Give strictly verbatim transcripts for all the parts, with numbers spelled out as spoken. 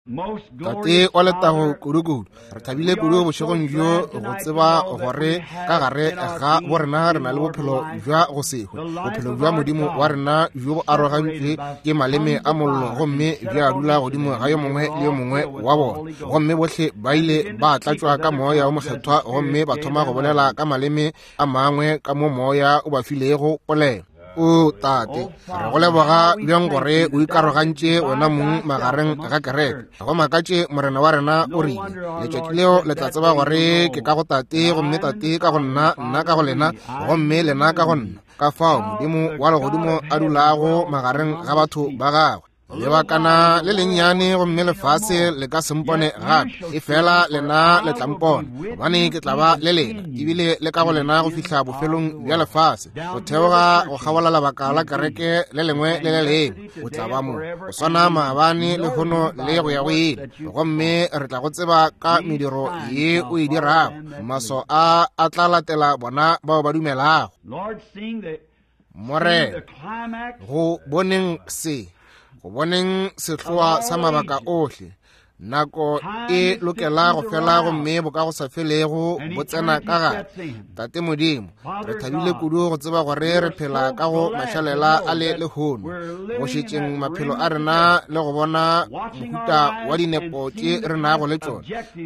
Tate wa letago kudu-kudu, re thabile kudu bošegong bjo go tseba gore ka gare ga borena re na le bophelo bja go se hwe, bophelo bja Modimo wa rena bjo bo arogantšwe ke maleme a mollo gomme bja dula godimo ga yo mongwe le yo mongwe wa bona. Gomme bohle ba ile ba tlatšwa ka moya o mokgethwa gomme ba thoma go bolela ka maleme a mangwe ka mo moya o ba filego polelo. O Tate, re go leboga bjang gore o ikarogantše wena mong magareng ga kereke. Go makatše Morena wa rena o rile, letšatši leo le tla tseba gore ke ka go Tate, gomme Tate ka go nna, nna ka go lena, gomme lena ka go nna. Ka fao Modimo wa legodimo a dulago magareng ga batho ba gagwe. Lebakana le lennyane gomme lefase le ka se mpone gape, efela lena le tla mpona, gobane ke tla ba le lena, ebile le ka go lena go fihla bofelong bja lefase, go theoga go kgabola lebaka la kereke le lengwe le le lengwe. O tla ba mo go swana maabane, lehono le go ya go ile, gomme re tla go tseba ka mediro ye o e dirago. Maso a a tla latela bona bao ba dumelago. Morena, go boneng se, go boneng sehloa sa mabaka ohle, nako e lokela go fela gomme bo ka go sa felego bo tsena ka gare. Tate Modimo, re thabile kudu go tseba gore re phela ka go mašalela a le lehono, go šetšeng maphelo a rena le go bona mohuta wa dinepo tše re nago le tšona,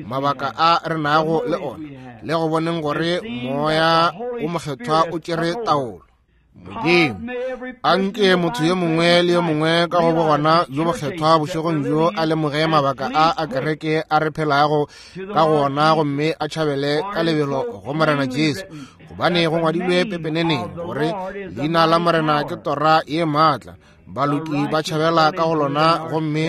mabaka a re nago le ona, le go boneng gore moya o mokgethwa o tšere taolo. Modimo, anke motho yo mongwe le yo mongwe ka go bogona bjo bokgethwa bošegong bjo a lemoge mabaka a a kereke a re phelago ka gona, gomme a tšhabele ka lebelo go Morena Jesu, gobane go ngwadilwe pepeneneng gore leina la Morena ke tora ye maatla, baloki ba tšhabela ka go lona gomme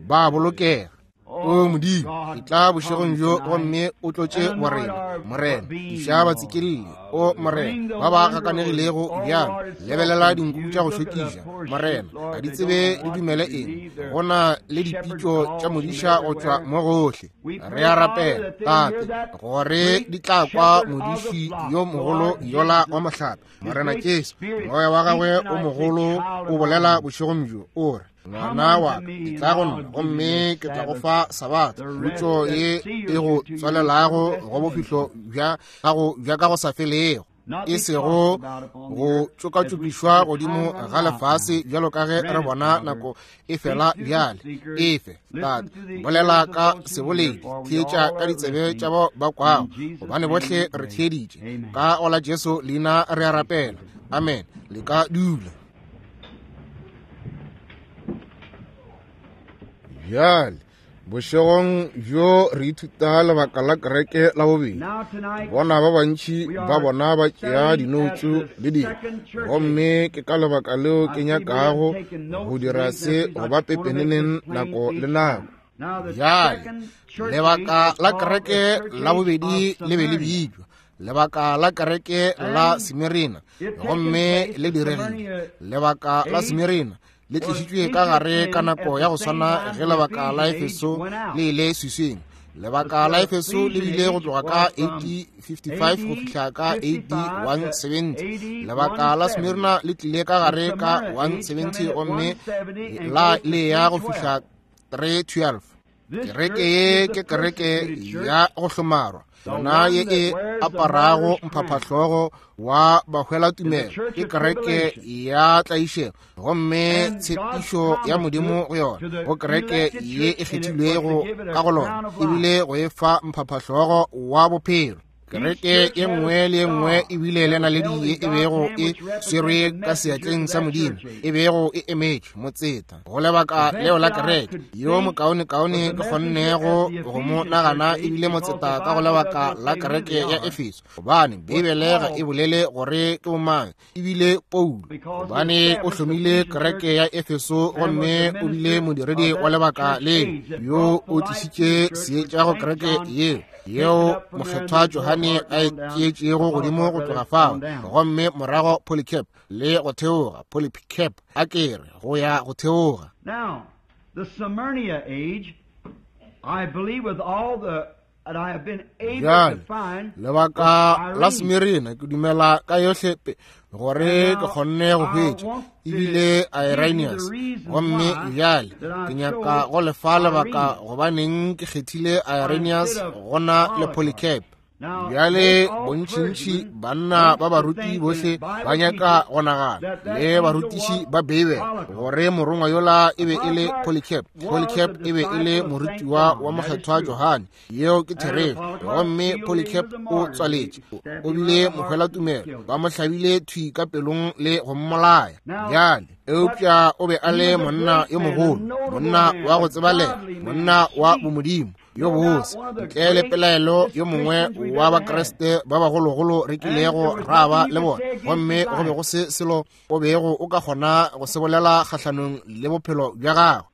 ba bolokega. O Modimo, etla bošegong bjo gomme o tlotše borena. Morena, iša batsikelle. O Morena, ba ba gakanegilego bjalo, lebelela dinku tša go šokiša. Morena, ga di tsebe di dumele eng. Go na le dipitšo tša modiša go tšwa mo gohle. Re a rapela, Tate, gore di tla kwa modiši yo mogolo yola wa mohlape, Morena Jesu. Moya wa gagwe o mogolo o bolela bošegong bjo, o re, ngwana wa ka, etla go nna gomme ke tla go fa sabatha, khutšo ye e go tswalelago go bophelo bja gago bja ka go sa felego, e sego go tšokatšokišwa godimo ga lefase bjalo ka ge re bona nako e fela bjale. Efe, Tate, bolela ka seboledi, theetša ka ditsebe tša bao ba kwago, gobane bohle re theeditše. Ka go la Jesu leina re a rapela. Amen. Le ka dula. Bjale, bošegong bjo re ithuta lebaka la kereke la bobedi. Bona ba bantši ba bona ba tšea dinoutsu le dilo, gomme ke ka lebaka leo ke nyakago go dira se go ba pepeneneng nako le nako. Bjale, lebaka la kereke la bobedi le be le bitšwa lebaka la kereke la Smirina, gomme le diregile. Lebaka la Smirina le tlišitšwe ka gare ka nako ya go swana ge lebaka la Efeso le ile swiswing. Lebaka la Efeso le bile go tloga ka A D fifty-five go fihla ka A D one seventy. Lebaka la Smirna le tlile ka gare ka one seventy gomme la le ya go fihla three twelve. Kereke ye ke kereke ya go hlomarwa, yona ye e aparago mphaphahlogo wa bahwelatumelo, ke kereke ya tlaišego, gomme tshepišo ya Modimo go yona, go kereke ye e kgethilwego ka go lona, ebile go e fa mphaphahlogo wa bophelo. Kereke ye nngwe le ye nngwe ebile le naledi ye e bego e swerwe ka seatleng sa Modimo, e bego e emetšwe motseta go lebaka leo la kereke. Yo mokaonekaone ke kgonnego go mo nagana ebile motseta ka go lebaka la kereke ya Efeso, gobane Beibele ga e bolele gore ke bomang, ebile Paulo, gobane o hlomile kereke ya Efeso gomme o bile modiredi wa lebaka leo, yo o tlišitše seetša go kereke yeo, yeo mokgethwa Johane a e tšeetšego godimo go tloga fao, gomme morago Polycarp le go theoga, Polycarp a kere go ya go theoga. Now, the Smyrna age, I believe with all the Bjale lebaka la Smirina ke dumela ka yohle gore ke kgonne go hwetša ebile Irenaeus. Gomme bjale ke nyaka go lefa lebaka gobaneng ke kgethile Irenaeus gona le Polycarp. Bjale bontšintši banna ba baruti bohle ba nyaka go nagana le barutiši ba Beibele gore morongwa yola e be e le Polycarp. Polycarp e be e le morutiwa wa mokgethwa Johane, yeo ke therešo. Gomme Polycarp o tswaletše, o bile mohwelatumelo, ba mo hlabile thwi ka pelong le go mmolaya. Bjale eupša o be a le monna yo mogolo, monna wa go tsebalega, monna wa bomodimo yo bose, ntle le pelaelo yo mongwe wa Bakriste ba bagologolo re kilego ra ba le bona. Gomme go be go se selo o bego o ka kgona go se bolela kgahlanong le bophelo bja gagwe.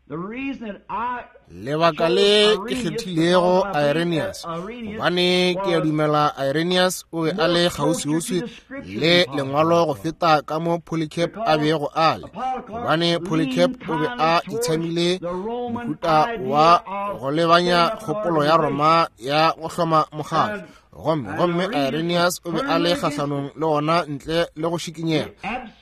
Lebaka le ke kgethilego Irenaeus, gobane ke a dumela Irenaeus o be a le kgauswiuswi le lengwalo go feta ka mo Polycarp a bego a le, gobane Polycarp o be a itshamile mohuta wa go lebanya kgopolo ya Roma ya go hloma mokgatlo. Gomme gomme Irenaeus o be a le kgahlanong le ona ntle le go šikinyega,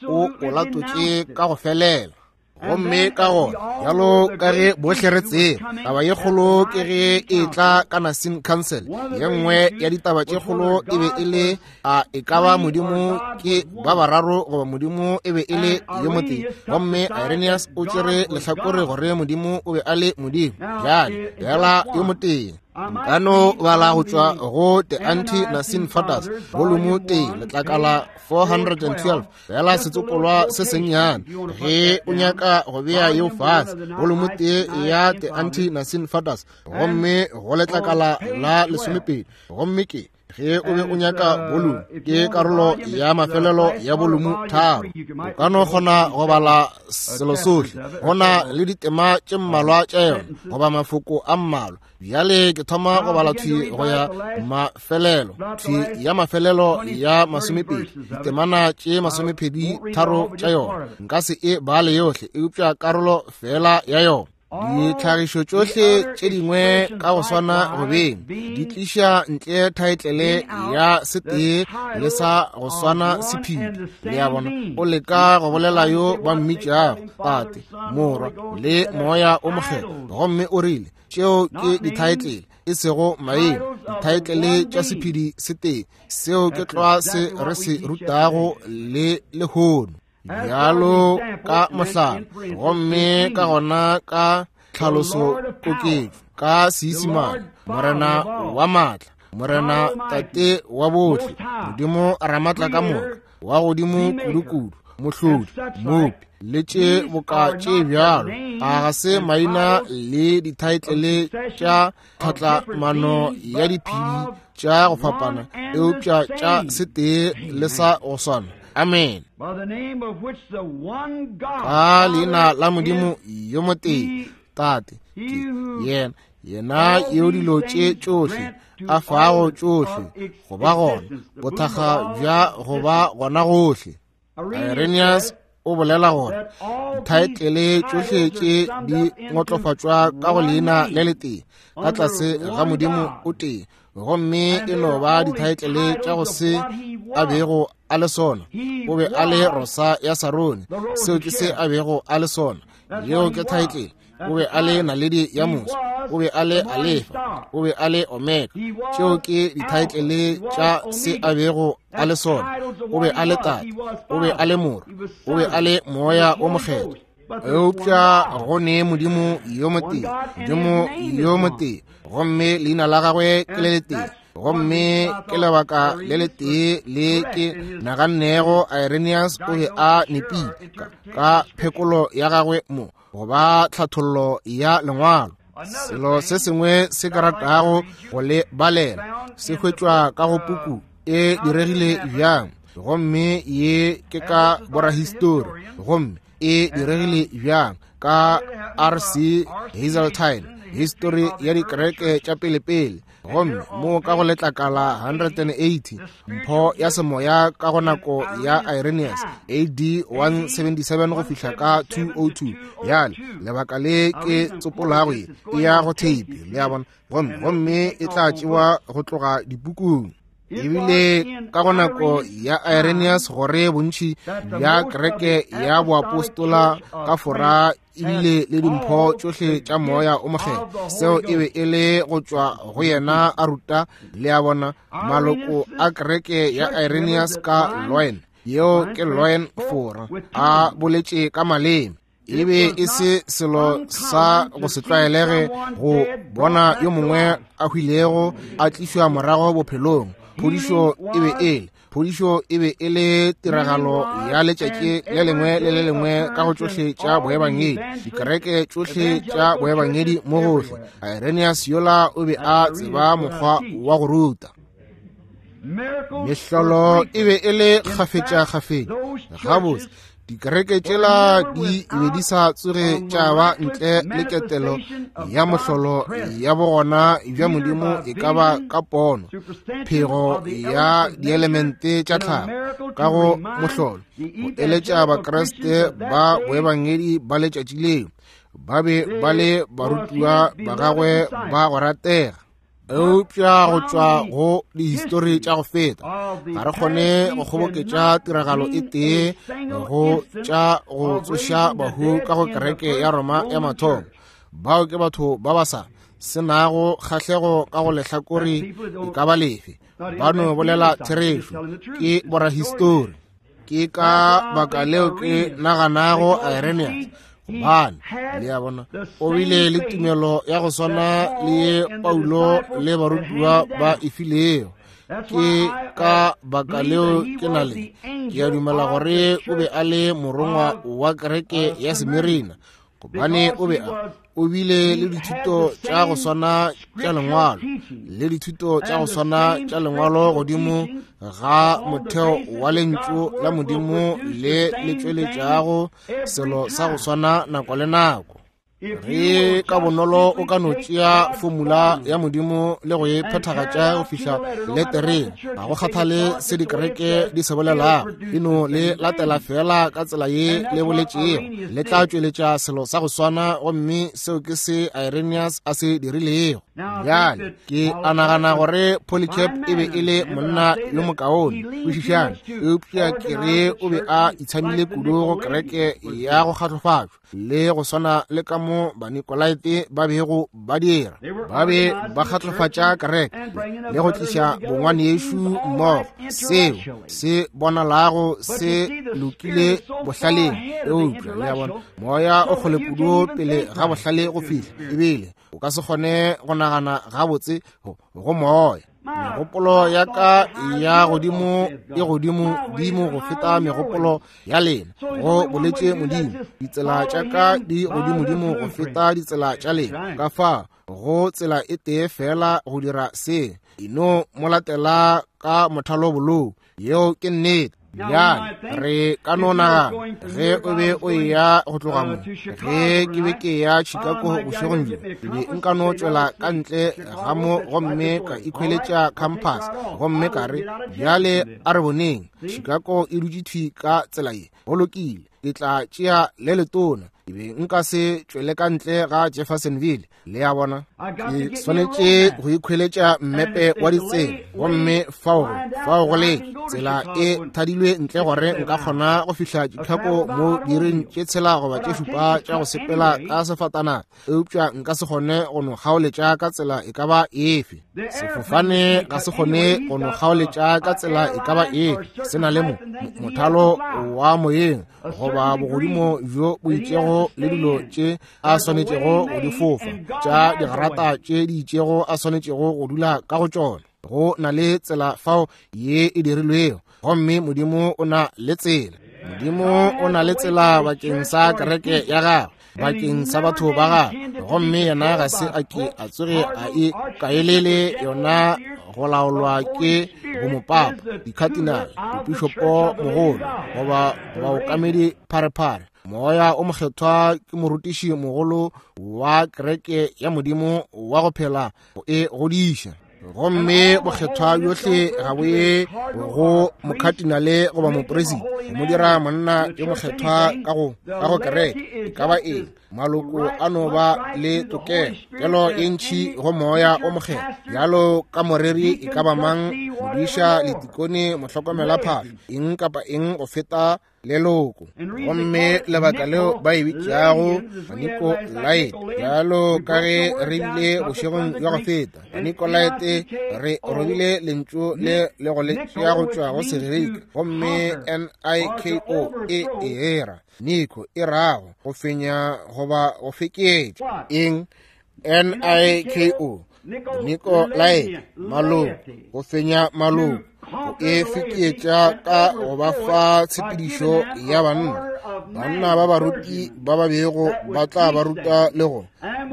o o latotše ka go felela. Gomme ka gona bjalo ka ge bohle re tseba, taba ye kgolo ke ge e tla ka Nicene Council. Ye nngwe ya ditaba tše kgolo e be e le a e ka ba Modimo ke ba bararo goba Modimo e be e le yo motee. Gomme Irenaeus o tšere lehlakore gore Modimo o be a le Modimo, bjale bjala yo motee. Nka no bala go tšwa go The Anti-Nicene Fathers, volume tee, letlakala four hundred and twelve, fela setsopolwa se sennyane ge o nyaka go bea yeo fase, volume tee ya The Anti-Nicene Fathers, gomme go letlakala la lesomepedi. Gomme ke ge o be o nyaka volume, ke karolo ya mafelelo ya volume tharo. O ka no kgona go bala selo sohle, go na le ditema tše mmalwa tša yona goba mafoko a mmalwa. Bjale ke thoma go bala thwi go ya mafelelo, thwi ya mafelelo ya masomepedi, ditemana tše masomepedi tharo tša yona. Nka se e bale yohle, eupša karolo fela ya yona. Ditlhagišo tšohle tše dingwe ka go swana go beng di tliša ntle thaetlele ya setee le sa go swana sephiri. Le a bona, o leka go bolela yo ba mmitšago Tate, Morwa le Moya o Mokgethwa, gomme o rile tšeo ke dithaetlele e sego maemo, dithaetlele tša sephiri setee. Seo ke tlwa se re se rutago le lehono bjalo ka mohlala, gomme ka gona ka tlhaloso koketšo ka Seisemane, Morena wa maatla, Morena Tate wa bohle, Modimo Ramatla ka moka, wa godimo kudu-kudu, Mohlodi, Mopi, le tše boka tše bjalo. A ga se maina le dithaetlele tša tlhatlamano ya diphedi tša go fapana, eupša tša setee le sa go swana. Amen. Ka leina la Modimo yo motee, Tate, ke yena, yena yo dilo tše tšohle a fago tšohle go ba gona, bothakga bja go ba gona gohle. Irenaeus o bolela gore dithaetlele tšohle tše di ngotlofatšwa ka go leina le letee ka tlase ga Modimo o tee, gomme e no ba dithaetlele tša go se a bego a le sona. O be a le Rosa ya Sarone, seo ke se a bego a le sona, yeo ke thaetlele. O be a le naledi ya moso, o be a le Alefa, o be a le Omega, tšeo ke dithaetlele tša se a bego a le sona. O be a le Tate, o be a le Morwa, o be a le Moya o Mokgethwa. Eupša go ne Modimo yo motee, Modimo yo motee, gomme leina la gagwe ke le letee. Gomme ke lebaka le letee le ke nagannego Irenaeus o be a nepile ka phekolo ya gagwe mo, goba tlhathollo ya lengwalo. Selo se sengwe se ke ratago go le balela se hwetšwa ka go puku e diregile bjang, gomme ye ke ka borahistori, gomme e diregile bjang ka R C Hazeltine. histori ya dikereke tša pelepele, gomme mo ka go letlakala one eighty, mpho ya semoya ka go nako ya Irenaeus A D one seventy-seven go fihla ka two oh two. Bjale lebaka le ke tsopolago ye e ya go theipi, le a bona, gomme gomme e tla tšewa go tloga dipukung. Ebile ka go nako ya Irenaeus gore bontši bja kereke ya boapostola ka Fora ebile le dimpho tšohle tša moya o mokgethwa, seo e be e le go tšwa go yena a ruta, le a bona, maloko a kereke ya Irenaeus ka Lyon, yeo ke Lyon Fora, a boletše ka maleme. E be e se selo sa go se tlwaelege go bona yo mongwe a hwilego a tlišwa morago bophelong. Phodišo e be e le phodišo e be e le tiragalo ya letšatši le lengwe le le lengwe ka go tšohle tša boebangedi, dikereke tšohle tša boebangedi mo gohle. Irenaeus yola o be a tseba mokgwa wa go ruta. Mehlolo e be e le kgafetša-kgafetša. Gabotse, dikereke tšela di be di sa tsoge tša ba ntle le ketelo ya mohlolo ya bogona bja Modimo, e ka ba ka pono, phego ya dielemente tša tlhago ka go mohlolo, go eletša Bakriste ba boebangedi ba letšatši leo, ba be ba le barutiwa ba gagwe ba go ratega. Eupša go tšwa go dihistori tša go feta, ga re kgone go kgoboketša tiragalo e tee go tša go tsoša bahu ka go kereke ya Roma ya mathomo. Bao ke batho ba ba sa senago kgahlego ka go lehlakore e ka ba lefe, ba no bolela therešo, ke borahistori. Ke ka baka leo ke naganago Irenaeus, gobane le a bona, o bile le tumelo ya go swana le ye Paulo le barutiwa ba e filego. Ke ka baka leo ke na le ke a dumela gore o be a le morongwa wa kereke ya Semirina, gobane o be a o bile le dithuto tša go swana tša lengwalo le dithuto tša go swana tša lengwalo godimo ga motheo wa lentšu la Modimo le le tšweletšago selo sa go swana nako le nako. Ge ka bonolo o ka no tšea formula ya Modimo le go e phethagatša go fihla letereng, ga go kgathale se dikereke di se bolelago, e no le latela fela ka tsela ye le boletšego, le tla tšweletša selo sa go swana, gomme seo ke se Irenaeus a se dirilego. Bjale ke a nagana gore Polycarp e be e le monna yo mokaone, kwešišane, eupša ke re o be a itshamile kudu go kereke ya go kgatlofatšwa, le go swana le ka mo Banikolaite ba bego ba dira, ba be ba kgatlofatša kereke le go tliša bongwanešu mmogo. Seo se bonalago se lokile bohlaleng, eupša le a bona, moya o kgole kudu pele ga bohlale go fihla, ebile o ka se kgone go nagana gabotse go moya. Megopolo ya ka ya godimo e godimo dimo go feta megopolo ya lena, go boletše Modimo. Ditsela tša ka di godimodimo go feta ditsela tša lena. Ka fa go tsela e tee fela go dira se, e no mo latela ka mothalo bolou. Yeo ke nnete. Bjale re ka no nagana ge o be o eya go tloga mo, ge ke be ke ya Chicago bošegong bjo, ke be nka no tšwela ka ntle ga mo gomme ka ikhweletša compass, gomme ka re, bjale a re boneng, Chicago e dutše thwi ka tsela ye, go lokile, ke tla tšea le letona. Ke be nka se tšwele ka ntle ga Jeffersonville, le a bona. Ke swanetše go ikhweletša mmepe wa ditsela, gomme fao fao go le tsela e thadilwe ntle gore nka kgona go fihla Chicago mo diiring tše tshela goba tše šupa tša go sepela ka sefatanaga, eupša nka se kgone go no kgaoletša ka tsela e ka ba efe. Sefofane ga se kgone go no kgaoletša ka tsela e ka ba efe, se na le mo mothalo wa moyeng goba bogodimo bjo bo itšego le dilo tše a swanetšego go di fofa, tša digrata tše di itšego a swanetšego go dula ka go tšona. Go na le tsela fao ye e dirilwego, gomme Modimo o na le tsela. Modimo o na le tsela bakeng sa kereke ya gagwe, bakeng sa batho ba gagwe, gomme yena ga se a ke a tsoge a e kaelele yona go laolwa ke bomopapa, dikhatinale, bopišopo mogolo goba baokamedi pharephare. Moya o Mokgethwa ke morutiši mogolo wa kereke ya Modimo wa go phela go e godiša. Gomme bokgethwa bjohle ga bo ye go mokhatinale goba mopresidente go mo dira monna yo mokgethwa ka go ka go kereke e ka ba eng. Maloko a no ba le tokelo kelo e ntši go Moya o Mokgethwa bjalo ka moreri e ka ba mang, modiša, letikone, mohlokomelaphahlo, eng kapa eng go feta leloko. Gomme lebaka leo ba e bitšago Banikolaite, bjalo ka ge re bile bošegong bja go feta, Banikolaite re robile lentšu le le go le tšea go tšwa go Segerika, gomme N I K O e era Niko e rago go fenya goba go feketša. Eng? N I K O, Nikolaite, maloko, go fenya maloko, go e feketša ka go ba fa tshepedišo ya banna. Banna ba baruti ba ba bego ba tla ba ruta le go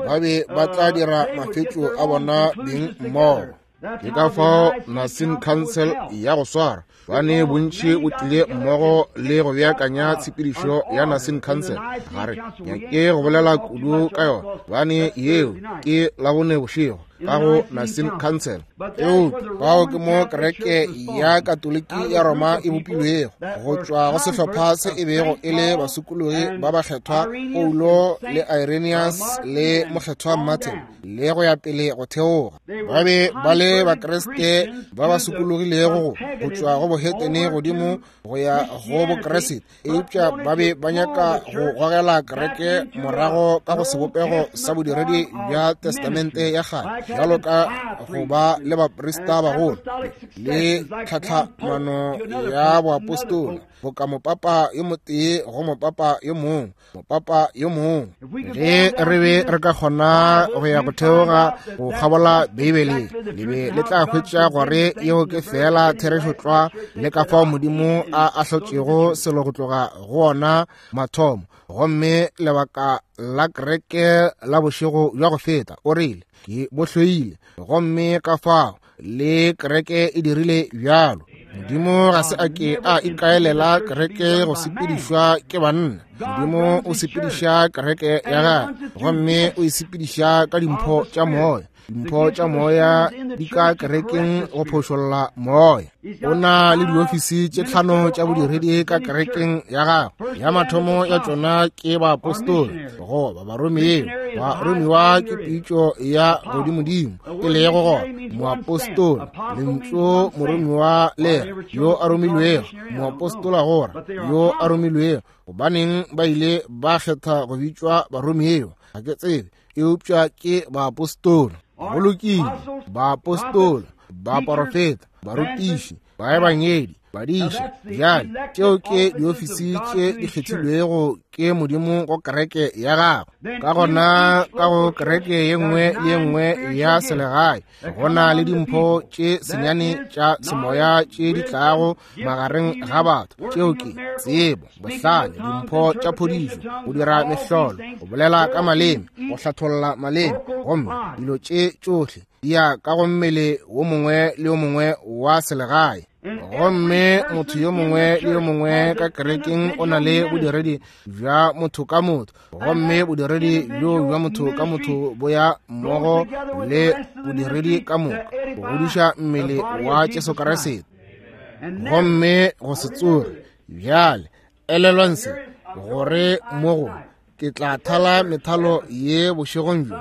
ba be ba tla dira mafetšo a bona beng mmogo. Ke ka fao Nicene Council ya go swara bane bontši o tlile mmogo le go beakanya tshepedišo ya Nicene Council. Ga re nyake go bolela kudu ka yona, bane yeo ke Labone bošego ka go Nicene Council. Eupša fao ke mo kereke ya Katoliki ya Roma e bopilwego go tšwa go sehlopha se e bego e le basokologi ba bakgethwa Paulo le Irenaeus le mokgethwa Martin le go ya pele go theoga. Ba be ba le Bakriste ba ba sokologilego go tšwa go bohetene godimo go ya go Bokriste, eupša ba be ba nyaka go gogela kereke morago ka go sebopego sa bodiredi bja Testamente ya kgale, bjalo ka go ba le baprista bagolo le tlhatlhamano ya boapostola, boka mopapa yo motee go mopapa yo mongwe, mopapa yo mongwe. Ge re be re ka kgona go ya go theoga go kgabola Beibele, le be le tla hwetša gore yeo ke fela therešo tlwa le ka fao Modimo a ahlotšego selo go tloga go ona mathomo. Gomme lebaka la kereke la bošego bja go feta, o rile ke bo hloile, gomme ka fao le kereke e dirile bjalo. Modimo ga se a ke a ikaelela kereke go sepedišwa ke banna. Modimo o sepediša kereke ya gagwe, gomme o e sepediša ka dimpho tša moya. Dimpho tša moya di ka kerekeng go phošolla moya. O na le diofisi tše tlhano tša bodiredi ka kerekeng ya gagwe. Ya mathomo ya tšona ke baapostola goba baromiwa. Baromiwa ke pitšo ya godimodimo, e lego gona moapostola, lentšu moromiwa le yo a romilwego, moapostola gora yo a romilwego. Gobaneng ba ile ba kgetha go bitšwa baromiwa? Ga ke tsebe, eupša ke baapostola. Go lokile, baapostola, baporofeta, barutiši, baebangedi, badiši. Bjale tšeo ke diofisi tše di kgethilwego ke Modimo go kereke ya gagwe. Ka gona ka go kereke ye nngwe le ye nngwe ya selegae go na le dimpho tše senyane tša semoya tše di tlago magareng ga batho. Tšeo ke tsebo, bohlale, dimpho tša phodišo, go dira mehlolo, go bolela ka maleme, go hlatholla maleme. Gomme dilo tše tšohle di ya ka go mmele wo mongwe le yo mongwe wa selegae. Gomme motho yo mongwe le yo mongwe ka kerekeng o na le bodiredi bja motho ka motho, gomme bodiredi bjo bja motho ka motho bo ya mmogo le bodiredi ka moka go godiša mmele wa Jesu Kriste. Gomme go se tsoge bjale, elelwang se, gore mo go ke tla thala methalo ye bošegong bjo.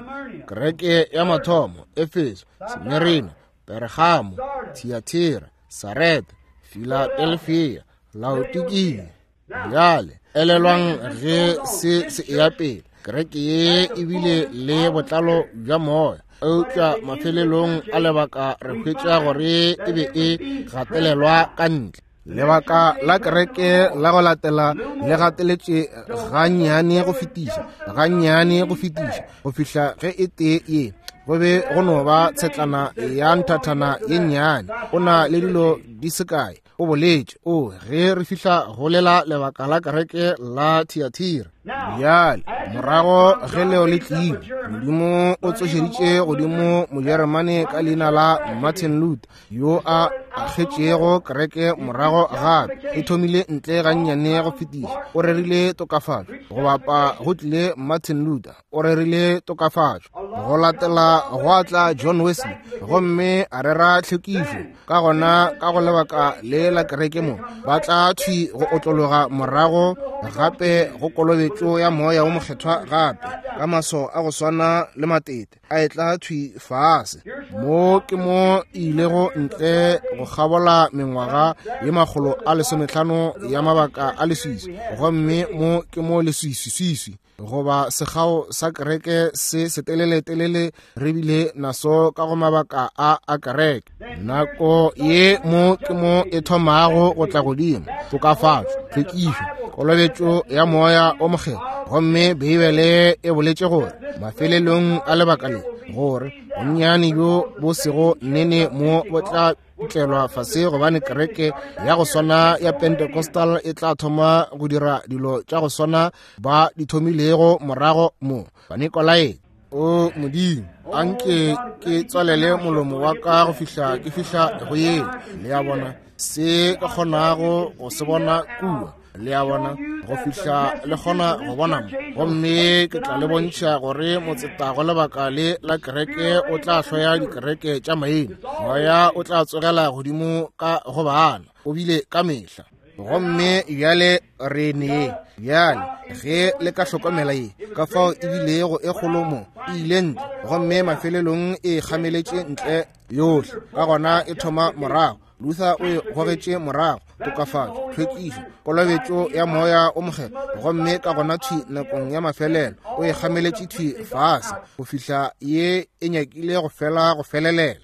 Kereke ya mathomo, Efeso, Smirina, Pergamo, Thiatira, Sarete, Filadelfia, Laodikia. Bjale elelwang ge se se eya pele, kereke ye e bile le botlalo bja moya, eupša mafelelong a lebaka re hwetša gore e be e gatelelwa ka ntle. Lebaka la kereke la go latela le gateletše gannyane go fetiša, gannyane go fetiša, go fihla ge e tee ye go be go no ba tshetlana ya nthathana ye nnyane. O na le dilo di se kae, o boletše. O ge re fihla go lela lebaka la kereke la Thiatira, Bjale morago ge leo le tlile, Modimo o tsošeditše godimo Mojeremane ka leina la Martin Luther, yo a agetšego kereke morago gape. E thomile ntle gannyane go fetiša. O rerile tokafatšo. Go bapa go tlile Martin Luther, o rerile tokafatšo. Go latela go tla John Wesley, gomme a rera tlhwekišo. Ka gona ka go lebaka le la kereke mo ba tla thwi go otlologa morago gape go kolobetšo ya moya wo mokgethwa gape ka maso a go swana le matete a etla thwi fase. Mo ke mo ilego ntle go kgabola mengwaga ye makgolo a lesometlhano ya mabaka a leswiswi, gomme mo ke mo leswiswiswiswi goba sekgao sa kereke se seteleletelele re bile naso ka go mabaka a a kereke. Nako ye mo ke mo e thomago go tla godimo, tokafatšo, tlhwekišo, kolobetšo ya moya o mokgethwa. Gomme Beibele e boletše gore mafelelong a lebaka le gore bonnyane bjo bo sego nene mo bo tla tlelwa fase, gobane kereke ya go swana ya Pentecostal e tla thoma go dira dilo tša go swana ba di thomilego morago mo Banikolaite. O Modimo, anke ke tswalele molomo wa ka go fihla ke fihla go yeo. Le a bona se ka kgonago go se bona kua, le a bona go fihla le kgona go bona mo. Gomme ke tla le bontšha gore motseta go lebaka le la kereke o tla hloya dikereke tša maina. Moya o tla tsogela godimo ka go bana, o bile ka mehla. Gomme bjale re ne bjale ge le ka hlokomela ye ka fao e bilego e kgolo mo e ile ntle, gomme mafelelong e kgameletše ntle yohle. Ka gona e thoma morago, Luther o e gogetše morago, tokafatšo, tlhwekišo, kolobetšo ya moya o mokgethwa. Gomme ka gona thwi nakong ya mafelelo o e kgameletše thwi fase go fihla ye e nyakile go fela go felelela.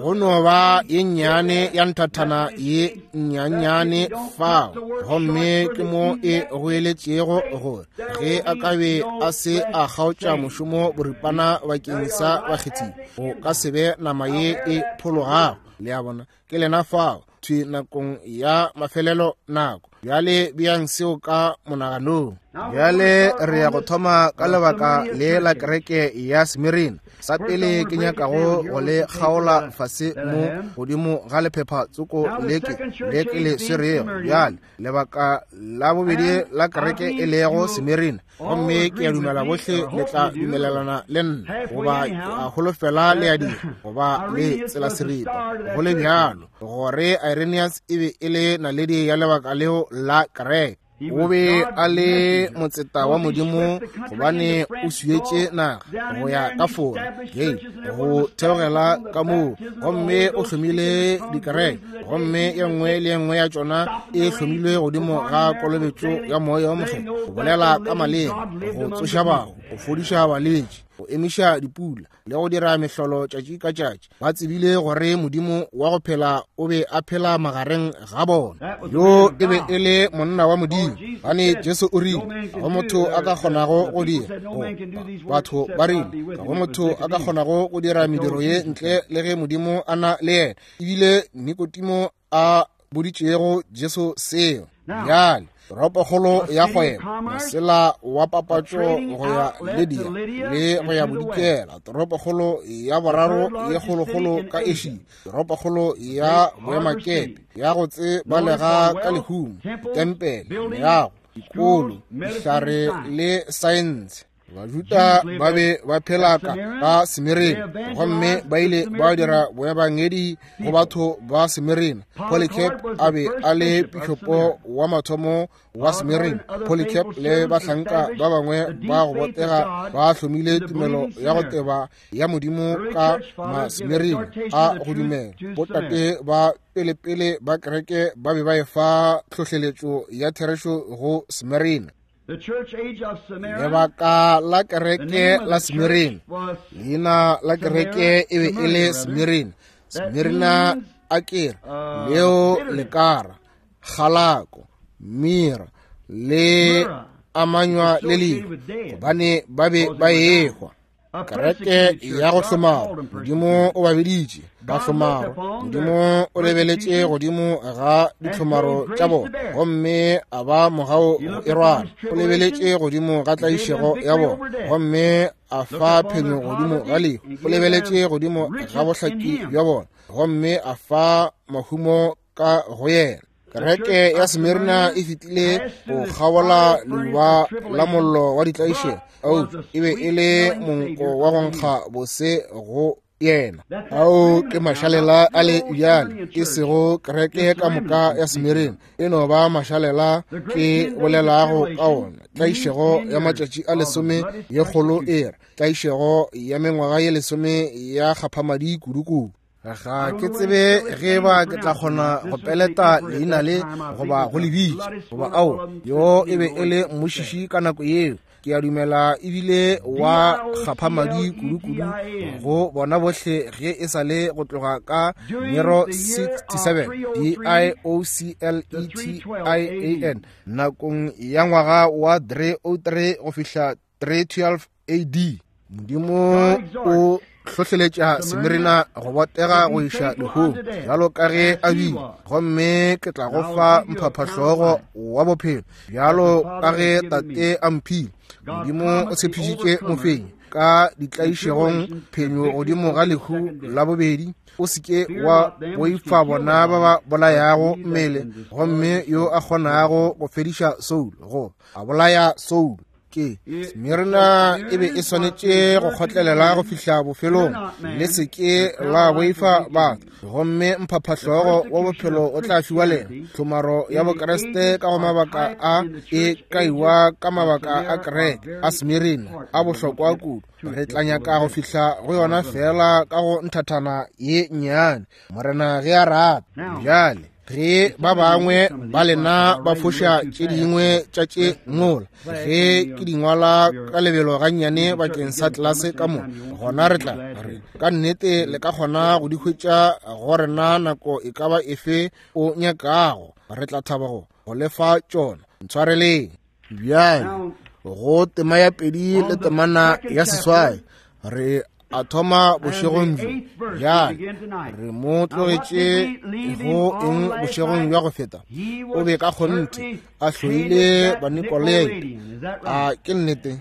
Go no ba ye nnyane ya nthathana ye nnyannyane fao, gomme ke mo e goeletšego gore ge a ka be a se a kgaotša mošomo boripana bakeng sa bakgethiwa, go ka se be nama ye e phologago. Le a bona, ke lena fao thwi nakong ya mafelelo nako. Bjale bjang seo ka monaganong. Bjale re ya go thoma ka lebaka le la kereke ya Smirna. Sa pele ke nyakago go le kgaola fase mo godimo ga lephepha tsoko leke le ke le swerego. Bjale lebaka la bobedi la kereke e lego Smirna, gomme ke a dumela bohle le tla dumelelana le nna, goba ke a holofela le a dira, goba le tsela seripa go le bjalo, gore Irenaeus e be e le naledi ya lebaka leo la kereke. O be a le motseta wa Modimo, gobane o swietše naga go ya ka Fora, Gaul, go theogela ka moo, gomme o hlomile dikereke, gomme ye nngwe le ye nngwe ya tšona e hlomilwe godimo ga kolobetšo ya moya o mokgethwa, go bolela ka maleme, go tsoša bahu, go fodiša balwetši, go emiša dipula le go dira mehlolo tšatši ka tšatši. Ba tsebile gore Modimo wa go phela o be a phela magareng ga bona. Yo e be e le monna wa Modimo, gane Jesu o rile ga go motho a ka kgonago go dira, batho ba rile ga go motho a ka kgonago go dira mediro ye ntle le ge Modimo a na le yena. Ebile Nikodimo a boditšego Jesu seo. Bjale toropokgolo ya kgwebo, mosela wa papatšo go ya Lydia le go ya bodikela, toropokgolo ya boraro ye kgolokgolo ka Asia, toropokgolo ya boemakepe ya go tsebalega ka lehumo, tempele, meago, dikolo, dihlare le saense. Bajuda ba be ba phela ka ka Smirna, gomme ba ile ba dira boebangedi go batho ba Smirna. Polycarp a be a le pišopo wa mathomo wa Smirna. Polycarp le bahlanka ba bangwe ba go botega ba hlomile tumelo ya go teba ya Modimo ka Masmirna a go dumela. Botate ba pelepele ba kereke ba be ba efa tlhohleletšo ya therešo go Smirna. Lebaka la kereke la Smirna, leina la kereke e be e le Smirna. Smirna a kere leo lekara, kgalako, mira le amanywa le lehu, gobane ba be ba ehwa. Kereke ya go hlomara, Modimo o ba biditše ba hlomaro. Modimo o lebeletše godimo ga ditlhomaro tša bona gomme a ba mogau go e rwala. O lebeletše godimo ga tlaišego ya bona gomme a fa phenyo godimo ga lehu. O lebeletše godimo ga bohlaki bja bona gomme a fa mahumo ka go yena. Kereke ya Smirna e fetile go kgabola leuba la mollo wa ditlaišego. Ao e be e le monko wa go nkga bose go yena. Ao ke mašalela a le bjale, e sego kereke ka moka ya Smirna, e no ba mašalela ke bolelago ka ona. Tlaišego ya matšatši a lesome ye kgolo e re tlaišego ya mengwaga ye lesome ya kgaphamadi kudukudu. Ga ke tsebe ge ba ke tla kgona go peleta leina le goba go le bitša goba ao yo e be e le mmušiši ka nako yeo. Ke a dumela ebile wa kgaphamadi kudukudu go bona bohle ge e sa le go tloga ka Nero sixty-seven D I O C L E T I A N nakong ya ngwaga wa three oh three go fihla three twelve A D. Modimo o hlohleletša Smirna go botega go iša lehung bjalo ka ge a bile, gomme ke tla go fa mphaphahlogo wa bophelo bjalo ka ge tate a mphile. Modimo o tshepišitše mofenyi ka ditlaišegong phenyo godimo ga lehu la bobedi. O se ke wa boifa bona ba ba bolayago mmele, gomme yo a kgonago go fediša soulo go a bolaya soulo. Ke Smirna e be e swanetše go kgotlelela go fihla bofelong. Le se ke la boifa batho, gomme mphaphahlogo wa bophelo o tla fiwa lena. Tlhomaro ya Bokreste ka go mabaka a e kaiwa ka mabaka a kereke a Smirna a bohlokwa kudu. Re tla nyaka go fihla go yona fela ka go nthathana ye nnyane, Morena ge a rata. Bjale ge ba bangwe ba lena ba foša tše dingwe tša tše ngola, ge ke di ngwala ka lebelo gannyane bakeng sa tlelase ka mo, gona re tla re ka nnete le ka kgona go di hwetša go rena nako e ka ba efe o nyakago. Re tla thaba go go lefa tšona. Ntshwareleng. Bjale go tema ya pedi le temana ya seswai re a thoma bošegong bjo. Bjale re mo tlogetše go eng bošegong bja go feta? O be ka kgonthe a hloile Banikolai. A ke nnete?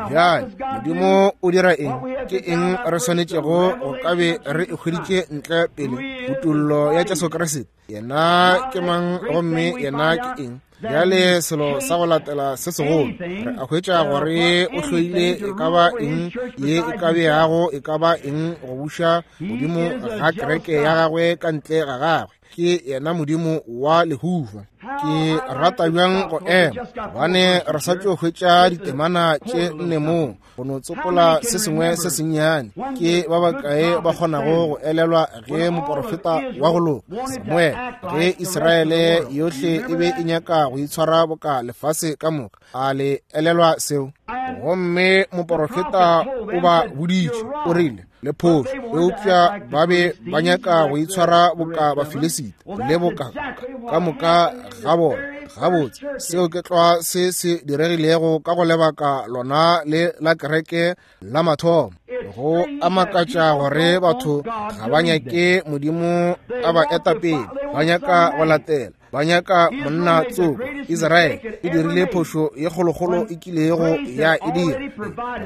Bjale Modimo o dira eng? Ke eng re swanetšego go ka be re e hweditše ntle pele? Kutollo ya Jesu Kriste. Yena ke mang gomme yena ke eng? Bjale selo sa go latela se segolo re a hwetša gore o hloile e ka ba eng ye e ka beago e ka ba eng go buša godimo ga kereke ya gagwe ka ntle ga gagwe. Ke yena Modimo wa lehufa. Ke rata bjang go ema, gobane re sa tšo hwetša ditemana tše nne moo go no tsopola se sengwe se sennyane. Ke ba bakae ba kgonago go elelwa ge moporofeta wa go loka Samuele, ge Israele yohle e be e nyaka go itshwara boka lefase ka moka? A le elelwa seo? Gomme moporofeta o ba boditše, o rile le phošo, eupša ba be ba nyaka go itshwara boka Bafilisita le boka ka moka ga bona. Gabotse, seo ke tlwa se se diregilego ka go lebaka lona le la kereke la mathomo. Go a makatša gore batho ga ba nyake Modimo a ba eta pele, ba nyaka go latela, ba nyaka monna tsoko. Israele e dirile phošo ye kgolokgolo e kilego ya e dira.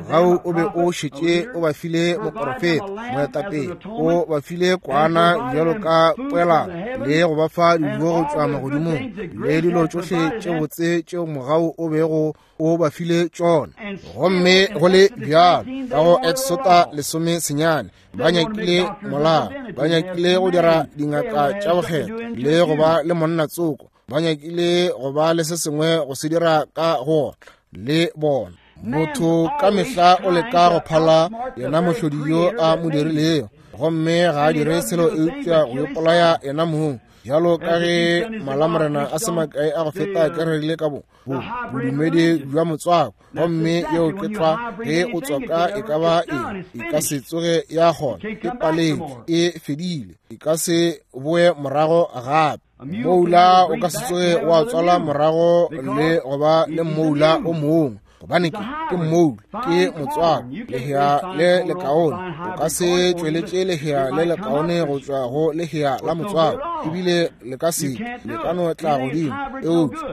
Mogau o be o šetše o ba file moporofeta, moetapele, o ba file kwana bjalo ka poelano le go ba fa dijo go tšwa magodimong le dilo tšohle tše botse tšeo mogau o bego o ba file tšona. Gomme go le bjalo ka go Exota lesome senyane ba nyakile molao, ba nyakile go dira dingaka tša bokgetho le go ba le monna tsoko, ba nyakile go ba le se sengwe go se dira ka go le bona. Motho ka mehla o leka go phala yena mohlodi yo a mo dirilego, gomme ga a dire selo eupša go ipolaya yena mong. Bjalo ka ge malamorena a se makae a go feta ke rerile ka bo bodumedi bja motswako, gomme yeo ke tlwa ge o tswaka e ka ba eng, e ka se tsoge ya kgona, e paletšwe, e fedile, e ka se boe morago gape. Moula o ka se tsoge wa tswala morago le go ba le moula o mongwe. gobane ke ke mmoulu, ke motswako, lehea le lekaone. O ka se tšweletše lehea le lekaone go tšwa go lehea la motswako, ebile le ka se le ka no tla godimo, eupša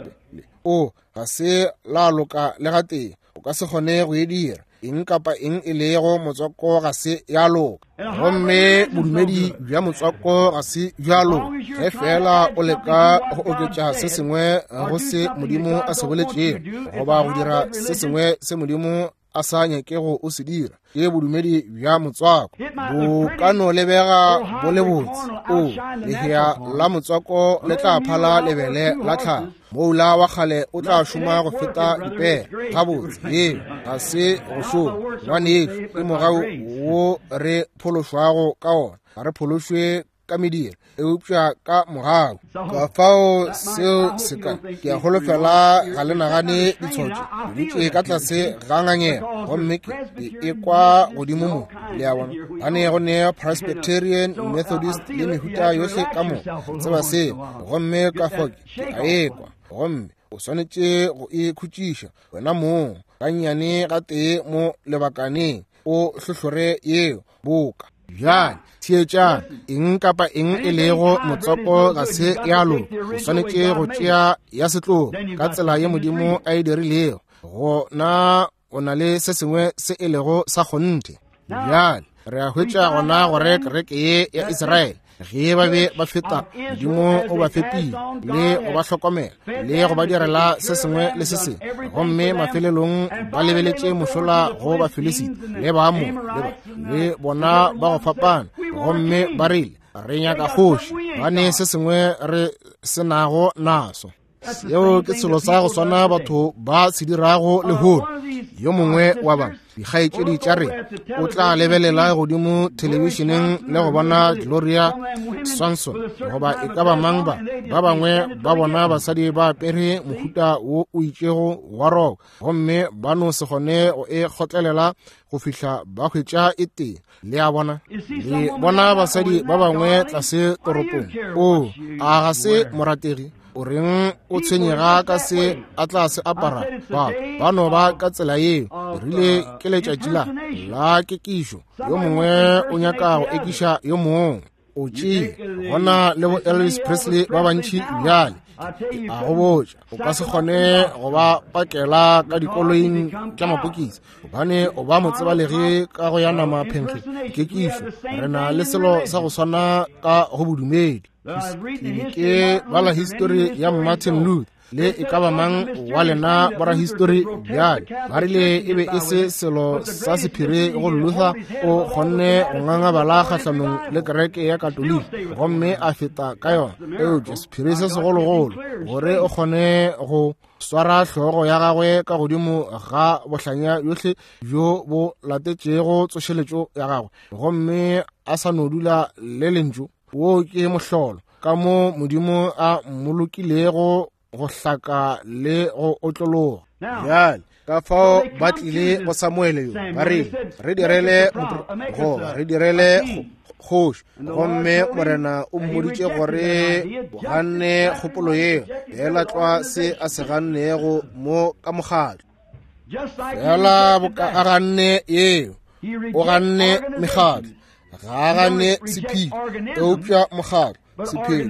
o ga se la loka le gatee. O ka se kgone go e dira. Eng kapa eng e lego motswako ga se ya loka, gomme bodumedi bja motswako ga se bja loka. Ge fela o leka go oketša se sengwe go se Modimo a se boletšego, goba go dira se sengwe se Modimo a sa nyakego o se dira, ke bodumedi bja motswako. Bo ka no lebega bo le botse, o lehea la motswako le tla phala lebele la tlhago. Moula wa kgale o tla šoma go feta dipere. Gabotse, yeo ga se go šoma, ngwanešu. Ke mogau wo re phološwago ka ona. Ga re phološwe ka mediro, eupša ka mogau. Ka fao seo se ka, ke a holofela ga le nagane ditshotšo. Ke dutše ka tlase ga ngangego, gomme ke e kwa godimo mo, le a bona, gane go ne Presbyterian, Methodist le mehuta yohle ka mo, tseba seo, gomme ka fao ke a ekwa. Gomme o swanetše go e khutšiša wena mong gannyane gatee mo lebakaneng, o hlohlore yeo boka. Bjale theetšang, eng kapa eng e lego motswako ga se ya loka. O swanetše go tšea ya setlogo ka tsela ye Modimo a e dirilego, gona o na le se sengwe se e lego sa kgonthe. Bjale re a hwetša gona gore kereke ye ya Israele, ge ba be ba feta, Modimo o ba fepile le go ba hlokomela le go ba direla se sengwe le se sengwe, gomme mafelelong ba lebeletše mošola go Bafilisita le Baamore le ba le bona ba go fapana, gomme ba rile, re nyaka kgoši, gobane se sengwe re se nago naso. Seo ke selo sa go swana batho ba se dirago lehono. Yo mongwe wa ba dikgaetšedi tša rena o tla lebelela godimo thelebišeneng le go bona Gloria Swanson goba e ka ba mang ba ba bangwe ba bona basadi ba apere mohuta wo o itšego wa roko, gomme ba no se kgone go e kgotlelela go fihla ba hwetša e tee. Le a bona, le bona basadi ba bangwe tlase toropong, o a ga se morategi, o reng o tshwenyega ka se a tla se apara? Ba ba no ba ka tsela yeo. Rile ke letšatši la la kekišo, yo mongwe o nyaka go ekiša yo mongwe. O tšee gona le bo Elvis Presley ba bantši bjale, a go botša, o ka se kgone go ba pakela ka dikoloing tša mapokisi, gobane o ba motsebalegi ka go ya nama phenkge kekišo. Re na le selo sa go swana ka go bodumedi. Ke ke bala histori ya Martin Luther le e ka ba mang wa lena borahistori bjale, ba rile e be e se selo sa sephiri go Luther o kgonne go ngangabala kgahlanong le kereke ya Katoliki gomme a feta ka yona, eupša sephiri se segologolo gore o kgone go swara hlogo ya gagwe ka godimo ga bohlanya bjohle bjo bo latetšego tsošeletšo ya gagwe, gomme a sa no dula le lentšu. Wo ke mohlolo ka mo Modimo a mmolokilego go hlaka le go otlologa. Bjale ka fao ba tlile go Samuele yo, ba rile, re direle goba re direle kgoši, gomme Morena o mmoditše gore o ganne kgopolo yeo, fela tlwa se a se gannego mo ka mokgatlo. Fela boka a ganne yeo, o ganne mekgatlo, ga a gane sephiri, eupša mokgatlo sephiri.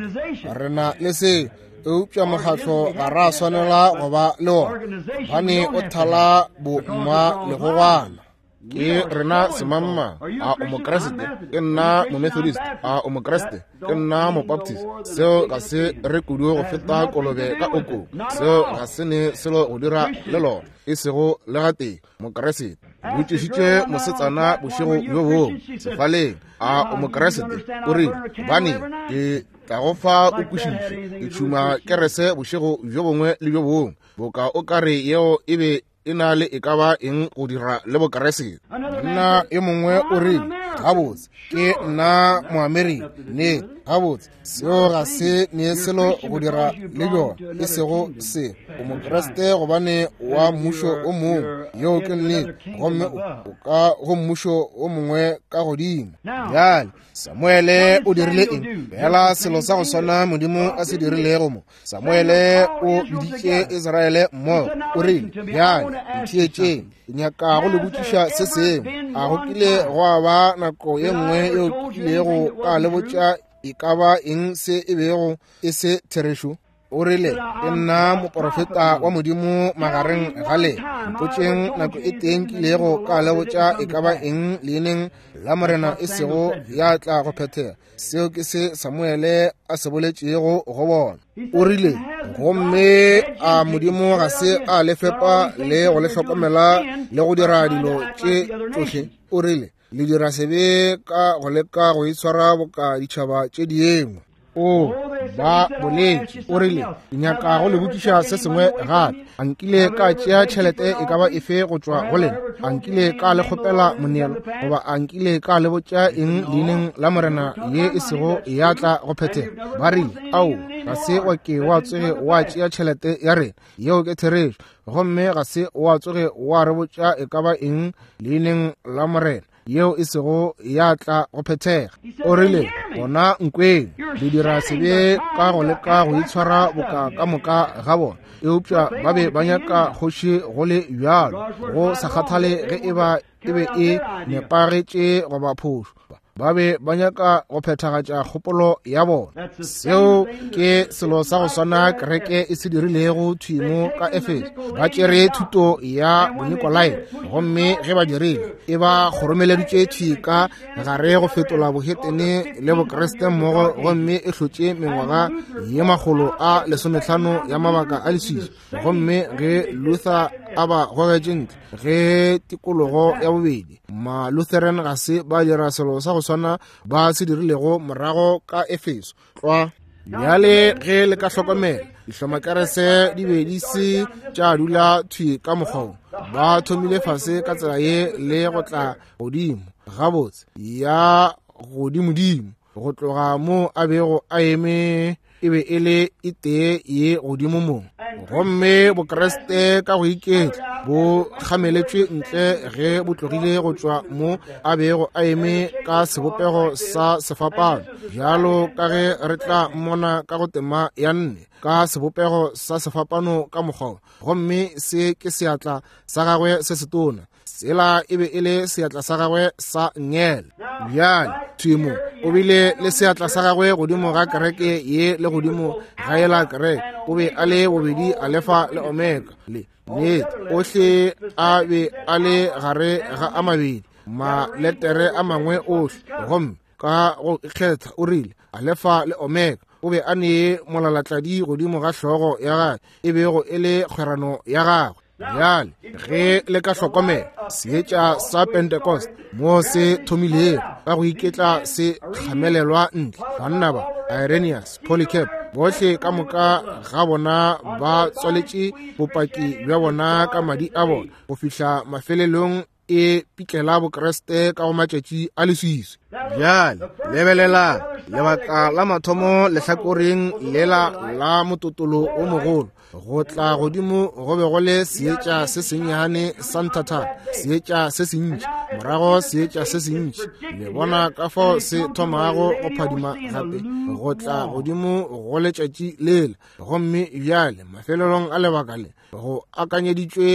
Re na le se, eupša mokgatlo ga ra swanela go ba le wona, gobane o thala bomma legogwana. Ke rena semangmang. A o Mokriste? Ke nna Momethodist. A o Mokriste? Ke nna Mobaptist. Seo ga se re kudu go feta kolobe ka okong. Seo ga se ne selo go dira le lona, e sego le gatee Mokriste. Botšišitše mosetsana bošego bjo bongwe sefaleng, a o Mokriste? O rile, gobane ke tla go fa o kwešiše, ke tšhuma kerese bošego bjo bongwe le bjo bongwe, boka o ka re yeo e be e na le e ka ba eng go dira le Bokriste. Monna e mongwe o rile, Gabotse, ke nna Moamerika. Nnete, gabotse, seo ga se ne selo go dira le bjona, e sego se. O Mokriste gobane wa mmušo o mongwe, yeo ke nnete, gomme o ka go mmušo o mongwe ka godimo. Bjale, Samuele o dirile eng? Fela selo sa go swana Modimo a se dirilego mo. Samuele o biditše Israele mmogo. O rile, bjale, ntheetšeng, ke nyaka go le botšiša se sengwe. A go kile gwa ba nako ye nngwe yeo kilego ka le botša e ka ba eng se e bego e se therešo? O rile, ke nna moprofeta wa Modimo magareng ga lena. Mpotšeng nako e teng kilego ka le botša e ka ba eng leineng la Morena e sego ya tla go phethega. Seo ke se Samuele a se boletšego go bona. O rile, gomme a Modimo ga se a le fepa le go le hlokomela le go dira dilo tše tšohle? O rile, le dira sebe ka go leka go itshwara boka ditšhaba tše dingwe. O ba boletše. O rile, ke nyaka go le botšiša se sengwe gape. A nkile ka tšea tšhelete e ka ba efe go tšwa go lena? A nkile ka le kgopela moneelo? Goba a nkile ka le botša eng leineng la Morena ye e sego ya tla go phethega? Ba rile, ao, ga se wa ke wa tsoge wa tšea tšhelete ya rena. Yeo ke therešo. Gomme ga se wa tsoge wa re botša e ka ba eng leineng la Morena yeo e sego ya tla go phethega. O rile, gona nkweng, le dira sebe ka go leka go itshwara boka ka moka ga bona. Eupša ba be ba nyaka kgoši go le bjalo, go sa kgathale ge e ba e be e nepagetše goba phošo. Ba be ba nyaka go phethagatša kgopolo ya bona. Seo ke selo sa go swana kereke e se dirilego thwi mo ka Efeso. Ba tšere thuto ya Bonikolai, gomme ge ba dirile, e ba kgoromeleditše thwi ka gare go fetola bohetene le Bokriste mmogo, gomme e hlotše mengwaga ye makgolo a lesomehlano ya mabaka a leswiswi. Gomme ge Luther a ba gogetše ntle, ge tikologo ya bobedi, ma-Lutheran ga se ba dira selo sa go swana ba se dirilego morago ka Efeso. Tlwa. Bjale ge le ka hlokomela, dihlomakerese di be di se tša dula thwi ka mokgwa. Ba thomile fase ka tsela ye le go tla godimo gabotse ya godimodimo, go tloga mo a bego a eme e be e le e tee ye godimo mo. Gomme Bokriste ka go iketla bo kgameletšwe ntle ge bo tlogile go tšwa mo a bego a eme ka sebopego sa sefapano, bjalo ka ge re tla mmona ka go tema ya nne, ka sebopego sa sefapano ka mokgwa. Gomme se ke seatla sa gagwe se setona, sela e be e le seatla sa gagwe sa ngele. Bjale thwi mo o bile le seatla sa gagwe godimo ga kereke ye le godimo ga yela kereke. O be a le bobedi Alefa le Omega, le nnete ohle a be a le gare ga a mabedi maletere a mangwe ohle. Gomme ka go ikgetha o rile Alefa le Omega. O be a ne molalatladi godimo ga hlogo ya gagwe, e bego e le kgwerano ya gagwe. Bjale ge le ka hlokomela seetša sa Pentecost mo se thomilego ka go iketla se kgamelelwa ntle, banna ba Irenaeus, Polycarp, bohle ka moka ga bona ba tswaletše bopaki bja bona ka madi a bona go fihla mafelelong e pitlela Bokriste ka go matšatši a leswiswi. Bjale lebelelang lebaka la mathomo lehlakoreng lela la mototolo o mogolo, go tla godimo go be go le seetša se sennyane sa nthathana, seetša se sentši, morago seetša se sentši. Le bona ka fao se thomago go phadima gape go tla godimo go letšatši lela. Gomme bjale mafelelong a lebaka le go akanyeditšwe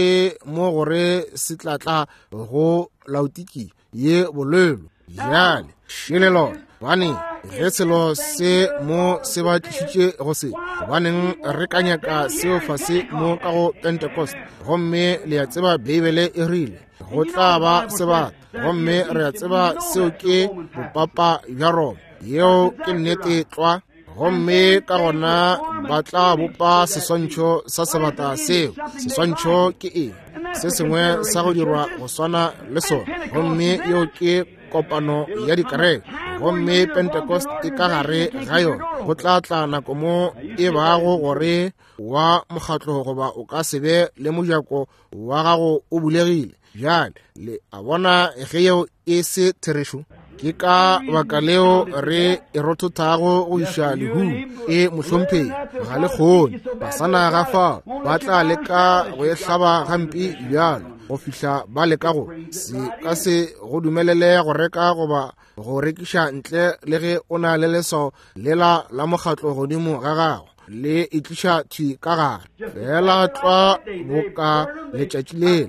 mo gore se tla tla go Laodikia ye bolelo. Bjale šele lona, gobane ge selo se mo se ba tlišitše go se, gobaneng re ka nyaka seo fase mo ka go Pentecost? Gomme le a tseba Beibele e rile go tla ba sebata, gomme re a tseba seo ke bopapa bja Roma. Yeo ke nnete tlwa. Gomme ka gona ba tla bopa seswantšho sa sebata seo. Seswantšho ke eng? Se sengwe sa go dirwa go swana le sona. Gomme yeo ke kopano ya dikereke. Gomme Pentecost e ka gare ga yona. Go tla tla nako mo e bago gore wa mokgatlo goba o ka se be le mojako wa gago o bulegile. Bjale le a bona ge yeo e se therešo. Ke ka baka leo re e rothothago go iša lehung. E mohlomphegi, ga le kgone. Basana ga fao ba tla leka go e hlaba gampe bjalo go fihla ba leka go se ka se go dumelele go reka goba go rekiša ntle le ge o na le leswao lela la mokgatlo godimo ga gago, le e tliša thwi ka gare. Fela tlwa boka letšatši lela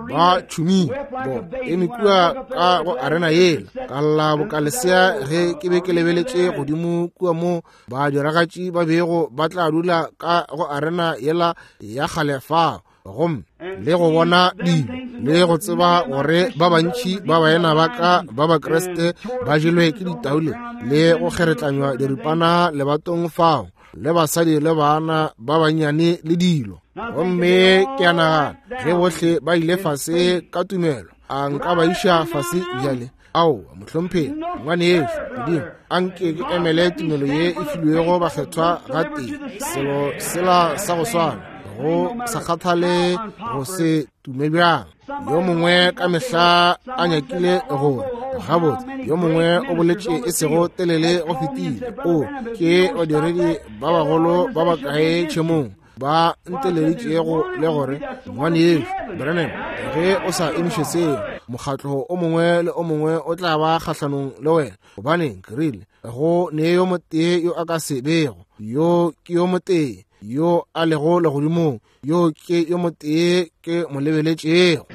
ba tšhumile bo eme kua ka go arena yela, ka lla boka lesea ge ke be ke lebeletše godimo kua mo badiragatši ba bego ba tla dula ka go arena yela ya kgale fao, gomme le go bona dilo le go tseba gore ba bantši ba baena ba ka ba Bakriste ba jelwe ke ditaule le go kgeretlanywa diripana lebatong fao, le basadi le bana ba bannyane le dilo. Gomme ke a nagana ge bohle ba ile fase ka tumelo, a nka ba iša fase bjale? Aowa, mohlomphegi, ngwanešu, Modimo a nke ke emele tumelo ye e filwego bakgethwa gatee, selo sela sa go swana, go sa kgathale go se tume bjang. Yo mongwe ka mehla a nyakile gore gabotse, yo mongwe o boletše e sego telele go fetile, o ke badiredi ba bagolo ba bakae tšhemong ba nteleditšego le gore ngwanešu Branham, ge o sa emiše seo, mokgatlo o mongwe le o mongwe o tla ba kgahlanong le wena. Gobaneng, ke rile, go ne yo motee yo a ka se bego, yo ke yo motee yo a lego legodimong, yo ke yo motee ke mo lebeletšego.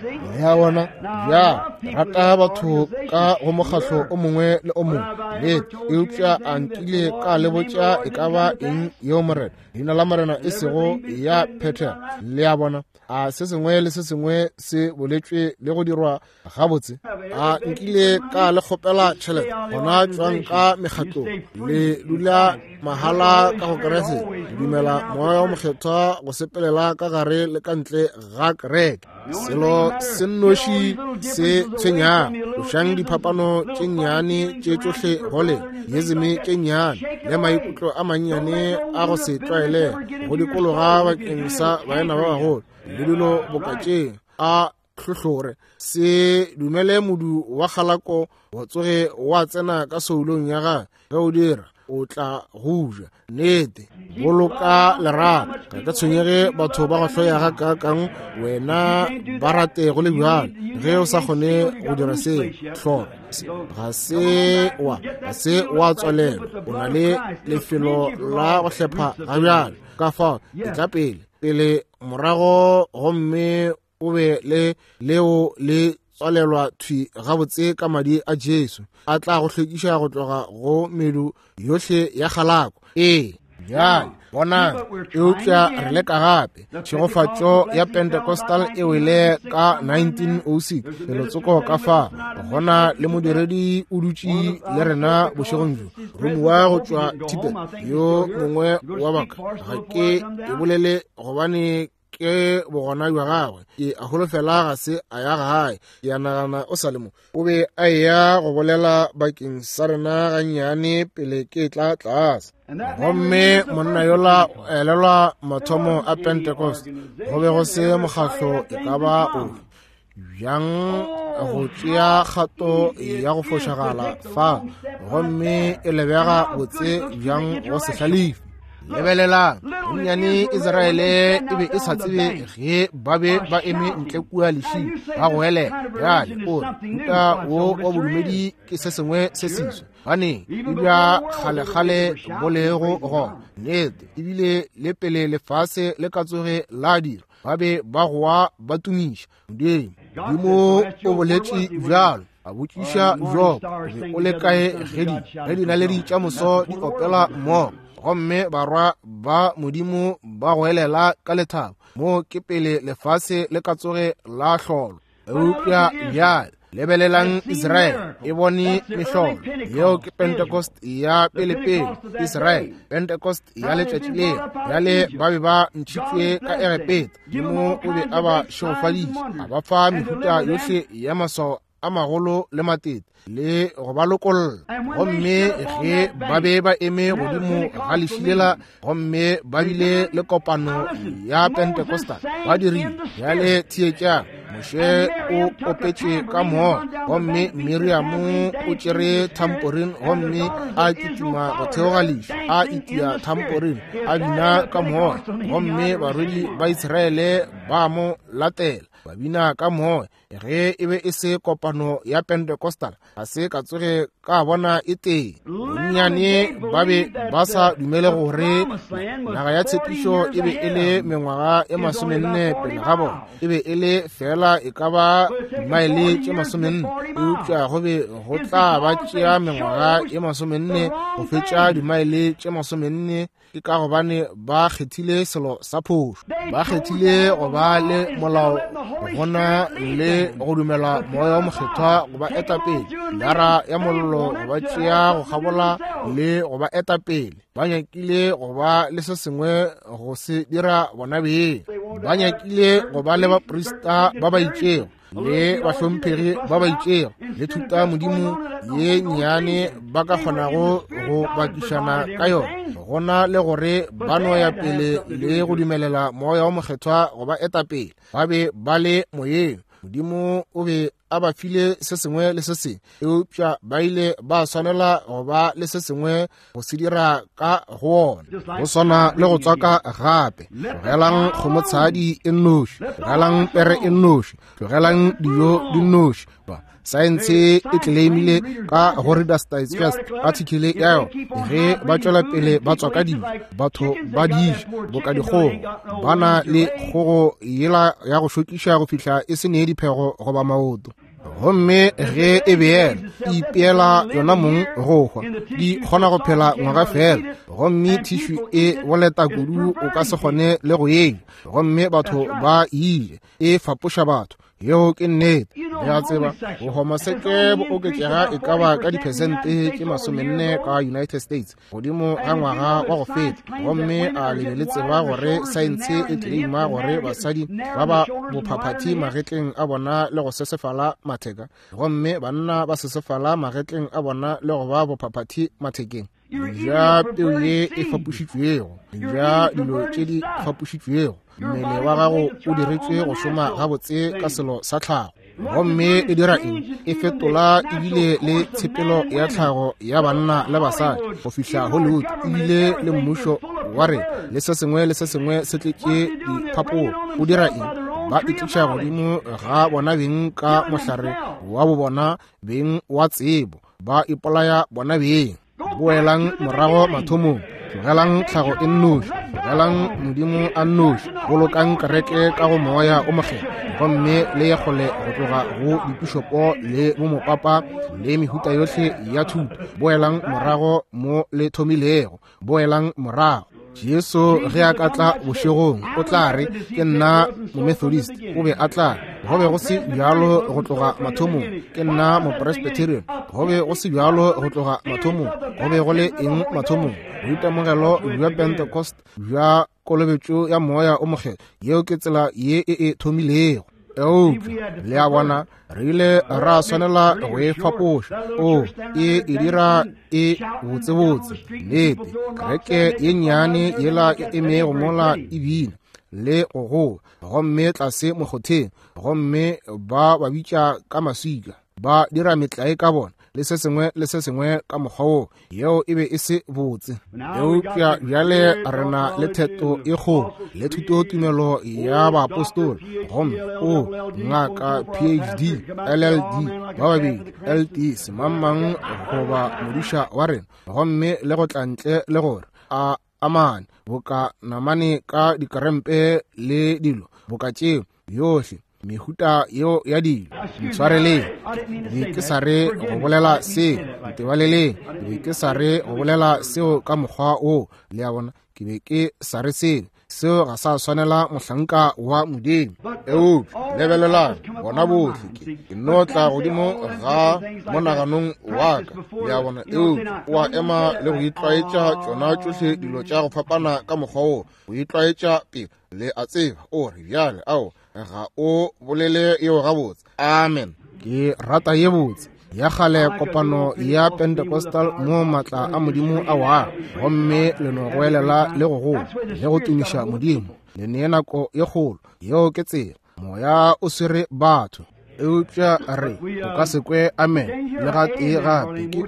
Ya bona, ya rata batho ka go mokgatlo o mongwe le o mongwe, nnete, eupša a nkile ka le botša e ka ba eng yeo Morena, leina la Morena e sego ya phethega. Le a bona, a se sengwe le se sengwe se boletšwe le go dirwa gabotse. A nkile ka le kgopela tšhelete, gona tšwang ka mekgatlong, le dula mahala ka go Kriste, le dumela Moya o Mokgethwa go sepelela ka gare le ka ntle ga kereke. Selo se nnoši se tshwenyago, tlošang diphapano tše nnyane tše tšohle go lena, diezeme tše nnyane le maikutlo a mannyane a go se tlwaelege go dikologa bakeng sa baena ba bagolo le dilo boka tše a hlohlore. Se dumele modu wa kgalako wa tsoge wa tsena ka soulong ya gagwe. Ge o dira, o tla go ja. Nnete, boloka lerato. Ga ke tshwenyege batho ba go hloya ga kakang, wena ba rate go le bjalo. Ge o sa kgone go dira seo, hlora ga se wa ga se wa tswalelwa, o na le lefelo la go hlepha ga bjalo. Ka fao e tla pele pele morago, gomme o be le leo le tswalelwa thwi gabotse ka madi a Jesu, a tla go hlwekiša go tloga go medu yohle ya kgalako. Ee, bjale bonang, eupša re leka gape. Tšhegofatšo ya Pentecostal e wele ka nineteen oh six, felotsoko ka fa. Gona le modiredi o dutše le rena bošegong bjo, romiwa go tšwa Tibet, yo mongwe wa baka. Ga ke e bolele gobane ke bogona bja gagwe, ke a holofela ga se a ya gae, ke a nagana o sa le mo. O be a eya go bolela bakeng sa rena gannyane pele ke tla tlase. Gomme monna yola o elelwa mathomo a Pentecost, go be go se mokgatlo e ka ba ofe bjang go tšea kgato ya go fošagala fa, gomme e lebega botse bjang go se hlalefe. Lebelelang, bonnyane Israele e be e sa tsebe ge ba be ba eme ntle kua lešing ba go elela. Bjale o re mohuta wo wa bodumedi ke se sengwe se seswa, baneng e bja kgalekgale bo lego gona. Nnete, ebile le pele lefase le ka tsoge la dirwa, ba be ba goa ba tumiša Modimo. Modimo o boletše bjalo, a botšiša Job, o be o le kae ge di ge dinaledi tša moso di opela mmogo, gomme barwa ba Modimo ba goelela ka lethabo? Mo ke pele lefase le ka tsoge la hlolwa. Eupša bjale lebelelang Israele e bone mehlolo. Yeo ke Pentecost ya pelepele, Israele, Pentecost ya letšatši leo. Bjale ba be ba ntšhitšwe ka Egepeta, Modimo o be a ba šegofaditše, a ba fa mehuta yohle ya maswao a magolo le matete le go ba lokolla. Gomme ge ba be ba eme godimo ga lešilela, gomme ba bile le kopano ya Pentecostal, ba dirile. Bjale theetšang, Moshe o opetše ka moya, gomme Miriamo o tšere tamporine gomme a kitima go theoga leši, a itia tamporine, a bina ka moya, gomme barwedi ba Israele ba mo latela, ba bina ka moya. Ge e be e se kopano ya Pentecostal, ga se ka tsoge ka bona e tee. Bonnyane ba be ba sa dumele gore naga ya tshepišo e be e le mengwaga e masomenne pele ga bona, e be e le fela e ka ba dimaele tše masomenne, eupša go be go tla ba tšea mengwaga e masomenne go fetša dimaele tše masomenne. Ke ka gobane ba kgethile selo sa phošo, ba kgethile go ba le molao gona le go dumela moya wa mokgethwa go ba eta pele, lara ya mollo go ba tšea go kgabola le go ba eta pele. Ba nyakile go ba le se sengwe go se dira bona beng, ba nyakile go ba le baprista ba ba itšego le bahlomphegi ba ba itšego le thuta modimo ye nnyane ba ka kgonago go bakišana ka yona, gona le gore ba no ya pele le go dumelela moya wa mokgethwa go ba eta pele. Ba be ba le moyeng, Modimo o be a ba file se sengwe le se sengwe, eupša ba ile ba swanela go ba le se sengwe go se dira ka go ona. Go swana le go tswaka gape, tlogelang kgomotshadi e nnoši, tlogelang pere e nnoši, tlogelang dijo di nnoši. Saense e tleleimile ka go Reader's Digest article ya yona, ge ba tšwela pele ba tswaka dijo, batho ba di ja boka dikgogo, ba na le kgogo yela ya go šokiša go fihla e se ne diphego goba maoto. Gomme ge e beela, e ipeela yona mong go hwa, di kgona go phela ngwaga fela, gomme tissue e boleta kudu o ka se kgone le go e ja, gomme batho ba ile e fapoša batho. Yeo ke nnete. Le a tseba, bohomoseke bo oketšega e ka ba ka diphesente tše masomenne ka United States godimo ga ngwaga wa go feta, gomme a le be le tseba gore saense e tleleima gore basadi ba ba bophaphathi magetleng a bona le go sesefala matheka, gomme banna ba sesefala magetleng a bona le go ba bophaphathi mathekeng. Ja peu ye e fapošitšwego, ja dilo tše di fapošitšwego, mmele wa gago o diretšwe go šoma gabotse ka selo sa tlhago. Gomme e dira eng? E fetola ebile le tshepelo ya tlhago ya banna le basadi go fihla Hollywood, ebile le mmušo wa re le se sengwe le se sengwe se tletše diphapogo. O dira eng? Ba itliša godimo ga bona beng ka mohlare wa bo bona beng wa tsebo, ba ipolaya bona beng. Boelang morago mathomong, tlogelang tlhago e nnoši, tlogelang Modimo a nnoši, bolokang kereke ka go moya o mokgethwa, gomme le ye kgole go tloga go dipišopo le bomopapa le mehuta yohle ya thuto. Boelang morago mo le thomilego, boelang morago. Jesu ge a ka tla bošegong o tla re, ke nna Momethodist, o be a tla re, go be go se bjalo go tloga mathomong, ke nna Mopresbyterian, go be go se bjalo go tloga mathomong. Go be go le eng mathomong? Boitemogelo bja Pentecost bja kolobetšo ya moya o mokgethwa. Yeo ke tsela ye e e thomilego. Eupša le a bona, re ile ra swanela go e fapoša. O e e dira e botsebotse. Nnete, kereke ye nnyane yela e emego mola e bina le go goa, gomme tlase mokgotheng, gomme ba ba bitša ka maswika, ba dira metlae ka bona le se sengwe le se sengwe ka mokgwa wo. Yeo e be e se botse. Eupša bjale re na le theto e kgolo le thutotumelo ya baapostola, gomme o ngaka P H D, L L D, ba babedi L T, semangmang goba modiša wa rena, gomme le go tla ntle le gore a amane boka namane ka dikrempe le dilo boka tšeo yohle mehuta yeo ya dilo. Ntshwareleng, be ke sa re go bolela seo, ntebaleleng, be ke sa re go bolela seo ka mokgwa wo, le a bona, ke be ke sa re seo. Seo ga sa swanela mohlanka wa Modimo. Eupša lebelelang bona bohle, ke ke no tla godimo ga monaganong wa ka, le a bona. Eupša o a ema le go itlwaetša tšona tšohle dilo tša go fapana ka mokgwa wo, go itlwaetša pele, le a tseba, o re bjale, ao ga o bolele yeo gabotse. Amen. Ke rata ye botse ya kgale kopano ya Pentecostal mo maatla a Modimo a wa, gomme le no goelela le go goa le go tumiša Modimo, le nee nako ye kgolo. Yeo ke tsela. Moya o swere batho. Eupša re o ka se kwe amen le gatee gape, ke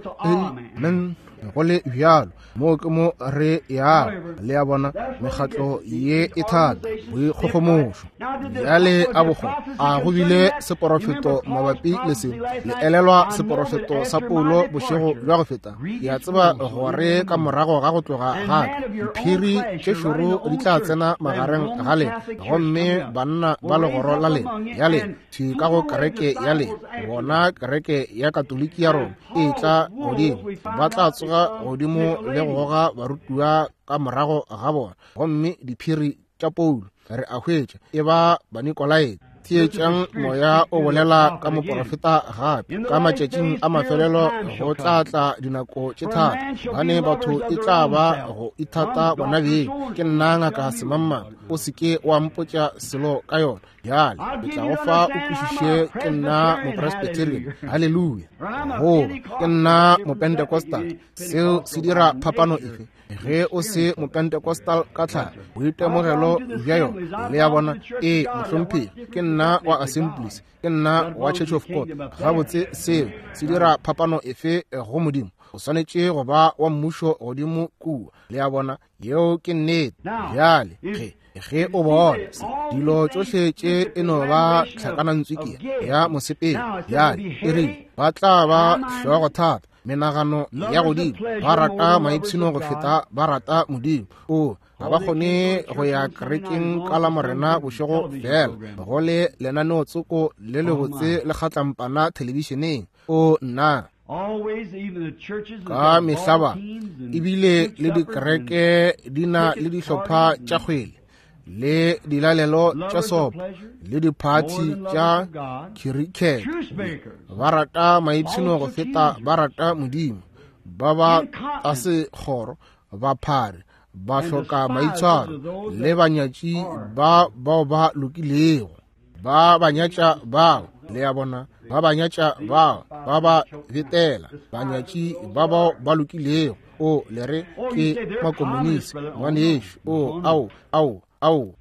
amen go le bjalo. Moo ke mo re yago, le a bona, mekgatlo ye e thata, boikgogomošo. Bjale a bogo a go bile seporofeto mabapi le se. Le elelwa seporofeto sa Paulo bošego bja go feta? Ke a tseba gore ka morago ga go tloga ga ka, diphiri tše šoro di tla tsena magareng ga lena, gomme banna ba legoro la lena ya lena thwi ka go kereke ya lena, bona kereke ya Katoliki ya Roma e tla godimo, ba tla tsoga godimo le go goga barutiwa ka morago ga bona. Gomme diphiri tša Paulo re a hwetša e ba Banikolaite. Theetšang moya o bolela ka moporofeta gape. Ka matšatšing a mafelelo go tla tla dinako tše thata, bane batho e tla ba go ithata bona beng. Ke nna ngaka semangmang, o se ke wa mpotša selo ka yona. Bjale ke tla go fa o kwešiše, ke nna mopresbyterian, haleluya, goba ke nna mopentecostal. Seo se dira phapano efe? Ge o se mopentecostal ka tlhago, boitemogelo bja yona, le ya bona, ee mohlomphegi, ke nna wa Assemblies, ke nna wa Church of God. Gabotse, seo se dira phapano efe go Modimo? O swanetše go ba wa mmušo godimo kua, le ya bona. Yeo ke nnete. Bjale ge ge o bona dilo tšohle tše e no ba tlhakanantswiki ya mosepelo, bjale e rile ba tla ba hlogo thata, menagano ya godimo, ba rata maipshino go feta ba rata Modimo. O ga ba kgone go ya kerekeng ka la Morena bošego fela, go le lenaneotsoko le lebotse le kgatlampana thelebišeneng. O nna ka mehla ebile le dikereke di na le dihlopha tša kgwele le dilalelo tša sopo le diphathi tša khirikete. Ba rata maipshino go feta ba rata Modimo. Ba ba tasekgoro, baphari, ba hloka maitshwaro le banyatši ba bao ba lokilego. Ba banyatša bao, le a bona, ba banyatša bao, ba ba betela, banyatši ba bao ba lokilego. O le re ke makomonisi, ngwanešu. O ao ao ao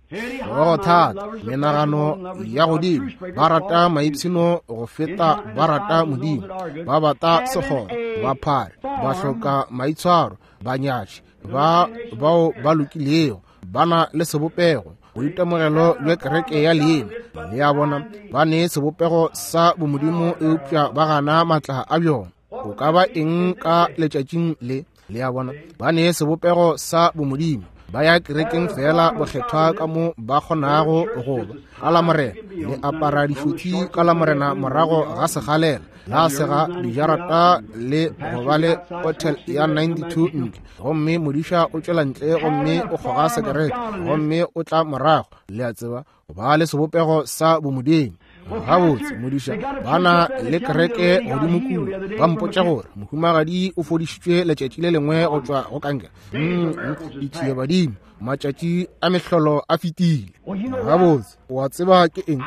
go thata, menagano ya godimo, ba rata maipshino go feta ba rata Modimo. Ba bata sekgoro, baphari, ba hloka maitshwaro, banyatši ba bao ba lokilego, ba na le sebopego, boitemogelo bja kereke ya leina, le a bona, ba ne sebopego sa bomodimo, eupša ba gana maatla a bjona. O ka ba eng ka letšatšing le? Le a bona, ba ne sebopego sa bomodimo, ba ya kerekeng fela bokgethwa ka mo ba kgonago go ba. Ka la Morena le apara dišothi ka la Morena morago ga segalela, la sega dijarata le go ba le hotel ya ninety-two ntle, gomme modiša o tšwela ntle gomme o kgoga sekerete gomme o tla morago, le a tseba, go ba le sebopego sa bomodimo. Gabotse modiša, ba na le kereke godimo kua, ba mpotša gore mohumagadi o fodišitšwe letšatši le lengwe go tšwa go kankere. Ditšiebadimo, matšatši a mehlolo a fetile. Gabotse, o a tseba ke eng?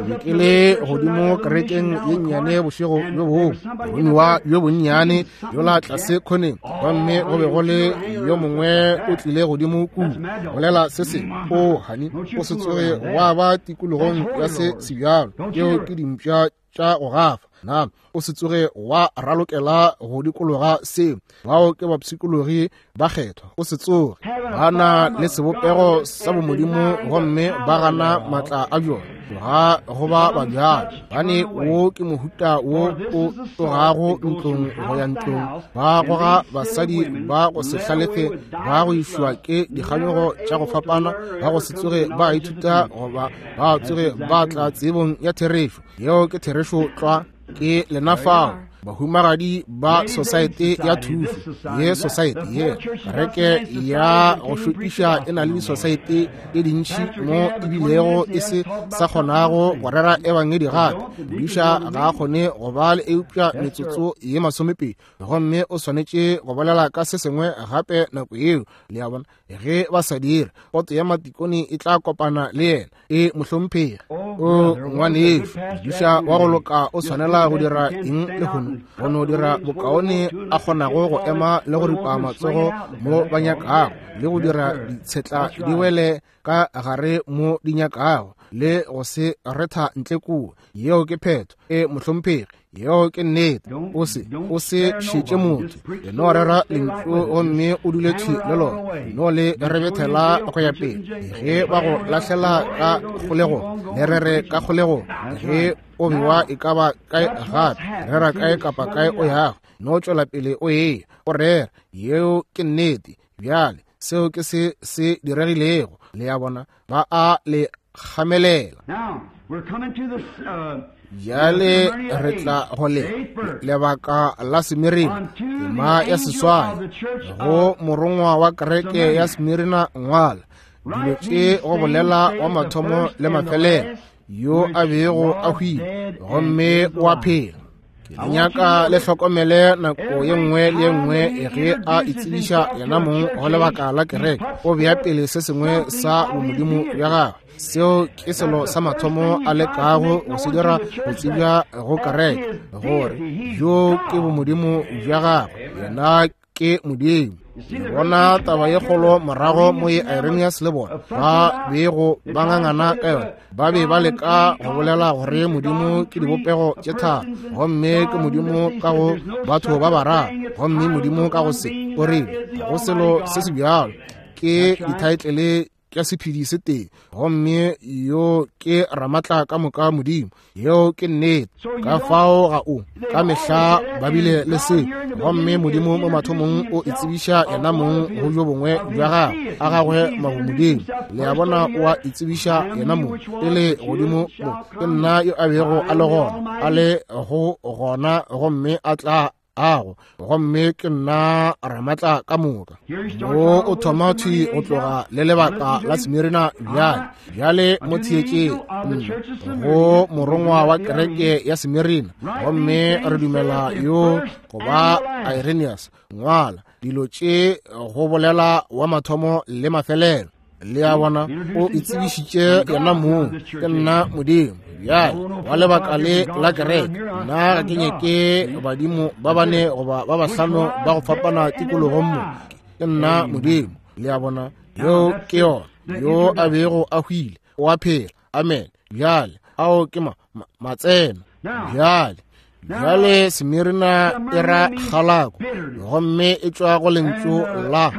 Ke ke le godimo kerekeng ye nnyane bošego bjo bongwe, boromiwa bjo bonnyane yola tlase khoneng, gomme go be go le yo mongwe o tlile godimo kua bolela se sengwe. O hani, o se tsoge wa ba tikologong ya se sebjalo. Tšeo ke dimpša tša go gafa. Na o se tsoge wa ralokela go dikologa seo? Bao ke bapshikologi ba kgethwa. O se tsoge. Ba na le sebopego sa bomodimo gomme ba gana maatla a bjona. Tloga go ba babjalo, bane wo ke mohuta wo o tlogago ntlong go ya ntlong, ba goga basadi ba go se hlalefe, ba go išwa ke dikganyogo tša go fapana, ba go se tsoge ba ithuta goba ba tsoge ba tla tsebong ya therešo. Yeo ke therešo tlwa. Ke lena fao bahumagadi ba society ya thušo ye, society ye kereke ya go šokiša e na le di-society tše dintši mo ebilego e se sa kgonago go rera ebangedi gape. Modiša ga a kgone go ba le eupša metsotso ye masomepedi, gomme o swanetše go bolela ka se sengwe gape nako yeo. Le a bona, ge ba sa dire, poto ya matikone e tla kopana le yena. E mohlomphegi, o ngwanešu, modiša wa go loka o swanela go dira eng lehono? bona, go no dira bokaone a kgonago go ema le go ripa matsogo mo ba nyakago, le go dira ditshetla di wele ka gare mo di nyakago, le go se retha ntle kua. Yeo ke phetho. E mohlomphegi, yeo ke nnete. O se o se šetše motho, e no rera lentšu gomme o dule thwi le lona, no le rebethela go ya pele. Ge ba go lahlela ka kgolegong, le rere ka kgolegong. Ge o bewa e ka ba kae gape, rera kae kapa kae o yago, no tšwela pele o eya o rera. Yeo ke nnete. Bjale seo ke se se diregilego. Le a bona, ba a le kgamelela. Bjale re tla go le lebaka la Smirina, tema ya seswai. Go morongwa wa kereke ya Smirina ngwala dilo tše go bolela wa mathomo le mafelelo, yo a bego a hwile gomme o a phela. Ke nyaka le hlokomele nako ye nngwe le ye nngwe ge a itsebiša yena mong go lebaka la kereke, o bea pele se sengwe sa bomodimo bja gagwe. Seo ke selo sa mathomo a lekago go se dira go tsebja go kereke, gore bjo ke bomodimo bja gagwe, yena ke Modimo. Le bona taba ye kgolo morago mo ye Irenaeus le bona ba bego ba ngangana ka yona. Ba be ba leka go bolela gore Modimo ke dibopego tše tharo, gomme ke Modimo ka go batho ba bararo, gomme Modimo ka go se. O rile go selo se se bjalo ke dithaetlele tša sephedi se tee, gomme yo ke Ramatla ka moka Modimo. Yeo ke nnete. Ka fao ga o ka mehla ba bile le se, gomme Modimo mo mathomong o itsebiša yena mong go bjo bongwe bja gagwe a gagwe mabomodimo. Le a bona, o a itsebiša yena mong pele godimo mo. Ke nna yo a bego a le gona, a le go gona, gomme a tla ago, gomme ke nna Ramatla ka moka. Mo o thoma thwi go tloga le lebaka la Smirina bjale. Bjale mo theetšeng go morongwa wa kereke ya Smirina, gomme re dumela yo go ba Irenaeus. Ngwala dilo tše go bolela wa mathomo le mafelelo. Le a bona, o itsebišitše yena mong, ke nna Modimo. Bjale wa lebaka le la kereke, nna ga ke nyake badimo ba bane goba ba bahlano ba go fapana tikologong mo. Ke nna Modimo. Le a bona, yo ke yona, yo a bego a hwile o a phela. Amen. Bjale ao ke ma, ma, matseno. Bjale bjale Smirina e ra kgalako, gomme e tšwa go lentšu la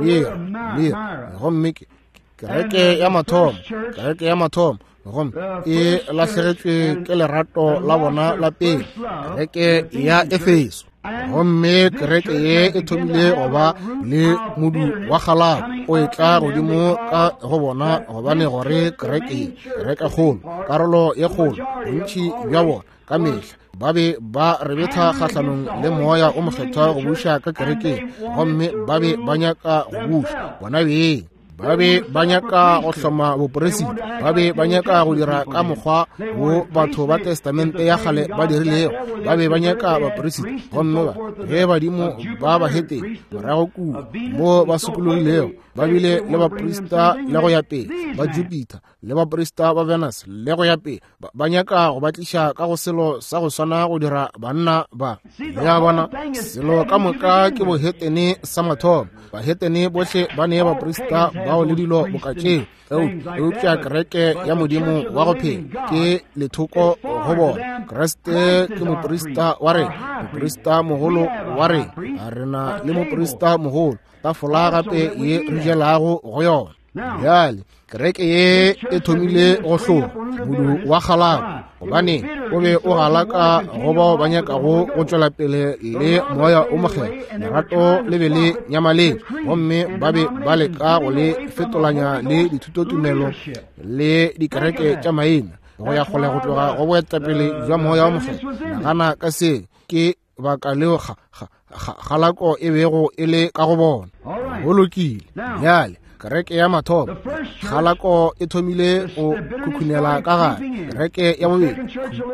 mir, mir, gomme ke kereke ya mathomo, kereke ya mathomo, gomme e lahlegetšwe ke lerato la bona la pele, kereke ya Efeso. Gomme kereke ye e thomile go ba le modu wa kgalako o etla godimo ka go bona, gobane gore kereke ye, kereke kgolo, karolo ye kgolo, bontši bja bona ka mehla ba be ba rebetha kgahlanong le moya o mokgethwa go buša ka kerekeng, gomme ba be ba nyaka go buša bona beng. Ba be ba nyaka go hloma boporesita, ba be ba nyaka go dira ka mokgwa wo batho ba testamente ya kgale ba dirilego. Ba be ba nyaka baporesita, gomme ba ge badimo ba bahetene morago kua mo ba sokologilego, ba bile le baprista le go ya pele ba Jupiter le baprista ba Venus le go ya pele. Ba nyaka go ba tliša ka go selo sa go swana go dira banna ba. Le a bona, selo ka moka ke bohetene sa mathomo. Bahetene bohle ba ne baprista bao le dilo boka tšeo, eupša kereke ya Modimo wa go phela ke lethoko go bona. Kriste ke moprista wa rena, moprista mogolo wa rena. A rena le moprista mogolo, tafola gape ye re jelago go yona. Bjale kereke ye e thomile go hloga modu wa kgalako, gobane o be o galaka go bao ba nyakago go tšwela pele le moya o mokgethwa. Lerato le be le nyamaletše, gomme ba be ba leka go le fetolanya le dithutotumelo le dikereke tša maina go ya kgole go tloga go boetapele bja moya o mokgethwa. Nagana ka se, ke baka leo kgalako e bego e le ka go bona. Go lokile. Bjale kereke ya mathomo, kgalako e thomile go khukhunela ka gare. Kereke ya bobedi,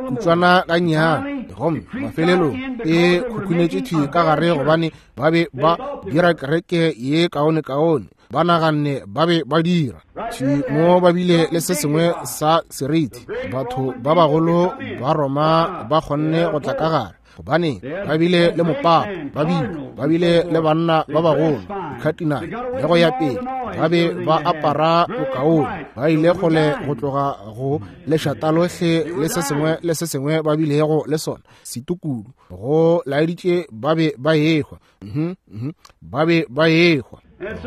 kutšwana ga nnyane, gomme mafelelong e khukhunetše thwi ka gare, gobane ba be ba dira kereke ye kaone-kaone. Ba naganne ba be ba dira thwi mo, ba bile le se sengwe sa seriti. Batho ba bagolo ba Roma ba kgonne go tla ka gare, Gobane ba bile le mopapa, ba bile ba bile le banna ba bagolo, dikhatinale le go ya pele, ba be ba apara bokaone, ba ile kgole go tloga go lešata lohle le se sengwe le se sengwe ba bilego le sona, setukudu go laeditše ba be ba ehwa, mhm mhm ba be ba ehwa.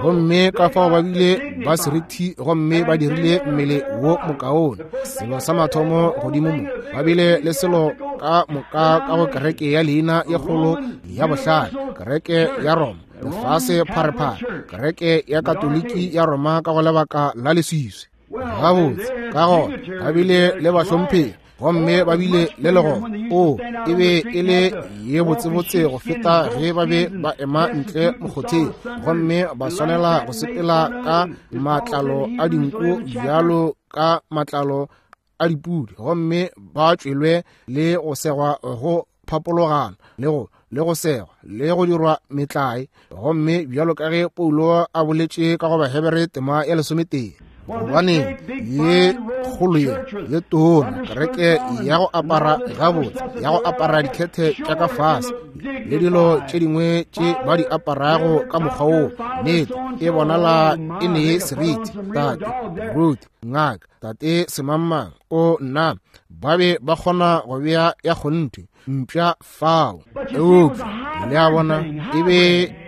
Gomme ka fao ba bile ba serithi gomme ba dirile mmele wo mokaone. Selo sa mathomo godimo mo, ba bile le selo ka moka ka go kereke ya leina ye kgolo ya bohlale, kereke ya Roma, lefase pharephare, kereke ya Katoliki ya Roma ka go lebaka la leswiswi. Gabotse, ka gona ba bile le bahlomphegi gomme ba bile le legoro. O e be e le ye botsebotse go feta ge ba be ba ema ntle mokgotheng gomme ba swanela go sepela ka matlalo a dinku bjalo ka matlalo a dipudi, gomme ba tšwelwe le go segwa go phapologana le go le go segwa le go dirwa metlae. Gomme bjalo ka ge Paulo a boletše ka go Bahebere tema ya lesometee, gobane ye kgolo ye ye tona kereke ya go apara gabotse, ya go apara dikhethe tša ka fase le dilo tše dingwe tše ba di aparago ka mokgwa wo, nnete e bonala e ne seriti. Tate Ruth, ngaka, tate semangmang, o nna, ba be ba kgona go bea ya kgonthe mpša fao. Eupša le a bona, e be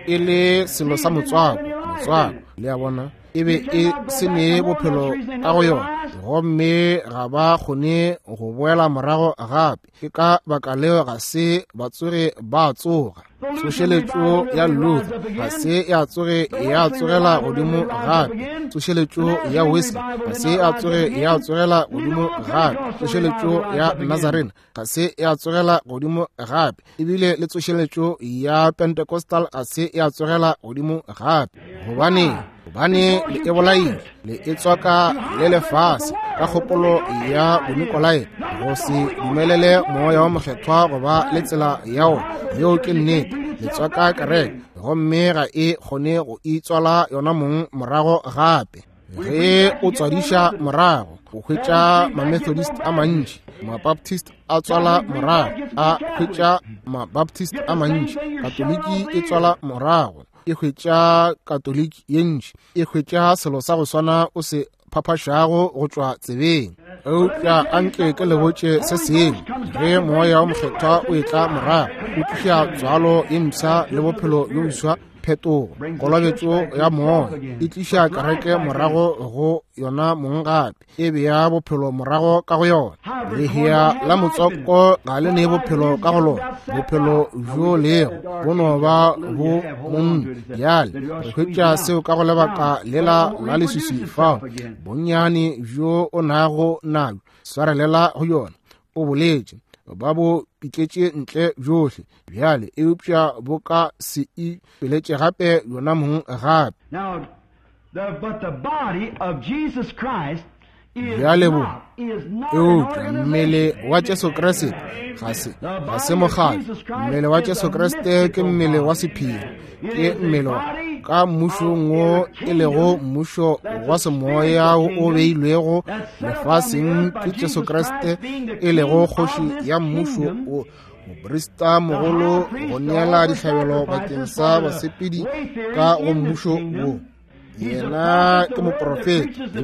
e le selo sa motswako, motswako, le a bona, e be e se ne bophelo ka go yona, gomme ga ba kgone go boela morago gape. Ke ka baka leo ga se ba tsoge ba tsoga. Tsošeletšo ya Luther ga se ya tsoge ya tsogela godimo gape. Tsošeletšo ya Wesley ga se ya tsoge ya tsogela godimo gape. Tsošeletšo ya Nazarene ga se ya tsogela godimo gape. Ebile le tsošeletšo ya Pentecostal ga se ya tsogela godimo gape. Gobane gobane le e bolaile, le e tswaka le lefase ka kgopolo ya Bonikolai, go se dumelele moya wa mokgethwa go ba le tsela ya wona. Yeo ke nnete. Le tswaka kereke gomme ga e kgone go itswala yona mong morago gape. Ge o tswadiša morago, o hwetša ma-Methodist a mantši, ma-Baptist a tswala morago, a hwetša ma-Baptist a mantši, Katoliki e tswala morago, e hwetša Katoliki ye ntši, e hwetša selo sa go swana o se phaphašago go tšwa tsebeng. Eupša anke ke le botše se sengwe, ge moya wa mokgethwa o etla morago, o tliša tswalo ye mpsha le bophelo bjo boswa, phetogo, kolobetšo ya moya e tliša kereke morago go yona mong gape, e bea bophelo morago ka go yona. Lehea la motswako ga le ne bophelo ka go lona, bophelo bjo lego bo no ba bo monna. Bjale re hwetša seo ka go lebaka lela la leswiswi fao bonnyane bjo o nago nabjo swarelela go yona. O boletše ba bo pitletše ntle bjohle bjale, eupša bo ka se ipeletše gape yona mong gape. Bjale bo, eupša mmele wa Jesu Kriste ga se ga se mokgatlo. Mmele wa Jesu Kriste ke mmele wa sephiri, ke mmele ka mmušong wo e lego mmušo wa semoya o beilwego lefaseng ke Jesu Kriste, e lego kgoši ya mmušo wo, moprista mogolo go neela dihlabelo bakeng sa basepedi ka go mmušo wo. Yena ke moprofeta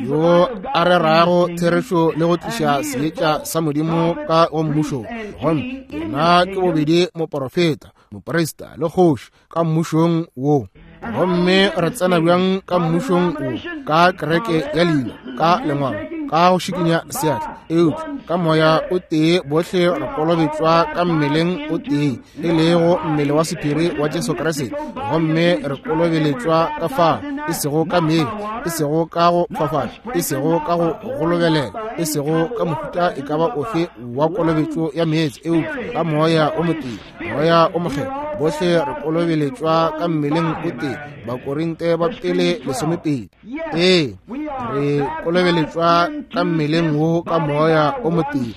yo a rerago therešo le go tliša seetša sa Modimo ka go mmušo. Gomme yena ke bobedi moprofeta, moprista le kgoši ka mmušong wo. Gomme re tsena bjang ka mmušong wo? Ka kereke ya leina, ka lengwalo, ka go šikinya seatla, eupša ka moya o tee bohle re kolobetšwa ka mmeleng o tee, e lego mmele wa sephiri wa Jesu Kriste. Gomme re kolobeletšwa ka fao, e sego ka meetse, e sego ka go fafatša, e sego ka go golobelela, e sego ka mohuta e ka ba ofe wa kolobetšo ya meetse, eupša ka moya o motee, moya o mokgethwa. Bohle re kolobeletšwa ka mmeleng o tee. Bakorinte ba pele lesomepedi. Ee, re kolobeletšwa ka mmeleng wo ka moya o motee,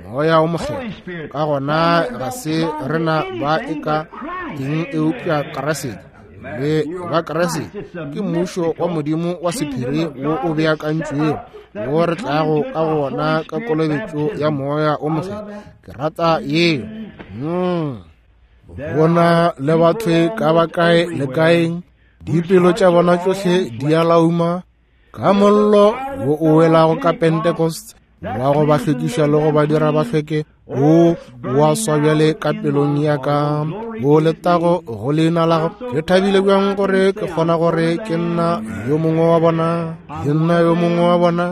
moya o mokgethwa. Ka gona ga se rena ba e ka eng eupša Kriste. Le ba Kriste ke mmušo wa Modimo wa sephiri wo o beakantšwego, wo re tlago ka gona ka kolobetšo ya Moya o Mokgethwa. Ke rata yeo. Mm. Bona le batho ka ba kae le kaeng, dipelo tša bona tšohle di a lauma ka mollo wo o welago ka Pentecost, wa go ba hlwekiša le go ba dira ba hlweke. O wa swa bjale ka pelong ya ka, o letago go leina la gago. Ke thabile bjang gore ke kgona gore ke nna yo mongwe wa bona, ke nna yo mongwe wa bona,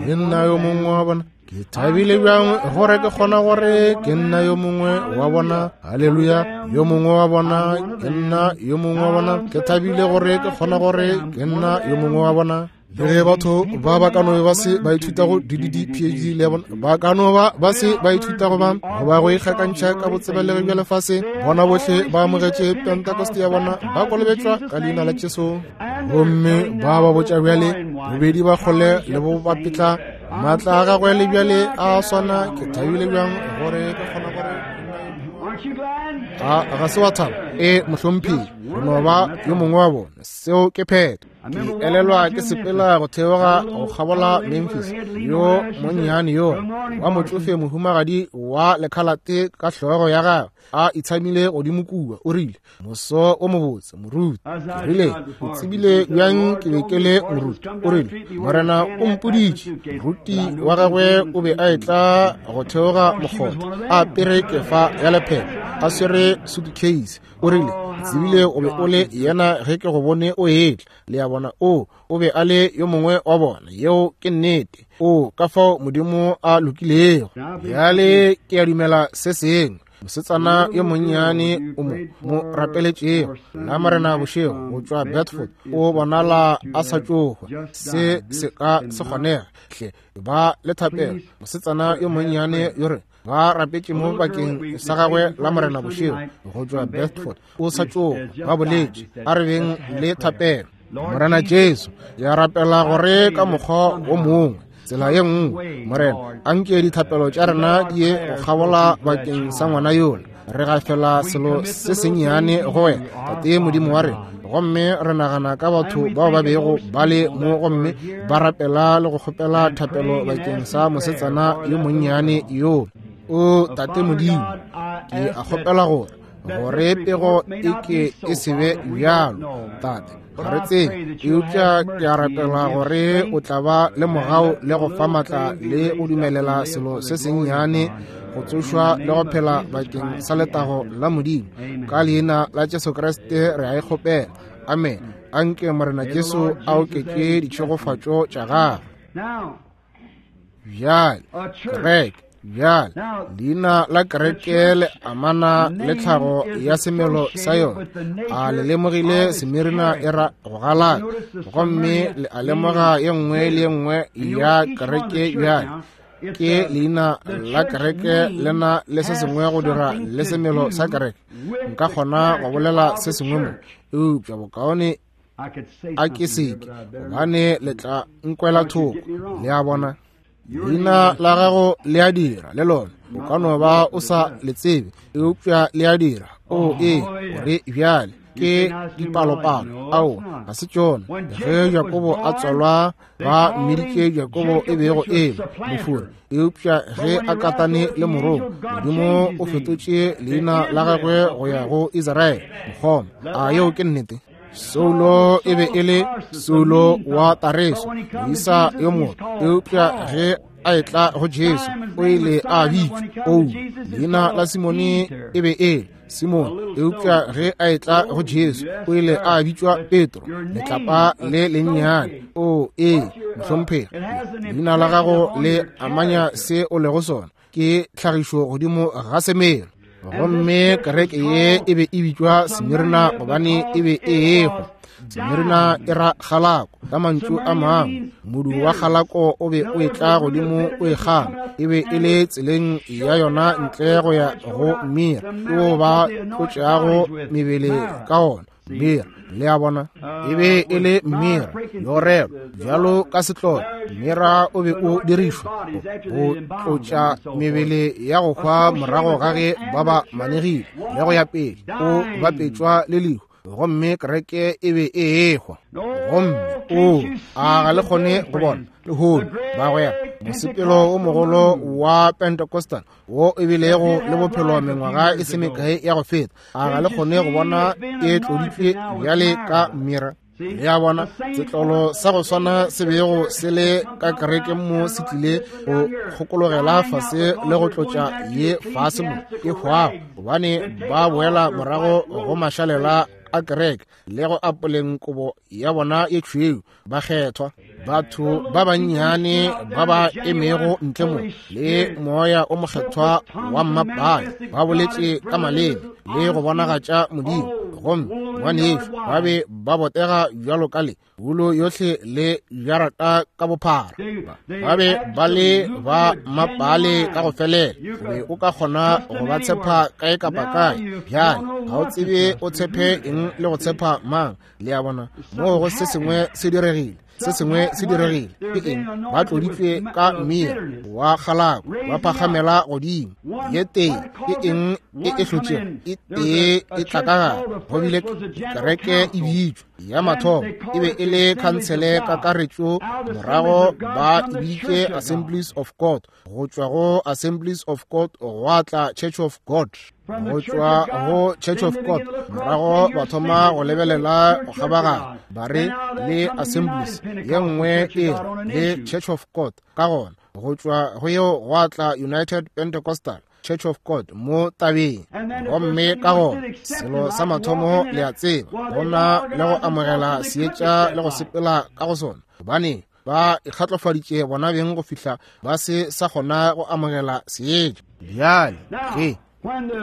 ke nna yo mongwe wa bona. Ke thabile bjang gore ke kgona gore ke nna yo mongwe wa bona. Haleluya, yo mongwe wa bona, ke nna yo mongwe wa bona. Ke thabile gore ke kgona gore ke nna yo mongwe wa bona. Le ge batho ba ba ka no ba se ba ithuta go D D D P H D le bona, ba ka no ba ba se ba ithuta go ba goba go ikgakantšha ka botsebelegi bja lefase, bona bohle ba amogetše Pentecost ya bona, ba kolobetšwa ka leina la Jesu. Gomme ba ba botša bjale, bobedi ba kgole le bo bapetla, maatla a gagwe le bjale a swana. Ke thabile bjang gore ke kgona gore a ga se wa thaba. E mohlomphegi, re no ba yo mongwe wa bona. Seo ke phetho. Ke elelwa ke sepela go theoga go kgabola Memphis, yo monnyane yo wa motšofe mohumagadi wa lekhalate ka hlogo ya gagwe a itshamile godimo kua, o rile, moso o mobotse moruti. Ke rile, o tsebile bjang ke be ke le moruti? O rile, Morena o mpoditše. Moruti wa gagwe o be a etla go theoga mokgotha a apere kefa ya lephephe, a swere suitcase. O rile, tsebile o be o le yena ge ke go bone o etla. Le a bona, o o be a le yo mongwe wa bona. Yeo ke nnete. O ka fao Modimo a lokilego. Bjale ke a dumela se sengwe. Mosetsana yo monnyane o mo mo rapeletšego la Morena bošego go tšwa Bedford, o bonala a sa tšo hwa. Se se ka se kgonega hle, ba le thapelo. Mosetsana yo monnyane yo re ba rapetše mo bakeng sa gagwe la Morena bošego go tšwa Bedford, o sa tšo hwa, ba boletše, a re beng le thapelo. Morena Jesu, ya rapela gore ka mokgwa o mongwe, tsela ye nngwe, Morena, anke dithapelo tša rena di ye go kgabola bakeng sa ngwana yola. Re gafela selo se sennyane go wena, Tate Modimo wa rena, gomme re nagana ka batho bao ba bego ba le mo gomme ba rapela le go kgopela thapelo bakeng sa mosetsana yo monnyane yo. O Tate Modimo, ke a kgopela gore gore pego e ke e se be bjalo, Tate. Ga re tsebe, eupša ke a rapela gore o tla ba le mogau le go fa maatla le go dumelela selo se sennyane go tsošwa le go phela bakeng sa letago la Modimo. Ka leina la Jesu Kriste re a e kgopela. Amen. Anke Morena Jesu a oketše ditšhegofatšo tša gagwe. Bjale, kereke. Bjale, leina la kereke le amana le tlhago ya semelo sa yona. A le lemogile Semirna e ra go galaka, gomme le a lemoga ye nngwe le ye nngwe ya kereke. Bjale ke leina la kereke le na le se sengwe go dira le semelo sa kereke. Nka kgona go bolela se sengwe mo, eupša bokaone a ke seke, gobane le tla nkwela thoko. Le a bona, leina la gago le a dira le lona, o ka no ba o sa le tsebe, eupša le a dira. O e gore bjale ke dipalopalo, ao ga se tšona. Ge Jakobo a tswalwa ba mmiditše Jakobo e bego e le mofori, eupša ge a katane le morongwa, Modimo o fetotše leina la gagwe go ya go Israele, mokgoma. A yeo ke nnete? Saulo e be e le Saulo wa Tareso, moisa yo mongwe, eupša ge a etla go Jesu o ile a bitšwa Paulo. Leina la Simone e be e Simone, eupša ge a etla go Jesu o ile a bitšwa Petro, letlapa le lennyane. O ee, mohlomphegi, leina la gago le amanya se o lego sona, ke tlhagišo godimo ga semelo. Gomme kereke ye e be e bitšwa Semirna gobane e be e ehwa. Semirna e ra kgalako. Ka mantšu a mangwe, modu wa kgalako o be o etla godimo o e kgama. E be e le tseleng ya yona ntle go ya go mira, ke wo ba tlotšago mebele ka ona. Mira, le a bona, e be e le mira yorelo bjalo ka setlolo. Mira o be o dirišwa go tlotša mebele ya go hwa morago ga ge ba ba manegile le go ya pele, o bapetšwa le lehu. gomme kereke e be e ehwa. Gomme o a ga le kgone go bona lehono, bagwera, mosepelo o mogolo wa Pentecostal wo e bilego le bophelo mengwaga e se mekae ya go feta, a ga le kgone go bona e tloditšwe bjale ka mira? Le a bona, setlolo sa go swana se bego se le ka kerekeng mo se tlile go kgokologela fase le go tlotša ye fase mo e hwago, gobane ba boela morago go mašalela a kereke le go apoleng kobo ya bona ye tšhweu. Bakgethwa, batho ba bannyane ba ba emego ntle mo le moya o mokgethwa wa mmapale, ba boletše ka maleme le go bonagatša Modimo, gomme ngwanešu ba be ba botega bjalo ka le wulo yohle le jarata ka bophara. Ba be ba le ba mmapale ka go felela. O be o ka kgona go ba tshepa kae kapa kae. Bjale ga o tsebe o tshepe eng le go tshepa mang. Le a bona, moo go se sengwe se diregile, se sengwe se diregile. Ke eng? Ba tloditšwe ka mmira wa kgalako, ba phagamela godimo. Ye tee ke eng e e hlotšego? E tee e tla ka gare. Go bile kereke e bitšwa ya mathomo e be e le khansele kakaretšo, morago ba e biditše Assemblies of God. Go tšwa go Assemblies of God gwa tla Church of God. Go tšwa go Church of God morago ba thoma go lebelela go kgabaganya, ba re le Assemblies ye nngwe e le Church of God. Ka gona go tšwa go yeo gwa tla United Pentecostal Church of God mo tabeng. Gomme ka gona selo sa mathomo le a tseba, go na le go amogela seetša le go sepela ka go sona, gobane ba ikgatlofaditše bona beng go fihla ba se sa kgona go amogela seetša. Bjale ge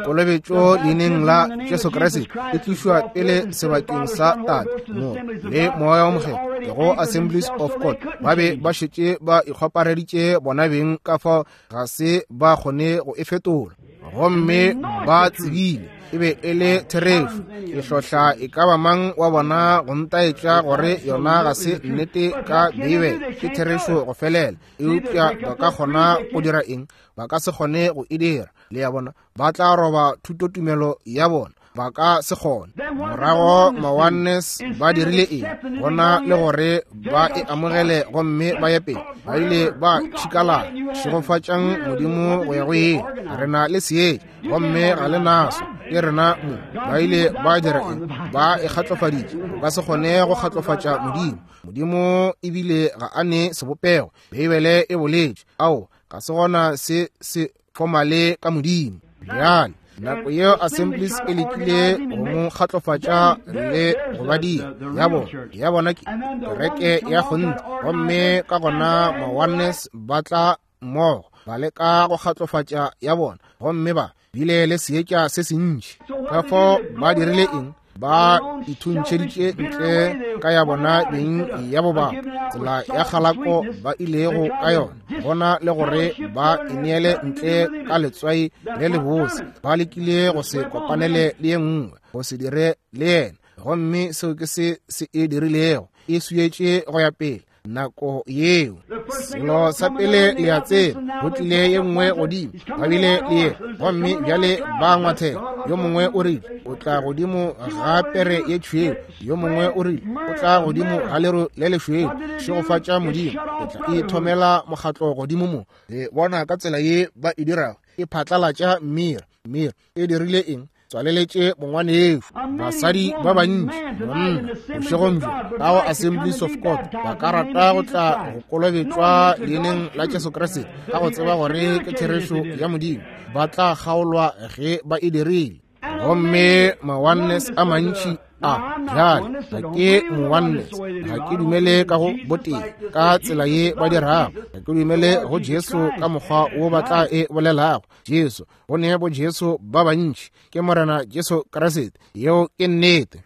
kolobetšo leineng la Jesu Kriste e tlišwa pele sebakeng sa Tate mo le Moya o Mokgethwa go Assemblies of God, ba be ba šetše ba ikgopareditše bona beng ka fao ga se ba kgone go e fetola. Gomme ba tsebile e be e le therešo. Ke hlohla e ka ba mang wa bona go ntaetša gore yona ga se nnete ka Beibele, ke therešo go felela. Eupša ba ka kgona go dira eng? Ba ka se kgone go e dira. Le a bona, ba tla roba thutotumelo ya bona, ba ka se kgone. Morago ma-Oneness ba dirile eng? Gona le gore ba e amogele gomme ba ye pele, ba ile ba tšhikalala. Šegofatšang Modimo go ya go ile. Re na le seetša gomme ga le naso, ke rena mo. Ba ile ba dira eng? Ba e kgatlofaditše. O ka se kgone go kgatlofatša Modimo. Modimo ebile ga a ne sebopego. Beibele e boletše ao ga se gona se se fomale ka Modimo. Bjale nako yeo Assemblies e lekile go mo kgatlofatša le go ba dira ya bona, ya bona ke kereke ya kgonthe. Gomme ka gona ma-Oneness ba tla mmogo ba leka go kgatlofatša ya bona, gomme ba bile le seetša se sentši. Ka fao ba dirile eng? Ba ithuntšheditše ntle ka ya bona beng ya bobapa, tsela ya kgalako ba ilego ka yona, gona le gore ba ineele ntle ka letswai le lebose. Ba lekile go se kopanele le ye nngwe, go se dire le yena, gomme seo ke se se e dirilego. E swietše go ya pele nako yeo. Selo sa pele le a tseba, go tlile ye nngwe godimo, ba bile le ye, gomme bjale ba ngwathela. Yo mongwe o rile o tla godimo ga pere ye tšhweu, yo mongwe o rile o tla godimo ga lero le lešweu. Šegofatša Modimo, o tla ithomela mokgatlo godimo mo. Le bona ka tsela ye ba e dirago, e phatlalatša mmira. Mmira e dirile eng? Tswaleletše mongwanešu. Basadi ba bantši, monna, bošegong bjo ka go Assemblies of God ba ka rata go tla go kolobetšwa leineng la Jesu Kriste ka go tseba gore ke therešo ya Modimo. Ba tla kgaolwa ge ba e dirile. Gomme ma-Oneness a mantši a bjale ga ke mo-Oneness, ga ke dumele ka go botee ka tsela ye ba dirago, ga ke dumele go Jesu ka mokgwa wo ba tla e bolelago. Jesu, go ne bo Jesu ba bantši, ke Morena Jesu Kriste. Yeo ke nnete.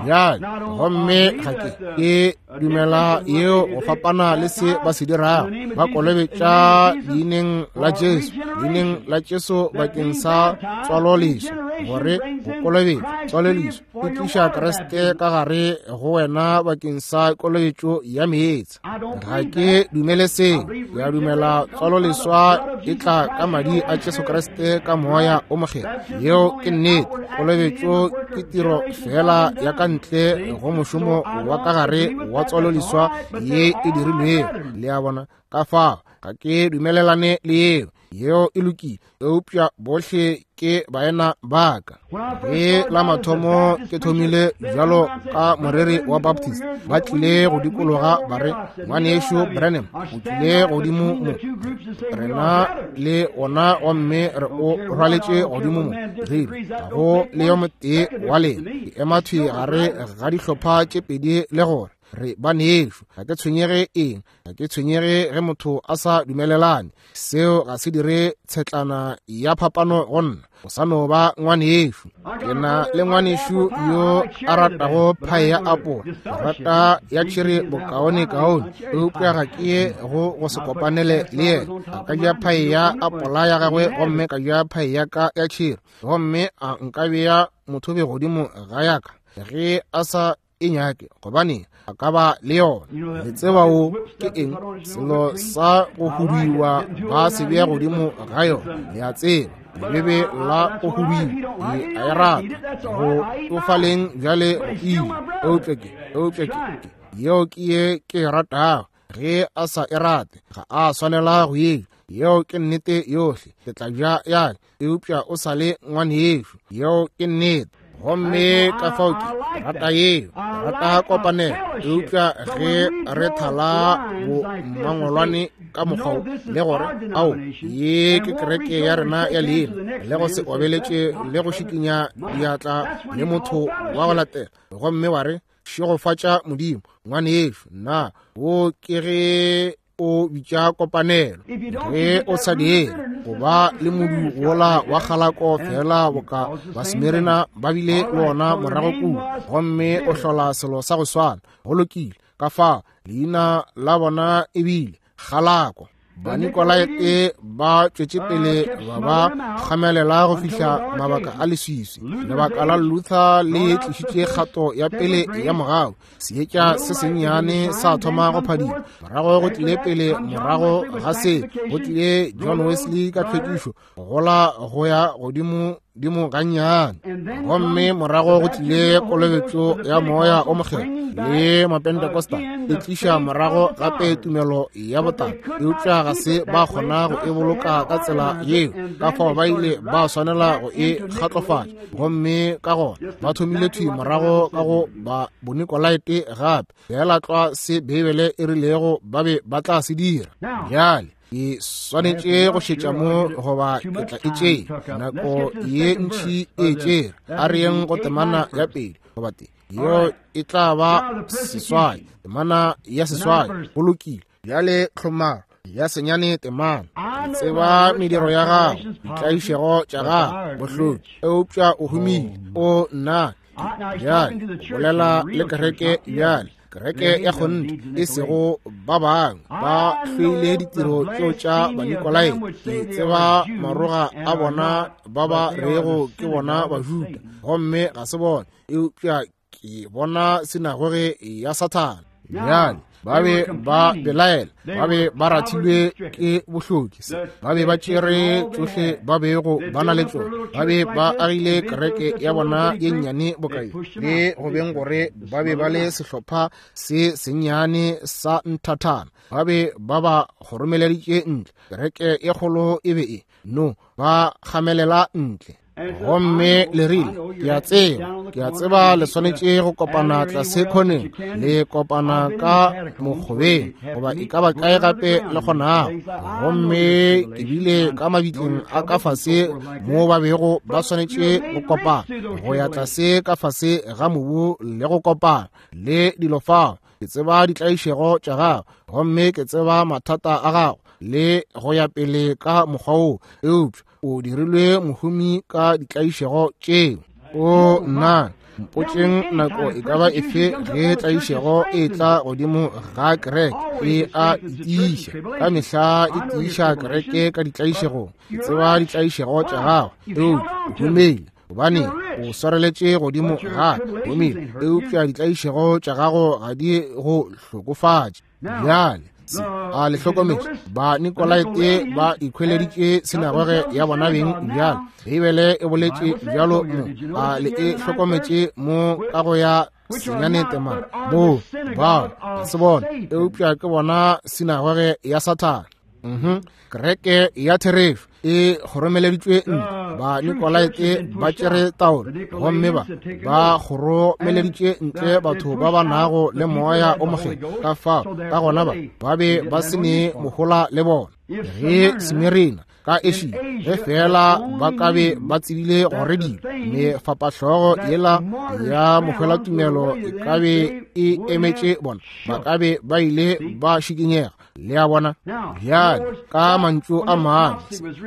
Bjale, gomme ga ke ke dumela yeo go fapana le se ba se dirago. Ba kolobetša leineng la Jesu, leineng la Jesu bakeng sa tswaloleswa, gore go kolobetša tswaloleswa e tliša Kriste ka gare go wena bakeng sa kolobetšo ya meetse. Ga ke dumele seo. Ke a dumela tswaloleswa e tla ka madi a Jesu Kriste ka moya o mokgethwa. Yeo ke nnete. Kolobetšo ke tiro fela ya ka ntle go mošomo wa ka gare wa tswaloleswa ye e dirilwego. Le a bona? Ka fao ga ke dumelelane le yeo. Yeo e lokile, eupša bohle ke baena ba ka. Ge la mathomo ke thomile bjalo ka moreri wa Baptist, ba tlile go dikologa ba re, ngwanešu Branham o tlile godimo mo, rena le ona gomme re o rwaletše godimo mo. Re ga go le yo motee wa lena. Ke ema thwi gare ga dihlopha tše pedi le gore re banešu. Ga ke tshwenyege eng, ga ke tshwenyege ge motho a sa dumelelane. Seo ga se dire tshetlana ya phapano go nna. O sa no ba ngwanešu. Ke na le ngwanešu yo a ratago phae ya apola, rata ya tšhiri bokaone kaone, eupša ga ke ye go go se kopanele le yena. A ka ja phae ya apola ya gagwe gomme ka ja phae ya ka ya tšhiri, gomme a nka bea mothobe godimo ga ya ka ge a sa e nyake, gobane a ka ba le yona. Le tseba o ke eng? Selo sa go huduiwa ba se bea godimo ga yona. Le a tseba, lebebe la go huduiwa ke a e rata go tsofaleng bjale go ile, eupša ke eupša ke yeo ke ye ke e ratago. Ge a sa e rate, ga a swanela go e ja. Yeo ke nnete yohle. Ke tla ja ya, eupša o sa le ngwanešu. Yeo ke nnete. Gomme ka fao ke rata yeo, rata kopanelo, eupša ge re thala bo mangolwane ka mokgwa le gore ao ye ke kereke ya rena ya leina, le go se obeletše le go šikinya diatla le motho wa go latela, gomme wa re šegofatša Modimo, ngwanešu, nna wo ke ge o bitša kopanelo. Ge o sa dire, go ba le modu wola wa kgalako fela boka Basmirna ba bile le ona morago kua, gomme o hlola selo sa go swana. Go lokile. Ka fao leina la bona e bile kgalako. Banikolaite ba tšwetše pele ba ba kgamelela go fihla mabaka a leswiswi. Lebaka la Luther le tlišitše kgato ya pele ya mogau. Seetša se sennyane sa thoma go phadima. Morago go tlile pele, morago ga se go tlile John Wesley ka tlhwekišo, gola go ya godimo dimo gannyane. Gomme morago go tlile kolobetšo ya moya o mokgethwa le Mapentekosta, e tliša morago gape tumelo ya botala, eupša ga se ba kgona go e boloka ka tsela yeo. Ka fao ba ile ba swanela go e kgatlofatša, gomme ka gona ba thomile thwi morago ka go ba Bonikolaite gape, fela tlwa se Beibele e rilego ba be ba tla se dira. Bjale ke swanetše go šetša mo goba ke tla e tšea nako ye ntši e tšere. A re yeng go temana ya pele goba te yeo e tla ba seswai, temana ya seswai. Go lokile. Bjale tlhomaro ya senyane temana. Tseba mediro ya gago, ditlaišego tša gago, bohloki, eupša o humile. O nna bjale bolela le kereke bjale, kereke ya kgonthe, e sego ba bangwe ba hloile ditiro tšeo tša Banikolaite. Ke tseba maroga a bona ba ba rego ke bona Bajuda, gomme ga se bona, eupša ke bona sinagoge ya Sathane. Bjale ba be ba belaela, ba be ba rathilwe ke bohloki, ba be ba tšere tšohle ba bego ba na le tšona, ba be ba agile kereke ya bona ye nnyane bokae, le go beng gore ba be ba le sehlopha se sennyane sa nthathana, ba be ba ba kgoromeleditše ntle. Kereke e kgolo e be e no ba kgamelela ntle. Gomme le rile, ke a tseba, ke a tseba le swanetše go kopana tlase khoneng, le kopana ka mokgobeng, goba e ka ba kae gape le kgonago. Gomme ke bile ka mabitleng a ka fase mo ba bego ba swanetše go kopana, go ya tlase ka fase ga mobu le go kopana le dilo fao. Ke tseba ditlaišego tša gago, gomme ke tseba mathata a gago, le go ya pele ka mokgwa wo, eupša o dirilwe mohumi ka ditlaišego tšeo. O nna Mpotšeng nako e ka ba efe ge tlaišego e tla godimo ga kereke, e a tiiša. Ka mehla e tiiša kereke ka ditlaišegong. Ke tseba ditlaišego tša gago, eupša o humile, gobane o swareletše godimo ga humile, eupša ditlaišego tša gago ga di go hlokofatše. Bjale a le hlokometše, ba Nikolaite ba ikhweleditše sinagoge ya bona beng. Bjale Beibele e boletše bjalo mo, a le e hlokometše mo ka go ya senyane temana mo, bao ga se bona, eupša ke bona sinagoge ya Sathane. Mhm, kereke ya therešo e kgoromeleditšwe ntle. Ba Nikolaite ba tšere taolo gomme ba ba kgoromeleditše ntle batho ba ba nago le moya o mokgethwa. Ka fao ka gona ba ba be ba se ne mohola le bona. Ge Smirina ka Asia, ge fela ba ka be ba tsebile gore dilo mefapahlogo yela ya mohwelatumelo e ka be e emetše bona, ba ka be ba ile ba šikinyega. Le a bona? Bjale ka mantšu a mangwe,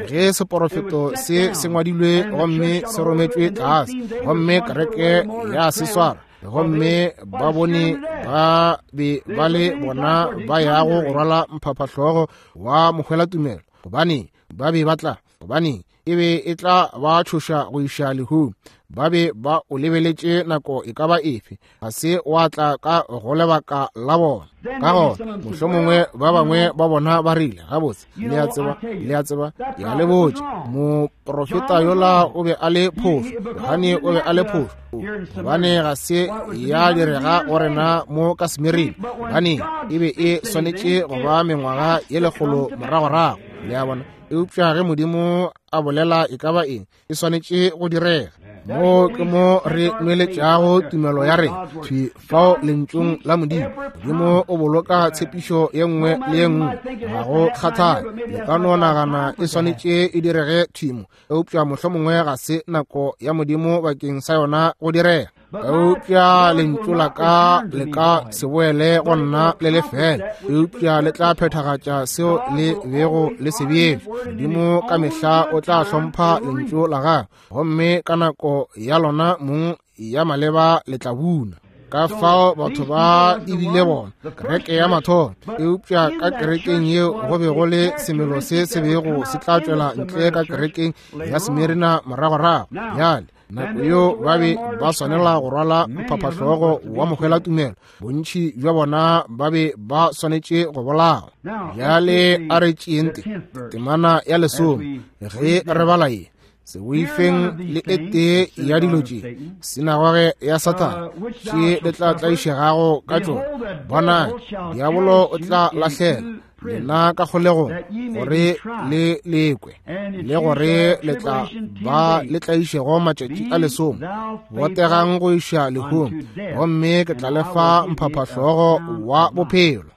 ge seporofeto se se ngwadilwe gomme se rometšwe tlase, gomme kereke ya se swara, gomme ba bone ba be ba le bona ba yago go rwala mphaphahlogo wa mohwelatumelo, gobane ba be ba tla, gobane e be e tla ba tšhoša go iša lehung. Ba be ba o lebeletše nako e ka ba efe, ga se wa tla ka go lebaka la bona. Ka gona mohlomongwe ba bangwe ba bona ba rile, gabotse, le a tseba, le a tseba, ke a le botša, moprofeta yola o be a le phošo, Johane o be a le phošo, gobane ga se ya direga go rena mo ka Smirina, gobane e be e swanetše go ba mengwaga ye lekgolo moragorago. Le a bona? Eupša ge Modimo a bolela e ka ba eng, e swanetše go direga. Mo ke mo re nweletšago tumelo ya rena thwi fao lentšung la Modimo. Modimo o boloka tshepišo ye nngwe le ye nngwe, ga go kgathale. Le ka no nagana e swanetše e direge thwi mo, eupša mohlomongwe ga se nako ya Modimo bakeng sa yona go direga. Eupša lentšu la ka le ka se boele go nna le lefela, eupša le tla phethagatša seo le bego le se beetšwe. Modimo ka mehla o tla hlompha lentšu la gagwe, gomme ka nako ya lona mong ya maleba le tla buna. Ka fao batho ba ebile bona kereke ya mathomo, eupša ka kerekeng yeo go be go le semelo se se bego se tla tšwela ntle ka kerekeng ya Smirina moragorago. Bjale nako yeo ba be ba swanela go rwala mphaphahlogo wa mohwelatumelo, bontši bja bona ba be ba swanetše go bolawa. Bjale a re tšeeng temana ya lesome ge re bala ye. Se boifeng le e tee ya dilo tše, sinagoge ya Sathane, tše le tla tlaišegago ka tšona. Bonang, diabolo o tla lahlela lena ka kgolegong gore le lekwe, le gore le tla ba le tlaišego matšatši a lesome. Botegang go iša lehung, gomme ke tla le fa mphaphahlogo wa bophelo.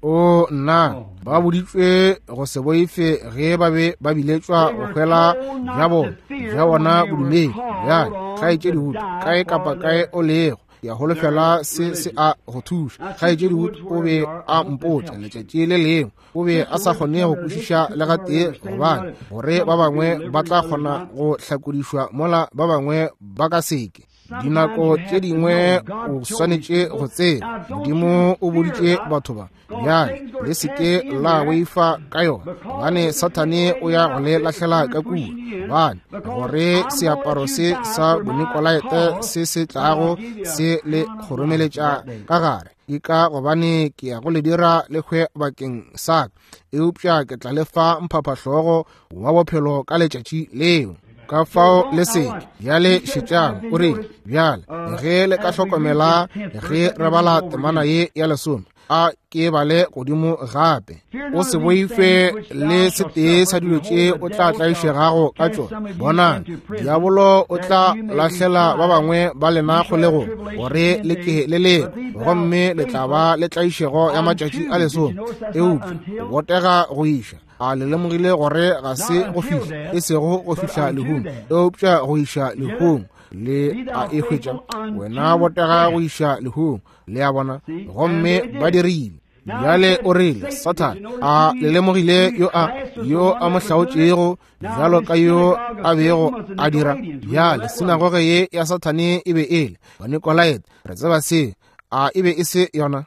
O nna, ba boditšwe go se boife ge ba be ba biletšwa go hwela bja bona, bja bona bodumedi. Bjale kgaetšedi Wood, kae kapa kae o lego, ke a holofela se se a go thuša. Kgaetšedi Wood o be a mpotša letšatši le lengwe, o be a sa kgone go kwešiša le gatee gobane gore ba bangwe ba tla kgona go hlakodišwa mola ba bangwe ba ka seke. Dinako tše dingwe o swanetše go tseba, Modimo o boditše batho ba, bjale le se ke la boifa ka yona, gobane Sathane o ya go le lahlela ka kua, gobane gore seaparo se sa Bonikolaite se se tlago se le kgoromeletša ka gare, ke ka gobane ke ya go le dira le hwe bakeng sa ka, eupša ke tla le fa mphaphahlogo wa bophelo ka letšatši leo. Ka fao le seke. Bjale šetšang, o rile, bjale ge le ka hlokomela ge re bala temana ye ya lesome, a ke bale godimo gape. O se boife le setee sa dilo tše o tla tlaišegago ka tšona. Bonang, diabolo o tla lahlela ba bangwe ba lena kgolegong gore le ke le lekwe, gomme le tla ba le tlaišego ya matšatši a lesome. Eupša o botega go iša. A le lemogile gore ga se go fihla, e sego go fihla lehung, eupša go iša lehung. Le a e hwetša, wena botega go iša lehung. Le a bona? Gomme ba dirile. Bjale o rile, Sathane, a le lemogile yo a yo a mo hlaotšego bjalo ka yo a bego a dira? Bjale sinagoge ye ya Sathane e be e le Banikolaite. Re tseba se. A e be e se yona?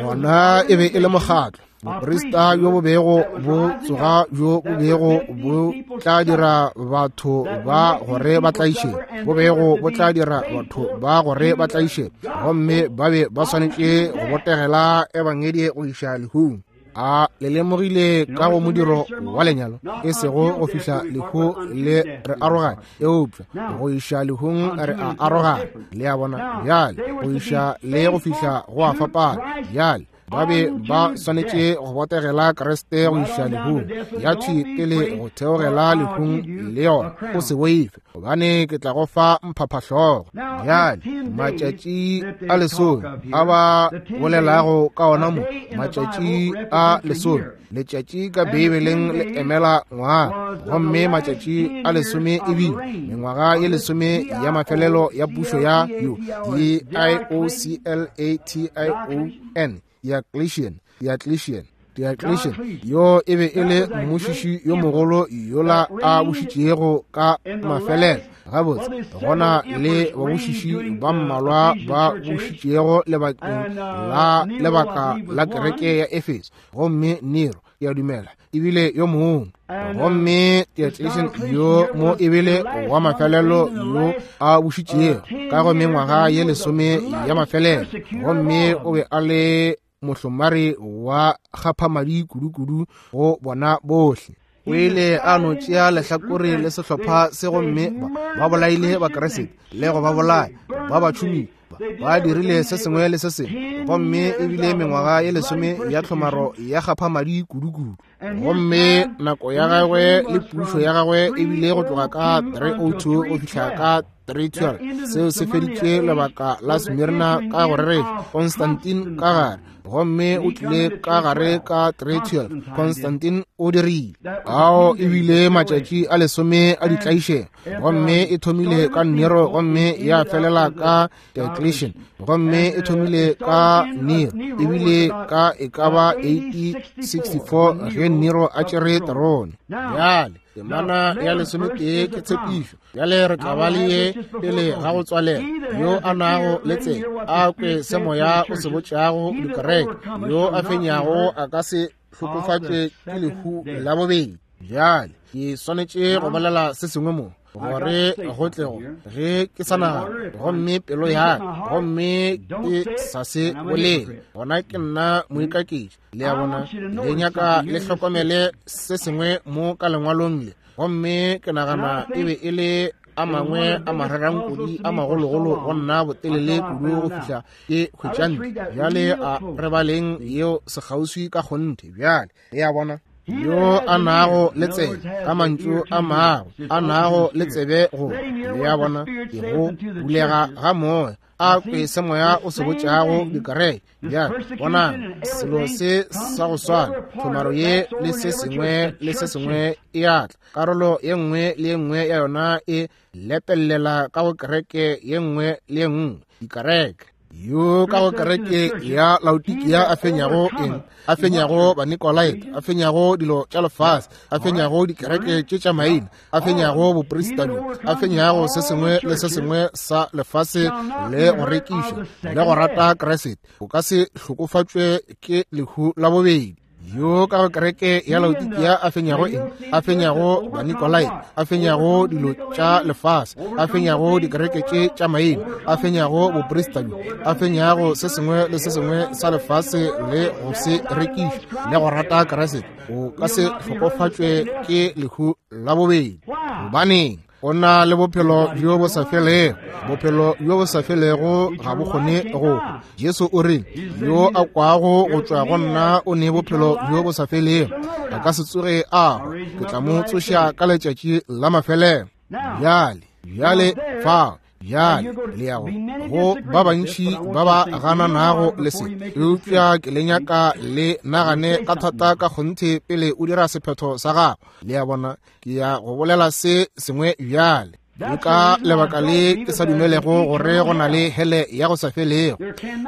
Gona e be e le mokgatlo, boprista bjo bo bego bo tsoga bjo bo bego bo tla dira batho ba gore ba tlaiše, bo bego bo tla dira batho ba gore ba tlaiše, gomme ba be ba swanetše go botegela ebangedi go iša lehung. A le lemogile ka go modiro wa lenyalo, e sego go fihla lehu le re arogane, eupša go iša lehung re a arogana. Le a bona? Bjale go iša le go fihla go a fapana. Bjale ba be ba swanetše go botegela Kriste go iša lehung, ya thwi pele go theogela lehung le yona. O se boife, gobane ke tla go fa mphaphahlogo. Bjale matšatši a lesome a ba bolelago ka ona mo, matšatši a lesome, letšatši ka Beibeleng le emela ngwaga, gomme matšatši a lesome e bile mengwaga ye lesome ya mafelelo ya pušo ya yo D I O C L A T I O N, Diocletian, Diocletian, Diocletian, yo e be e le mmušiši yo mogolo yola a bušitšego ka mafelelo. Gabotse, gona le babušiši ba mmalwa ba bušitšego lebakeng la lebaka la kereke ya Efeso, gomme Nero, ke a dumela, ebile yo mongwe. Gomme Diocletian yo mo ebile wa mafelelo yo a bušitšego ka go mengwaga ye lesome ya mafelelo, gomme o be a le mohlomari wa kgaphamadi kudu-kudu go bona bohle. O ile a no tšea lehlakore le sehlopha se, gomme ba bolaile Bakriste le go ba bolaya, ba ba tšhumile, ba dirile se sengwe le se sengwe, gomme ebile mengwaga ye lesome ya tlhomaro ya kgaphamadi kudu-kudu. Gomme nako ya gagwe le pušo ya gagwe ebile go tloga ka three oh two go fihla ka three twelve. Seo se feditše lebaka la Smyrna ka go reretša Constantine ka gare, gomme o tlile ka gare ka three twelve. Constantine o dirile ao ebile matšatši a lesome a ditlaišego, gomme e thomile ka Nero gomme ya felela ka Diocletian, gomme e thomile ka Nero ebile ka e ka ba eighty sixty-four ge Nero a tšere terone. Bjale temana ya lesometee ke tshepišo. Bjale re tla ba le ye pele ga go tswalela. Yo a nago le tsebe a kwe se moya o se botšago dikereke, yo a fenyago a ka se hlokofatšwe ke lehu la bobedi. Bjale ke swanetše go bolela se sengwe mo, gore go tle go ge ke sa nagana, gomme pelo ya ka, gomme ke sa se bolele, gona ke nna moikaketši. Le a bona? Le nyaka le hlokomele se sengwe mo ka lengwalong le, gomme ke nagana e be e le a mangwe a mararankodi a magologolo go nna botelele kudu go fihla ke hwetša ntle. Bjale a re baleng yeo sekgauswi ka kgonthe. Bjale le a bona? Yo a nago le tsebe, ka mantšu a mago, a nago le tsebe go, le a bona, ke go bulega ga moya, a kwe se moya o se botšago dikereke. Bjale bonang selo se sa go swana, tlhomaro ye le se sengwe le se sengwe e a tla, karolo ye nngwe le ye nngwe ya yona e lepellela ka go kereke ye nngwe le ye nngwe, dikereke. Yo ka go kereke ya Laodikia a fenyago eng? A fenyago Banikolaite, a fenyago dilo tša lefase, a fenyago dikereke tše tša maina, a fenyago boprista bjo, a fenyago se sengwe le se sengwe sa lefase le go rekiša le go rata Kriste, o ka se hlokofatšwe ke lehu la bobedi. Yo ka go kereke ya Laodikia a fenyago eng? A fenyago Banikolaite, a fenyago dilo tša lefase, a fenyago dikereke tše tša maina, a fenyago boprista bjo, a fenyago se sengwe le se sengwe sa lefase le go se rekiša le go rata Kriste, o ka se hlokofatšwe ke lehu la bobedi. Gobaneng? O na le bophelo bjo bo sa felego. Bophelo bjo bo sa felego ga bo kgone go hwa. Jesu o re, yo a kwago go tšwa go nna o ne bophelo bjo bo sa felego, a ka se tsoge a hwa, ke tla mo tsoša ka letšatši la mafelelo. Bjale, bjale fao, bjale le ya go go ba bantši ba ba gananago le se, eupša ke le nyaka le nagane ka thata ka kgonthe pele o dira sephetho sa gago. Le a bona? Ke ya go bolela se sengwe bjale. Ke ka lebaka le ke sa dumelego gore go na le hele ya go sa felego.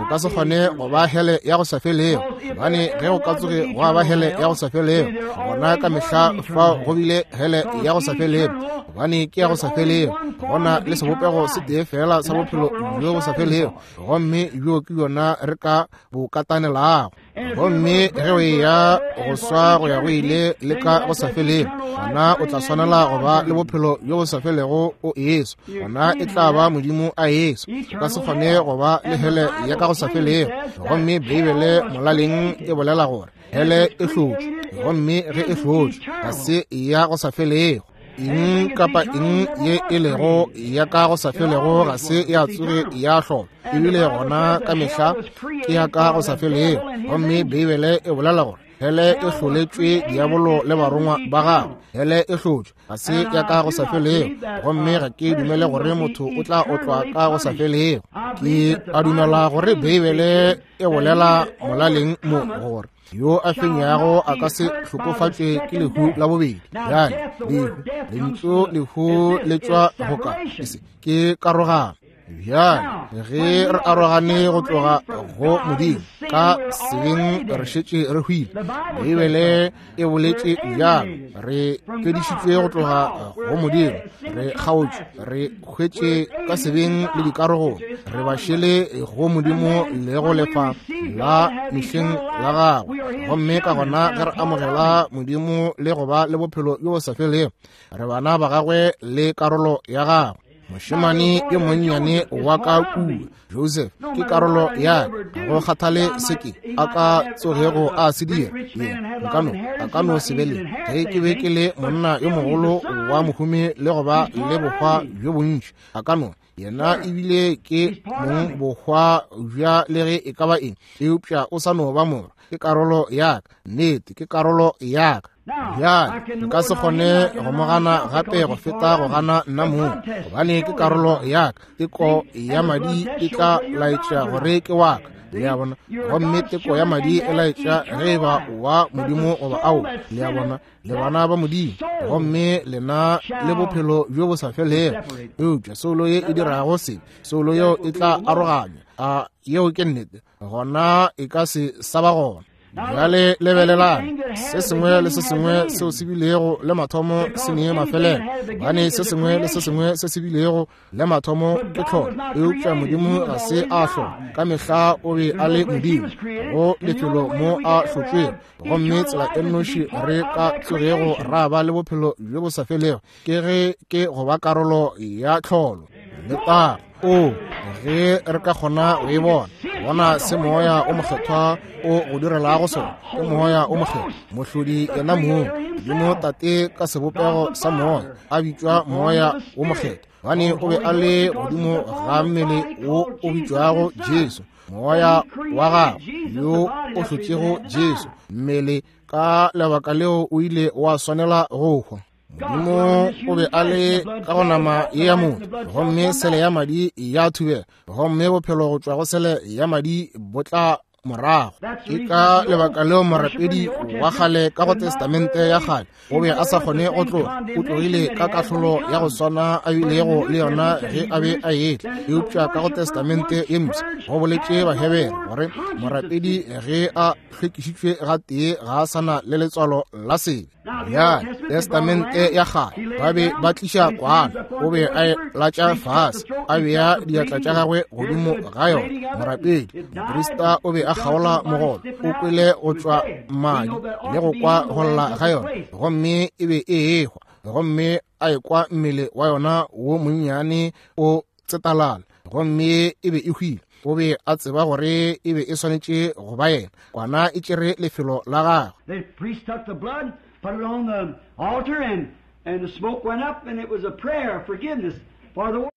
O ka se kgone go ba hele ya go sa felego, gobane ge go ka tsoge gwa ba hele ya go sa felego, gona ka mehla fao go bile hele ya go sa felego, gobane ke ya go sa felego. Go na le sebopego se tee fela sa bophelo bjo bo sa felego, gomme bjo ke yona re ka bo katanelago. Gomme ge o eya go swa go ya go ile le ka go sa felego, gona o tla swanela go ba le bophelo bjo bo sa felego o eswa, gona e tla ba Modimo a eswa. O ka se kgone go ba le hele ya ka go sa felego. Gomme Beibele molaleng e bolela gore hele e hlotšwe, gomme ge e hlotšwe ga se ya go sa felego. Eng kapa eng ye e lego ya ka go sa felego ga se ya tsoge ya hlolwa, ebile gona ka mehla ke ya ka go sa felego. Gomme Beibele e bolela gore hele e hloletšwe diabolo le barongwa ba gagwe. Hele e hlotšwe ga se ya ka go sa felego, gomme ga ke dumele gore motho o tla otlwa ka go sa felego. Ke a dumela gore Beibele e bolela molaleng mo gore yo a fenyago a ka se hlokofatšwe ke lehu la bobedi. Bjale lehu, lentšu lehu le tšwa go ka ke karogano. Bjale ge re arogane go tloga go Modimo ka sebeng, re šetše re hwile. Beibele e boletše bjalo, re fedišitšwe go tloga go Modimo, re kgaotšwe, re hwetše ka sebeng le dikarogong, re ba šele go Modimo le go lefa la mehleng la gagwe. Gomme ka gona ge re amogela Modimo le go ba le bophelo bjo bo sa felego, re bana ba gagwe le karolo ya gagwe. Mošemane yo monnyane wa ka kua, Joseph, ke karolo ya ka. Go kgathale se ke a ka tsogego a se dira, yena nka no a ka no se be le. Ge ke be ke le monna yo mogolo wa mohumi le go ba le bohwa bjo bontši, a ka no yena ebile ke mong bohwa bja le ge e ka ba eng, eupša o sa no ba morwa. Ke karolo ya ka, nnete ke karolo ya ka. Bjale nka se kgone go mo gana gape go feta go gana nna mong, gobane ke karolo ya ka. Teko ya madi e tla laetša gore ke wa ka, le a bona. Gomme teko ya madi e laetša ge e ba wa Modimo goba ao, le a bona, le bana ba Modimo, gomme lena le bophelo bjo bo sa felego. Eupša soulo ye e dirago sebe, soulo yeo e tla aroganywa. A yeo ke nnete, gona e ka se sa ba gona. Bjale lebelelang, se sengwe le se sengwe seo se bilego le mathomo se ne mafelelo, gobane se sengwe le se sengwe se se bilego le mathomo ke tlholo. Eupša Modimo ga se a hlola, ka mehla o be a le Modimo go lefelo mo a hlotšwego. Gomme tsela e nnoši re ka tsogego ra ba le bophelo bjo bo sa felego ke ge ke go ba karolo ya tlholo. Letago! O ge re ka kgona go e bona, bona se Moya o Mokgethwa o go direlago sona. Ke Moya o Mokgethwa, mohlodi yena mong, Modimo Tate ka sebopego sa Moya, a bitšwa Moya o Mokgethwa, gobane o be a le godimo ga mmele wo o bitšwago Jesu, Moya wa gagwe yo o hlotšego Jesu mmele. Ka lebaka leo o ile wa swanela go hwa. Modimo o be a le ka go nama ye ya motho, gomme sele ya madi ya thubela, gomme bophelo go tšwa go sele ya madi bo tla morago. Ke ka lebaka leo morapedi wa kgale ka go Testamente ya kgale o be a sa kgone go tloga, o tlogile ka kahlolo ya go swana a bilego le yona ge a be a etla. Eupša ka go Testamente ye mpsha go boletše Bahebere gore morapedi ge a hlwekišitšwe gatee ga a sa na le letswalo la sebe. Bjale Testamente ya kgale ba be ba tliša kwana, o be a e latša fase, a bea diatla tša gagwe godimo ga yona. Morapedi moprista o be a kgaola mogolo, o kwele go tšwa madi le go kwa go lla ga yona, gomme e be e ehwa, gomme a ekwa mmele wa yona wo monnyane o tsetalala, gomme e be e hwile. O be a tseba gore e be e swanetše go ba yena. Kwana e tšere lefelo la gagwe. The priest took the blood, put it on the altar, and, and the smoke went up, and it was a prayer of forgiveness for the world.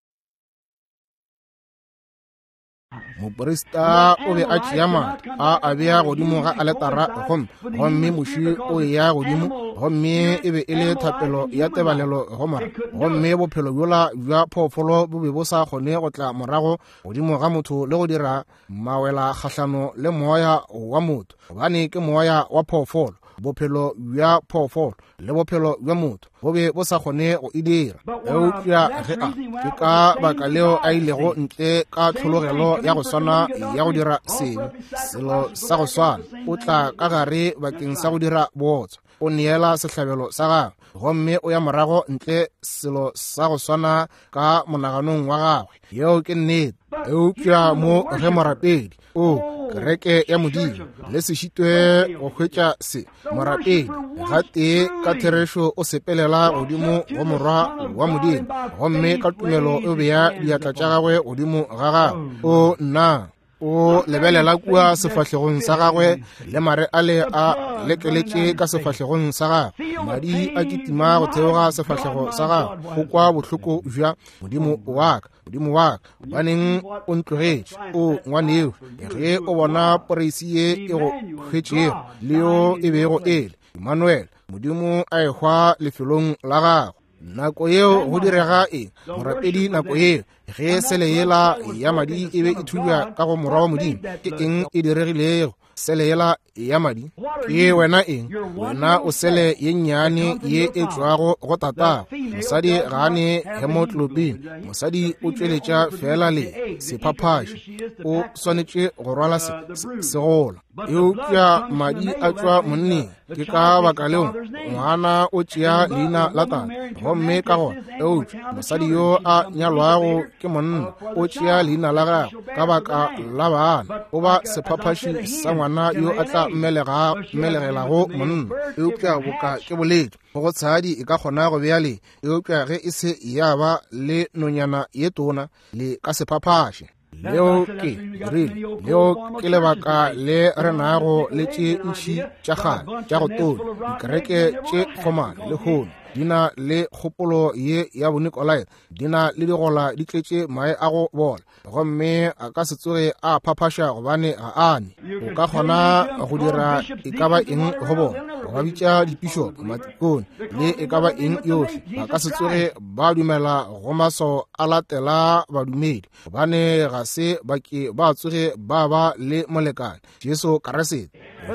Moprista o be a tšea madi a a bea godimo ga aletara, gomme gomme moši o eya godimo, gomme e be e le thapelo ya tebalelo go mora. Gomme bophelo bjola bja phoofolo bo be bo sa kgone go tla morago godimo ga motho le go dira mawela kgahlano le moya wa motho, gobane ke moya wa phoofolo. Bophelo bja phoofolo le bophelo bja motho bo be bo sa kgone go e dira. Eupša ge a, ke ka baka leo a ilego ntle ka tlhologelo ya go swana ya go dira sebe, selo sa go swana, o tla ka gare bakeng sa go dira bootswa, o neela sehlabelo sa gagwe, gomme o ya morago ntle selo sa go swana ka monaganong wa gagwe. Yeo ke nnete. Eupša mo ge morapedi, o kereke ya Modimo, le se šitwe go hwetša se, morapedi gatee ka therešo o sepelela godimo go morwa wa Modimo, gomme ka tumelo o bea diatla tša gagwe godimo ga gagwe. O nna, o lebelela kua sefahlegong sa gagwe, le mare ale a lekeletše ka sefahlegong sa gagwe, madi a kitima go theoga sefahlego sa gagwe, o kwa bohloko bja Modimo wa ka, Modimo wa ka, gobaneng o ntlogetše? O ngwaneo, ge o bona poreisi ye e go hwetšego le yo e bego e le Emmanuel, Modimo a ehwa lefelong la gago. Nako yeo go direga eng? Morapedi nako yeo ge sele yela ya madi e be e thubja ka go morwa wa Modimo, ke eng e diregilego? Sele yela ya madi ke wena eng? Wena o sele ye nnyane ye e tšwago go tatago. Mosadi ga a ne hemoglobin, mosadi o tšweletša fela le sephaphaši, o swanetše go rwala se segola. Eupša madi a tšwa monneng, ke ka baka leo ngwana o tšea leina la tate, gomme ka gona eupša mosadi yo a nyalwago ke monna o tšea leina la gagwe ka baka la bana, o ba sephaphaši sa ngwana yo a tla mmelega mmelegelago monna. Eupša boka ke boletše, go tshadi e ka kgona go bea le, eupša ge e se ya ba le nonyana ye tona, le ka sephaphaši. Leo ke rile, leo ke lebaka le re nago le tše ntši tša kgale tša go tonya, dikereke tše fomale lehono di na le kgopolo ye ya Bonikolaite, di na le digola di tletše mae a go bola, gomme a ka se tsoge a phaphaša gobane ga a ne. O ka kgona go dira e ka ba eng go bona, go ba bitša dipišopo, matikone, le e ka ba eng yohle, ba ka se tsoge ba dumela go maswao a latela badumedi, gobane ga se ba ke ba tsoge ba ba le molekane Jesu Kriste.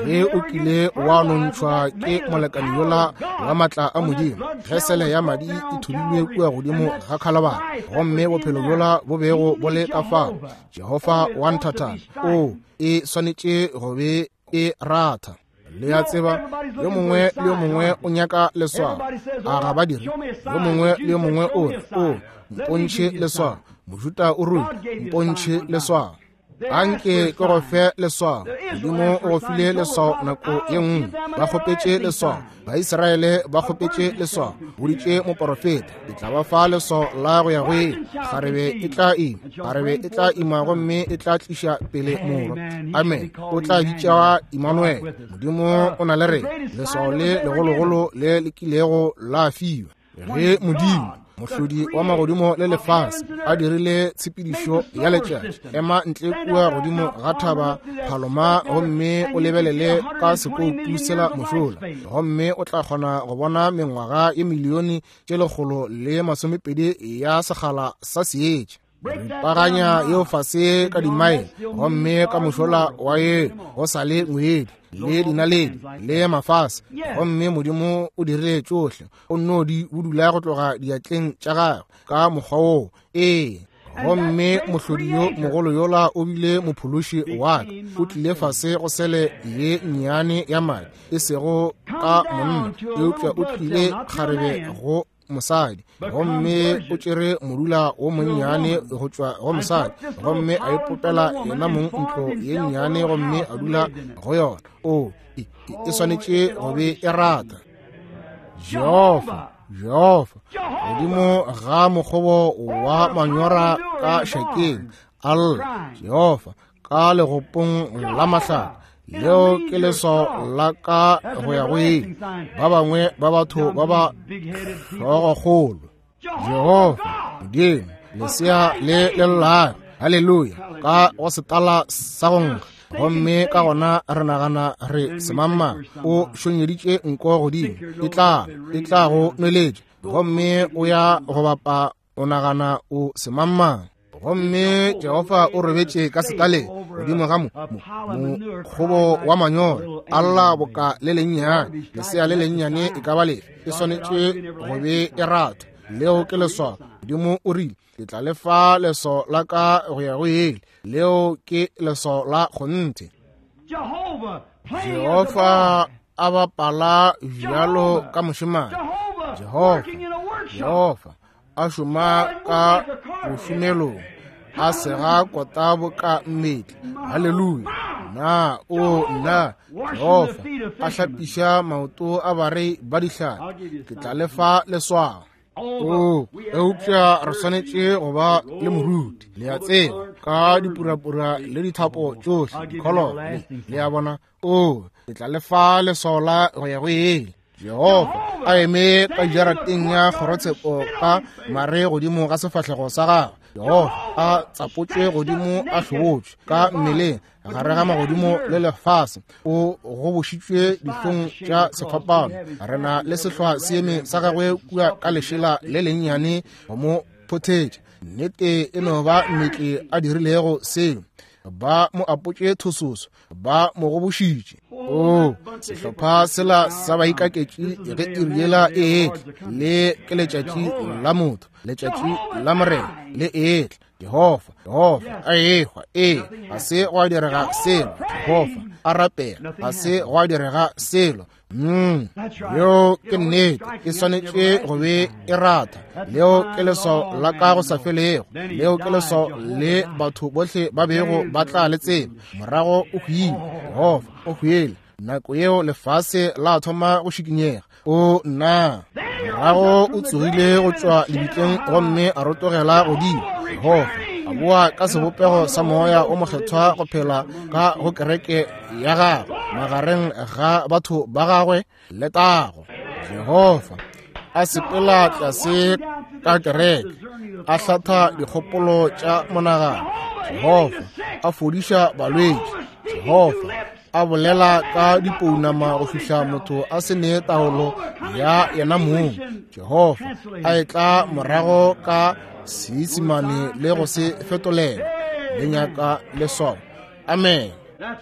Ge o kile wa nontšhwa ke molekane yola wa matla a Modimo, ge sele ya madi e thubilwe kua godimo ga Khalabara, gomme bophelo bjola bo bego bo le ka fao, Jehofa wa nthathana, o e swanetše go be e ratha. Le a tseba, yo mongwe le yo mongwe o nyaka leswao, a ga ba dire? Yo mongwe le yo mongwe o re, o mpontšhe leswao, Mojuta o ruri, mpontšhe leswao. Anke ke go fe leswao. Modimo o go file leswao nako ye nngwe. Ba kgopetše leswao, Baisraele ba kgopetše leswao, boditše moporofeta, ke tla ba fa leswao la go ya go ile. Kgarebe e tla ima, kgarebe e tla ima, gomme e tla tliša pele morwa. Amen. O tla bitšwa Emmanuel, Modimo o na le rena. Leswao le legologolo le le kilego la fiwa. Ge Modimo mohlodi wa magodimo le lefase a dirile tshepedišo ya letšatši, ema ntle kua godimo ga thaba Paloma gomme o lebelele ka sekoutu sela mošola, gomme o tla kgona go bona mengwaga ye milione tše lekgolo le masomepedi ya sekgala sa seetša. Ripaganya yeo fase ka dimaele, gomme ka mošola wa ye go sa le ngwedi le dinaledi le mafase, gomme Modimo o dirile tšohle, o nno di budula go tloga diatleng tša gagwe ka mokgwa woo. Ee, gomme mohlodi yo mogolo yola o bile mophološi wa ka, o tlile fase go sele ye nnyane ya madi, e sego ka monna, eupša o tlile kgarebe go mosadi, gomme o tšere modula wo monnyane go tšwa go mosadi, gomme a ipopela yena mong ntlo ye nnyane gomme a dula go yona. O e, e swanetše go be e rata. Jehofa, Jehofa, godimo ga mokgobo wa manyora ka šakeng, alla Jehofa ka legopong la mahlaka, leo ke leswao la ka go ya go ile. Ba bangwe ba batho ba ba hlogokgolo, Jehofa Modimo, lesea le le llago, haleluya, ka go setala sa go nkga. Gomme ka gona re nagana re semangmang o šonyeditše nko godimo, e tla e tla go nweletša, gomme o ya go bapa, o nagana o semangmang. Gomme Jehofa o robetše ka setaleng godimo ga mo mokgobo wa manyoro, a lla boka le lennyane, lesea le lennyane e ka ba lefe, e swanetše go be e ratha. Leo ke leswao. Modimo o rile, ke tla le fa leswao la ka go ya go ele. Leo ke leswao la kgonthe. Jehofa a bapala bjalo ka mošemane. Jehofa, Jehofa a šoma ka bošomelong, a sega kota boka mmetli. Haleluya. Na o nna Jehofa a hlapiša maoto a barei ba dihlapi. Ke tla le fa leswao. O, eupša re swanetše go ba le moruti, le a tseba, ka dipurapura le dithapo tšohle, dikholoro, le a bona. O, ke tla le fa leswao la go ya go ele. Jehofa a eme ka jarateng ya kgorotshepo ka mare godimo ga sefahlego sa gagwe. Jehofa a tsapotšwe godimo a hlobotšwe ka mmeleng gare ga magodimo le lefase, o gobošitšwe dihlong tša sefapano. Re na le sehlwa seeme sa gagwe kua ka lešela le lennyane go mo phothetša. Nnete e no ba mmetli a dirilego seo. Ba mo apotše thososo, ba mo gobošitše. O, sehlopha sela sa baikaketši ge iri yela e etla, le ke letšatši la motho, letšatši la Morena le etla. Jehofa, Jehofa a ehwa, ee, ga se gwa direga selo. Jehofa a rapela, ga se gwa direga selo. Mm, leo ke nnete, e swanetše go be e ratha. Leo ke leswao la ka go sa felego. Leo ke leswao le batho bohle ba bego ba tla le tseba. Morago o hwile, Jehofa o hwile. Nako yeo lefase la thoma go šikinyega. O nna, morago o tsogile go tšwa lebitleng gomme a rotogela godimo. Jehofa a boa ka sebopego sa moya o mokgethwa go phela ka go kereke ya gagwe magareng ga batho ba gagwe. Letago. Jehofa a sepela tlase ka kereke, a hlatha dikgopolo tša monagano. Jehofa a fodiša balwetši. Jehofa a bolela ka dipounama go fihla motho a se ne taolo ya yena mong. Jehofa a etla morago ka Seisemane le go se fetolela. Le nyaka leswao. Amen.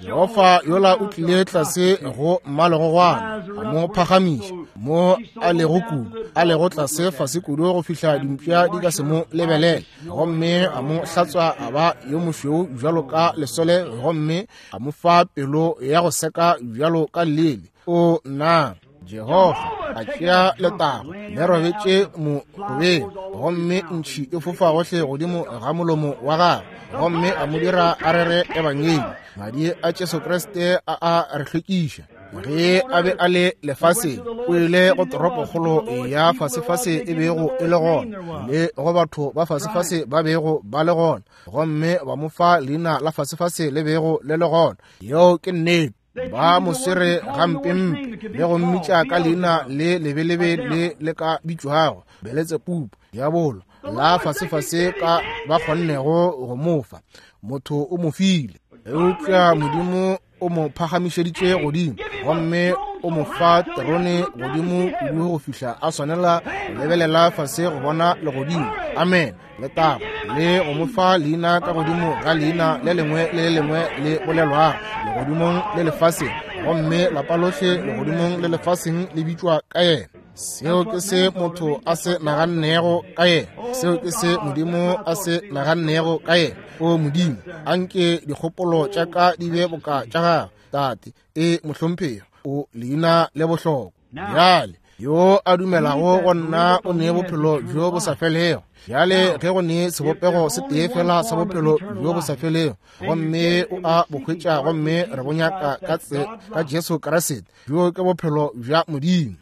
Jehofa yola o tlile tlase go mmalegogwana, a mo phagamiša mo a lego kudu, a lego tlase fase kudu go fihla dimpša di ka se mo lebelele, gomme a mo hlatswa a ba yo mošweu bjalo ka lesole, gomme a mo fa pelo ya go seka bjalo ka lele. O nna, Jehofa a tšea letago le robetše mogobeng, gomme ntšhi e fofa gohle godimo ga molomo wa gagwe, gomme a mo dira a rere ebangedi. Madi a Jesu Kriste a a re hlwekiša. Ge a be a le lefaseng, o ile go toropokgolo ya fasefase e bego e le gona, le go batho ba fasefase ba bego ba le gona, gomme ba mo fa leina la fasefase le bego le le gona. Yeo ke nnete. Ba mo swere gampempe le go mmitša ka leina le lebelebe le le ka bitšwago Beletsepupu, diabolo la fasefase ka ba kgonnego go mo fa. Motho o mo file, eupša Modimo o mo phagamišeditše godimo, gomme o mo fa terone godimo kudu go fihla a swanela go lebelela fase go bona legodimo. Amen. Letago. Le go mo fa leina ka godimo ga leina le lengwe le le lengwe le bolelwago legodimong le lefaseng, gomme lapa lohle legodimong le lefaseng le bitšwa ka yena. Seo ke se motho a se nagannego ka yena. Seo ke se Modimo a se nagannego ka yena. O Modimo, anke dikgopolo tša ka di be boka tša gagwe. Tate, e mohlomphegi, o leina le bohlokwa. Bjale, yo a dumelago go nna o ne bophelo bjo bo sa felego. Bjale ge go ne sebopego se tee fela sa bophelo bjo bo sa felego, gomme o a bo hwetša, gomme re bo nyaka ka ka Jesu Kriste, bjo ke bophelo bja Modimo.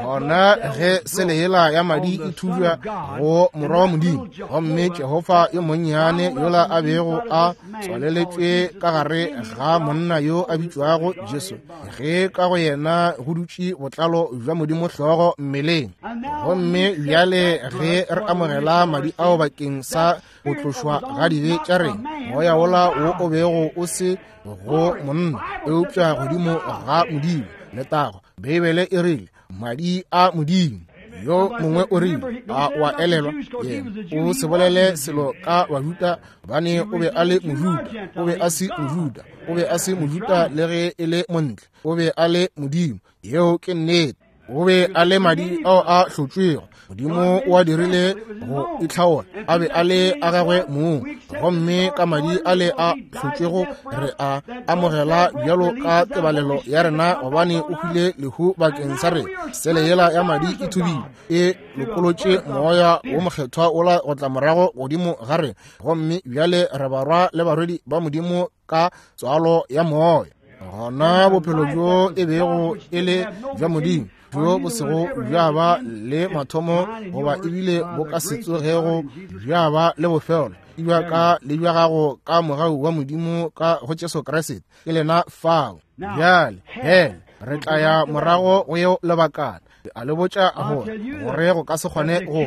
Gona ge sele yela ya madi e thujwa go morwa wa Modimo, gomme Jehofa yo monnyane yola a bego a tswaleletšwe ka gare ga monna yo a bitšwago Jesu, ge ka go yena go dutše botlalo bja Modimo hlogo mmeleng. Gomme bjale ge re amogela madi ao bakeng sa go tlošwa ga dibe tša rena, moya wola wo o bego o se go monna eupša godimo ga Modimo. Letago. Beibele e rile madi a Modimo. Yo mongwe o rile, a wa elelwa, yena o se bolele selo ka Bajuda, gobane o be a le Mojuda. O be a se Mojuda, o be a se Mojuda le ge e le montle, o be a le Modimo. Yeo ke nnete. O be a le madi ao a hlotšwego. Modimo o a dirile go itlhaola, a be a le a gagwe mong, gomme ka madi a le a hlotšwego re a amogela bjalo ka tebalelo ya rena, gobane o hwile lehu bakeng sa rena. Sele yela ya madi e thubile, e lokolotše moya wo mokgethwa ola go tla morago godimo ga rena, gomme bjale re barwa le barwedi ba Modimo ka tswalo ya moya. Gona bophelo bjo e bego e le bja Modimo, bjo bo sego bja ba le mathomo goba ebile bo ka se tsogego bja ba le bofelo, e bja ka le bja gago ka mogau wa Modimo ka go Jesu Kriste. Ke lena fao. Bjale hele re tla ya morago go yeo lebakana. A le botša gore gore go ka se kgone go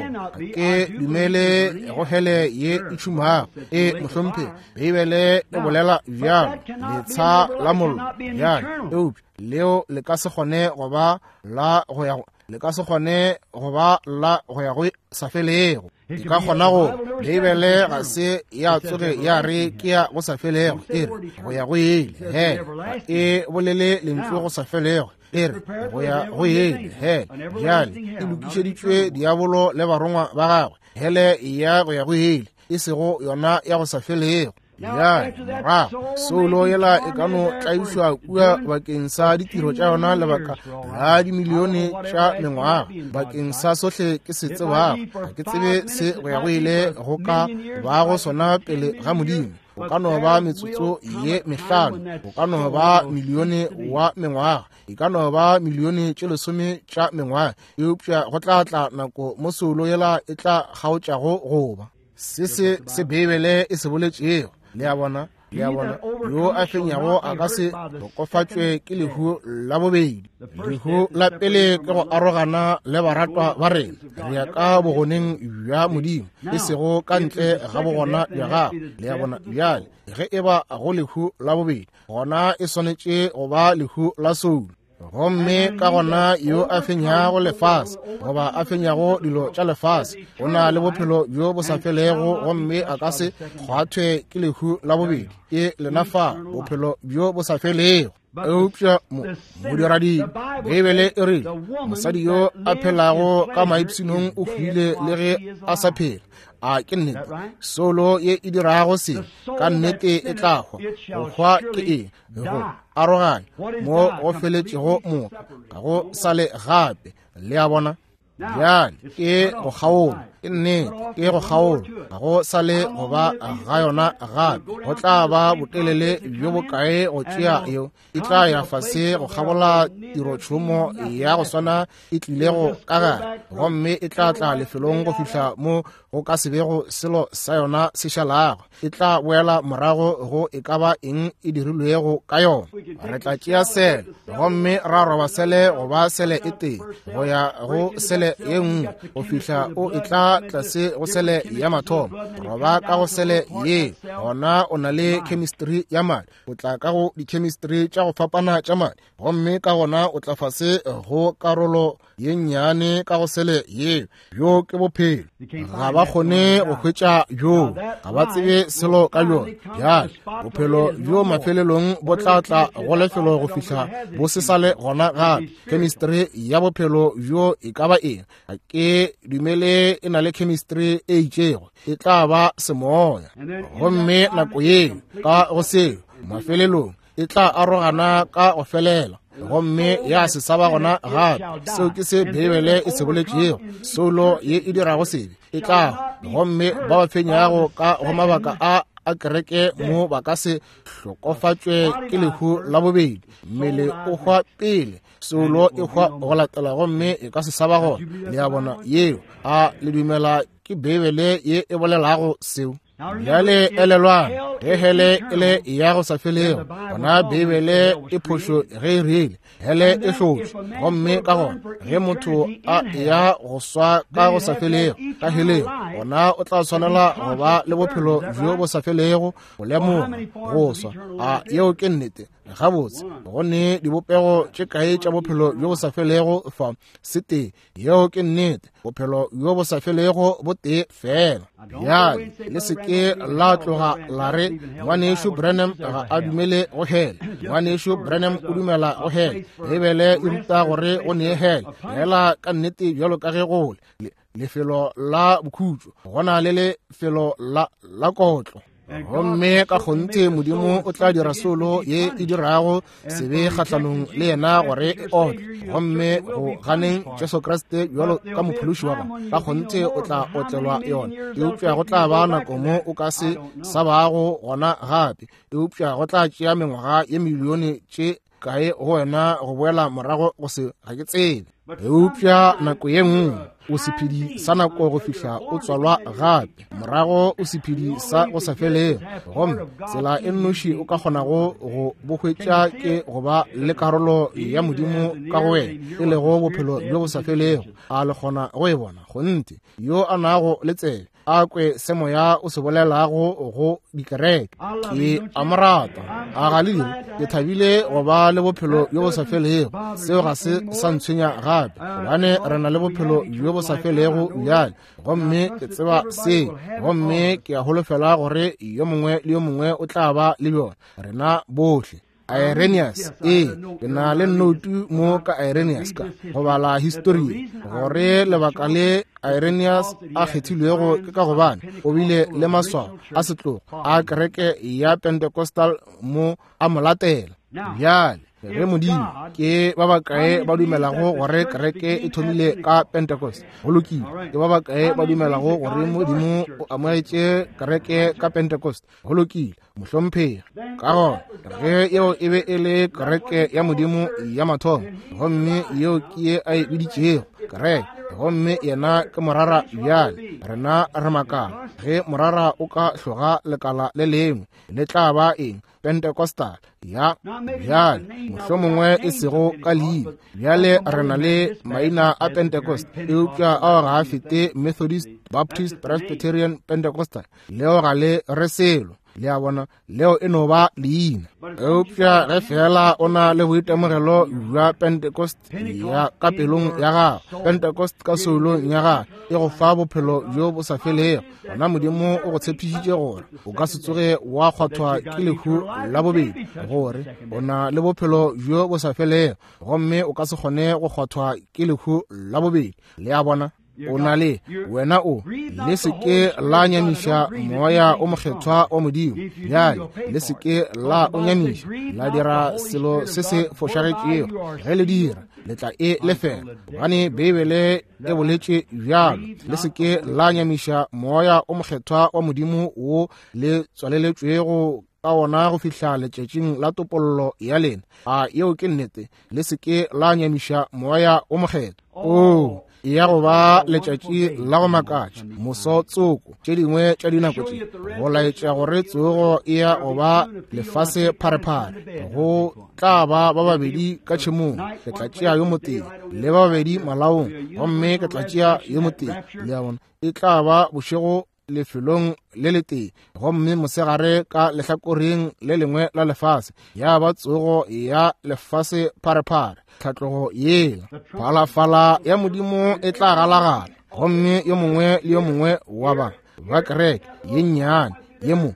ke dumele go hele ye e tšhumago. E mohlomphegi, Beibele e bolela bjalo, letsha la mollo. Bjale eupša leo le ka se kgone go ba la go ya le ka se kgone go ba la go ya go sa felego. E ka kgona go Beibele ga se ya tsoge ya re ke ya go sa felego, e re go ya go ile. He e bolele lentšu go sa felego, e re go ya go ile. He bjale e lokišeditšwe diabolo le barongwa ba gagwe, hele ya go ya go ile, e sego yona ya go sa felego. Bjale morago soulo yela e ka no tlaišwa kua bakeng sa ditiro tša yona lebaka la dimilione tša mengwaga, bakeng sa sohle ke se tsebago. Ga ke tsebe se go ya go ile go ka bago sona pele ga Modimo. Go ka no ba metsotso ye mehlano, go ka no ba milione wa mengwaga, e ka no ba milione tše lesome tša mengwaga, eupša go tla tla nako mo soulo yela e tla kgaotšago goba. Se se se Beibele e se boletšego. Le a bona, le a bona, yo a fenyago a ka se hlokofatšwe ke lehu la bobedi. Lehu la pele ke go arogana le baratwa ba rena, re ya ka bogoneng bja Modimo, e sego ka ntle ga bogona bja gagwe. Le a bona, bjale ge e ba go lehu la bobedi, gona e swanetše go ba lehu la soulo. Gomme ka gona yo a fenyago lefase goba a fenyago dilo tša lefase o na le bophelo bjo bo sa felego, gomme a ka se kgwathwe ke lehu la bobedi. Ke lena fa bophelo bjo bo sa felego. Eupša modiradibe, Beibele e rile mosadi yo a phelago ka maipshinong o hwile le ge a sa phela. A ke nnete? Soulo ye e dirago se ka nnete e tla hwa. Go hwa ke eng? Go aroganya mo go feletšego moka, ga go sa le gape. Le a bona? Bjale ke go kgaola, ke nnete, ke go kgaola, ga go sa le go ba ga yona gape. Go tla ba botelele bjo bokae go tšea yeo? E tla ya fase go kgabola tirotšhomo ya go swana e tlilego ka gare, gomme e tla tla lefelong go fihla mo go ka se bego selo sa yona se šalago. E tla boela morago go e ka ba eng e dirilwego ka yona. Re tla tšea sele gomme ra roba sele go ba sele e tee go ya go sele ye nngwe go fihla o e tla tlase go sele ya mathomo. Roba ka go sele ye, gona o na le chemistry ya madi. O tla ka go di-chemistry tša go fapana tša madi, gomme ka gona o tla fase go karolo ye nnyane ka go sele ye. Bjo ke bophelo. Ga ba kgone go hwetša bjo, ga ba tsebe selo ka bjona. Bjale bophelo bjo mafelelong bo tla tla go lefelo go fihla bo se sa le gona gape. Chemistry ya bophelo bjo e ka ba eng? Ga ke dumele e na le chemistry e itšego, e tla ba semoya. Gomme nako yeo ka go seo mafelelong e tla arogana ka go felela, gomme ya se sa ba gona gape. Seo ke se Beibele e se boletšego. Soulo ye e dirago sebe e tla, gomme ba ba fenyago ka go mabaka a a kereke mo ba ka se hlokofatšwe ke lehu la bobedi. Mmele o hwa pele, soulo e hwa go latela, gomme e ka se sa ba gona. Le a bona? Yeo a le dumela ke Beibele ye e bolelago seo? Bjale elelwang, ge hele e le ya go sa felego, gona Beibele e phošo ge e rile hele e hlotšwe. Gomme ka gona ge motho a ya go swa ka go sa felego ka heleng, gona o tla tshwanela go ba le bophelo bjo bo sa felego go lemoga go swa. A yeo ke nnete? Gabotse, go ne dibopego tše kae tša bophelo bjo bo sa felego fa? Setee. Yeo ke nnete. Bophelo bjo bo sa felego bo tee fela. Bjale, le se ke la tloga la re ngwanešu Branham ga a dumele go hele. Ngwanešu Branham o dumela go hele. Beibele e ruta gore go ne hele. Fela ka nnete bjalo ka ge go le lefelo la bokhutšo, go na le lefelo la la kotlo. Gomme ka kgonthe Modimo o tla dira solo ye e dirago sebe kgahlanong le yena gore e otle. Gomme go ganeng Jesu Kriste bjalo ka mophološi wa gago, ka kgonthe o tla otlelwa yona. Eupša go tla ba nako mo o ka se sa bago gona gape. Eupša go tla tšea mengwaga ye milione tše kae go wena go boela morago go se ga ke tsebe. Eupša nako ye nngwe o sephedi sa nako go fihla o tswalwa gape, morago o sephedi sa go sa felego. Gomme tsela e nnoši o ka kgonago go bo hwetša ke go ba le karolo ya Modimo ka go wena, e lego bophelo bjo bo sa felego. A le kgona go e bona? Kgonthe. Yo a nago le tsebe a kwe se moya o se bolelago go dikereke. Ke a mo rata. A ga le dire? Ke thabile go ba le bophelo bjo bo sa felego. Seo ga se sa ntshwenya gape, gobane re na le bophelo bjo bo sa felego bjale. Gomme ke tseba se, gomme ke a holofela gore yo mongwe le yo mongwe o tla ba le bjona, rena bohle. Irenaeus, ee, ke na le nnoutu mo ka Irenaeus ka go bala histori gore lebaka le Irenaeus a kgethilwego ke ka gobane o bile le maswao a setlogo a kereke ya Pentecostal mo a mo latela. Bjale ge Modimo, ke ba bakae ba dumelago gore kereke e thomile ka Pentecost? Go lokile. Ke ba bakae ba dumelago gore Modimo o amogetše kereke ka Pentecost? Go lokile, mohlomphegi. Ka gona ge yeo e be e le kereke ya Modimo ya mathomo, gomme yeo ke ye a e biditšego kereke, gomme yena ke morara. Bjale rena re makala ge morara o ka hloga lekala le lengwe, le tla ba eng? Pentecostal ya bjale, mohlomongwe e sego ka leina. Bjale re na le maina a Pentecost, eupša ao ga a fete Methodist, Baptist, Presbyterian, Pentecostal. Leo ga le re selo. Le a bona, leo e no ba leina. Eupša ge fela o na le boitemogelo bja Pentecost ya ka pelong ya gago, Pentecost ka soulong ya gago, e go fa bophelo bjo bo sa felego. Gona Modimo o go tshepišitše gore o ka se tsoge wa kgwathwa ke lehu la bobedi, gore o na le bophelo bjo bo sa felego, gomme o ka se kgone go kgwathwa ke lehu la bobedi. Le a bona? O na le wena o le se ke la nyamiša moya o mokgethwa wa Modimo. Bjale le se ke la o nyamiša, la dira selo se se fošagetšego. Ge le dira, le tla e lefela, gobane Beibele e boletše bjalo. Le se ke la nyamiša moya o mokgethwa wa Modimo wo le tswaleletšwego ka wona go fihla letšatšing la topollo ya lena. A yeo ke nnete. Le se ke la nyamiša moya o mokgethwa. O ya go ba letšatši la go makatša, moso tsoko tše dingwe tša dinako tše, go laetša gore tsogo e ya go ba lefase pharephare. Go tla ba ba babedi ka tšhemong, ke tla tšea yo motee, le ba babedi malaong, gomme ke tla tšea yo motee. Le a bona, e tla ba bošego lefelong le letee, gomme mosegare ka lehlakoreng le lengwe la lefase. Ya ba tsogo ya lefase pharephare, tlhatlogo yela. Phalafala ya Modimo e tla galagala, gomme yo mongwe le yo mongwe wa ba ba kereke ye nnyane ye mo,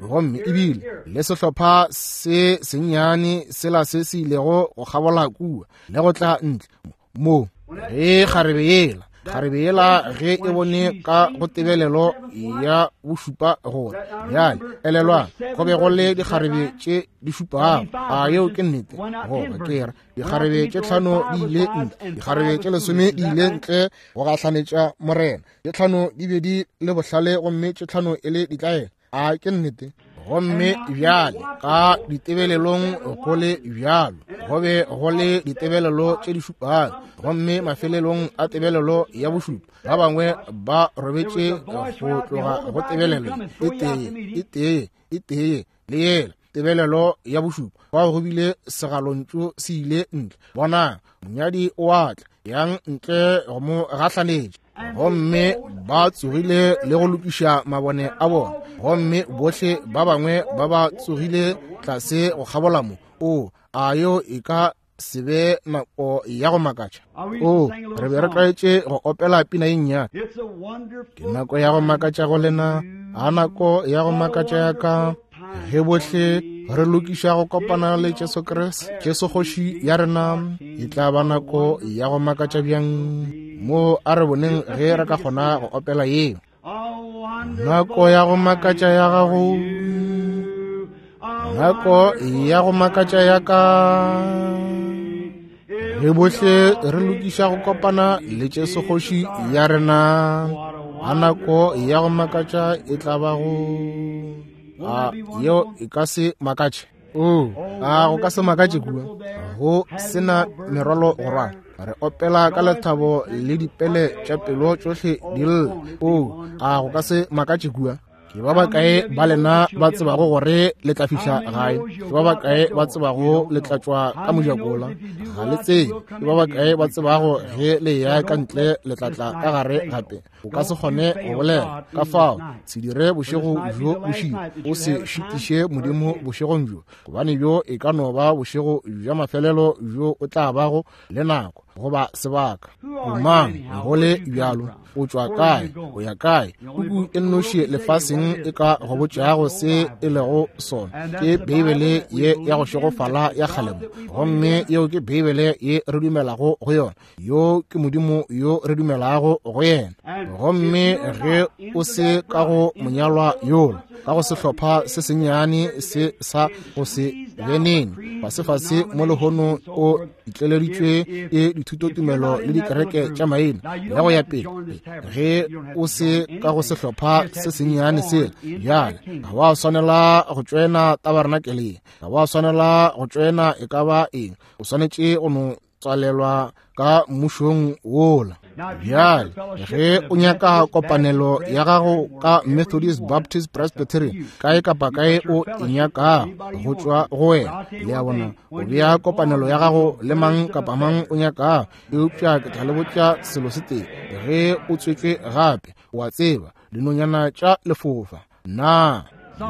gomme ebile le sehlopha se sennyane sela se se ilego go kgabola kua le go tla ntle mo. Ge kgarebe yela kgarebe yela ge e bone ka go tebelelo ya bošupa gore bjale elelwang go be go le dikgarebe tše di šupago. A yeo ke nnete? Goba ke re dikgarebe tše tlhano di ile ntle, dikgarebe tše lesome di ile ntle go gahlanetša Morena. Tše tlhano di be di le bohlale gomme tše tlhano e le ditlaela. A ke nnete? Gomme bjale ka ditebelelong go le bjalo, go be go le ditebelelo tše di šupago, gomme mafelelong a tebelelo ya bošupa ba bangwe ba robetše go tloga go tebelelo e tee e tee e tee le yela tebelelo ya bošupa. Fao go bile segalontšu se ile ntle, bonang monyadi o a tla, yang ntle go mo gahlanetša. Gomme ba tsogile le go lokiša mabone a bona, gomme bohle ba bangwe ba ba tsogile tlase go kgabola mo. O, a yo e ka se be nako ya go makatša? O, re be re tlwaetše go opela pina ye nnyane. Ke nako ya go makatša go lena, a nako ya go makatša ya ka, ge bohle re lokiša go kopana le Jesu Kriste, Jesu kgoši ya rena. E tla ba nako ya go makatša bjang mo a re boneng ge re ka kgona go opela yeo. Nako ya go makatša ya gago, nako ya go makatša ya ka, ge bohle re lokiša go kopana le Jesu kgoši ya rena. A nako ya go makatša e tla ba go. A yeo e ka se makatše? O, a go ka se makatše kua go sena merwalo go rwala. Re opela ka lethabo le dipele tša pelo tšohle di lla. O, a go ka se makatše kua? Ke ba bakae ba lena ba tsebago gore le tla fihla gae? Ke ba bakae ba tsebago le tla tšwa ka mojakola? Ga le tsebe. Ke ba bakae ba tsebago ge le ya ka ntle le tla tla ka gare gape? O ka se kgone go bolela. Ka fao, se dire bošego bjo bošilo, o se šitiše Modimo bošegong bjo, gobane bjo e ka no ba bošego bja mafelelo bjo o tla bago le nako goba sebaka. O mang go le bjalo? O tšwa kae? O ya kae? Puku e nnoši lefaseng e ka go botšago se e lego sona ke Beibele ye ya go šegofala ya kgalemo, gomme yeo ke Beibele ye re dumelago go yona. Yo ke Modimo yo re dumelago go yena. Gomme ge o se ka go monyalwa yola, ka go sehlopha se sennyane se sa go se benene fasefase mo lehono, o itleleditšwe ke dithutotumelo le dikereke tša maina le go ya pele. Ge o se ka go sehlopha se sennyane sela, bjale ga wa swanela go tšoena tabernakeleng, ga wa swanela go tšoena e ka ba eng. O swanetše go no tswalelwa ka mmušong wola. Bjale ge o nyaka kopanelo ya gago ka Methodist, Baptist, Presbyterian, kae kapa kae o e nyakago go tšwa go wena, le a bona, o bea kopanelo ya gago le mang kapa mang o nyakago. Eupša ke tla le botša selo se tee, ge o tswetšwe gape, o a tseba dinonyana tša lefofa. Na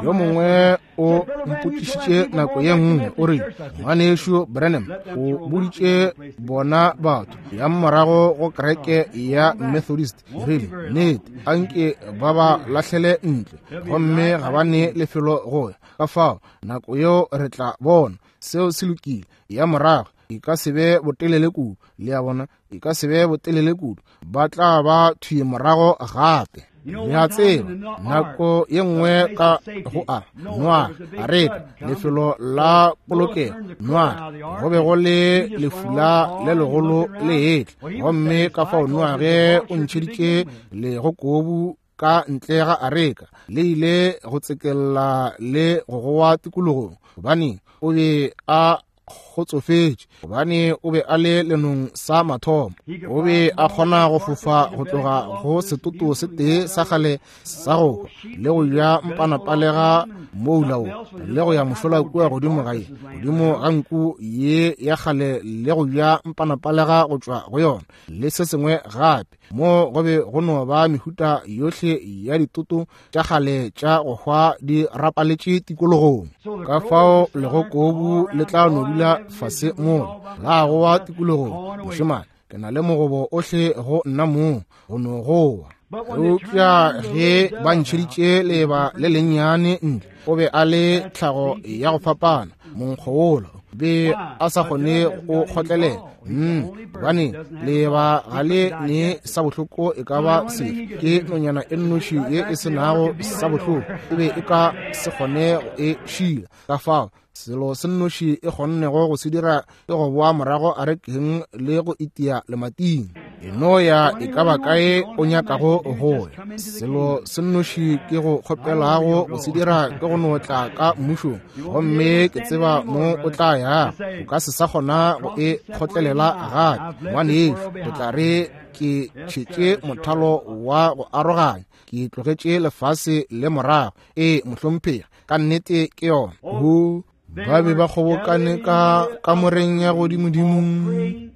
yo mongwe o mpotšišitše nako ye nngwe, o re, ngwanešu Branham, o boditše bona batho ya morago go kereke ya Methodist, rile, nnete, anke ba ba lahlele ntle, gomme ga ba ne lefelo go ya. Ka fao nako yeo re tla bona seo se lokile. Ya morago e ka se be botelele kudu, le a bona, e ka se be botelele kudu, ba tla ba thwi morago gape. Le a tseba, nako ye nngwe ka go a Noa areka, lefelo la polokego, Noa, go be go le lefula le legolo le etla, gomme ka fao Noa ge o ntšheditše legokobu ka ntle ga areka, le ile go tsekella le go goa tikologong, gobane o be a kgotsofetše, gobane o be a le lenong sa mathomo. O be a kgona go fofa go tloga go setoto se tee sa kgale sa go hwa le go ja mpanapalega moula wo, le go ya mošola kua godimo ga ye, godimo ga nku ye ya kgale le go ja mpanapalega go tšwa go yona, le se sengwe gape. Mo go be go no ba mehuta yohle ya ditoto tša kgale tša go hwa di rapaletše tikologong. Ka fao legokobu le tla no dula fase mola la goa tikologong. Mošemane, ke na le mogobo ohle go nna mong, go no goa. Eupša ge ba ntšheditše leba le lennyane ntle, o be a le tlhago ya go fapana, monkgo wola be a sa kgone go kgotlelela. Gobane leba ga le ne sa bohloko e ka ba sefe, ke nonyana e nnoši ye e se nago sa bohloko, e be e ka se kgone go e šila. Ka fao selo se nnoši e kgonnego go se dira ke go boa morago arekeng le go itia lemating. E no ya e ka ba kae o nyakago go ya. Selo se nnoši ke go kgopelago go se dira ke go no tla ka mmušong, gomme ke tseba mo o tla ya. O ka se sa kgona go e kgotlelela gape, ngwanešu. O tla re ke tšhetše mothalo wa go aroganya, ke tlogetše lefase le morago. Ee, mohlomphegi, ka nnete ke yona. Ho ba be ba kgobokane ka kamoreng ya godimodimo,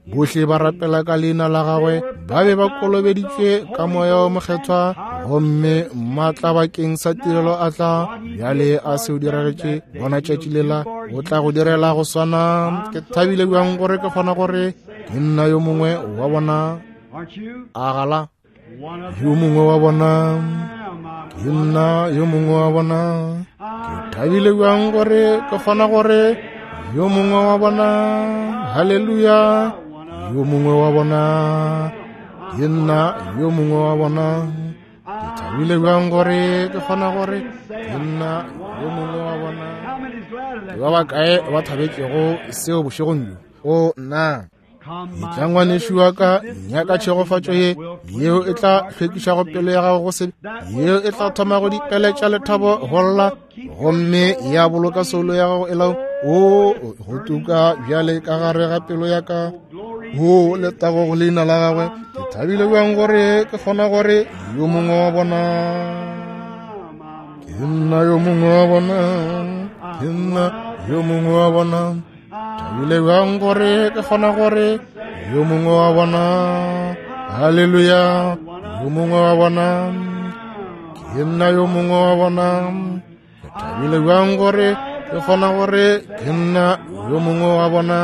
bohle ba rapela ka leina la gagwe, ba be ba kolobeditšwe ka moya o mokgethwa, Gomme maatla bakeng sa tirelo a tla bjale a se o diragetše bona tšatši lela, o tla go direla go swana. Ke thabile bjang gore ke kgona gore ke nna yo mongwe wa bona. A gala yo mongwe wa bona, ke nna yo mongwe wa bona. Ke thabile bjang gore ke kgona gore yo mongwe wa bona. Haleluya, yo mongwe wa bona, ke nna yo mongwe wa bona. Ke thabile bjang gore ke kgona gore ke nna yo mongwe wa bona. Ke ba bakae ba thabetšego seo bošegong bjo? O nna, etla ngwanešu wa ka, nyaka tšhegofatšo ye yeo e tla hlwekišago pelo ya gago go sebe, yeo e tla thomago dipeletša lethabo go lla, gomme ya boloka soulo ya gago e lao. O go tuka bjale ka gare ga pelo ya ka. O letago go leina la gagwe. Ke thabile bjang gore ke kgona gore yo mongwe wa bona, ke nna yo mongwe wa bona, ke nna yo mongwe wa bona. Thabile bjang gore ke kgona gore yo mongwe wa bona. Haleluya, yo mongwe wa bona, ke nna yo mongwe wa bona. Ke thabile bjang gore ke kgona gore ke nna yo mongwe wa bona.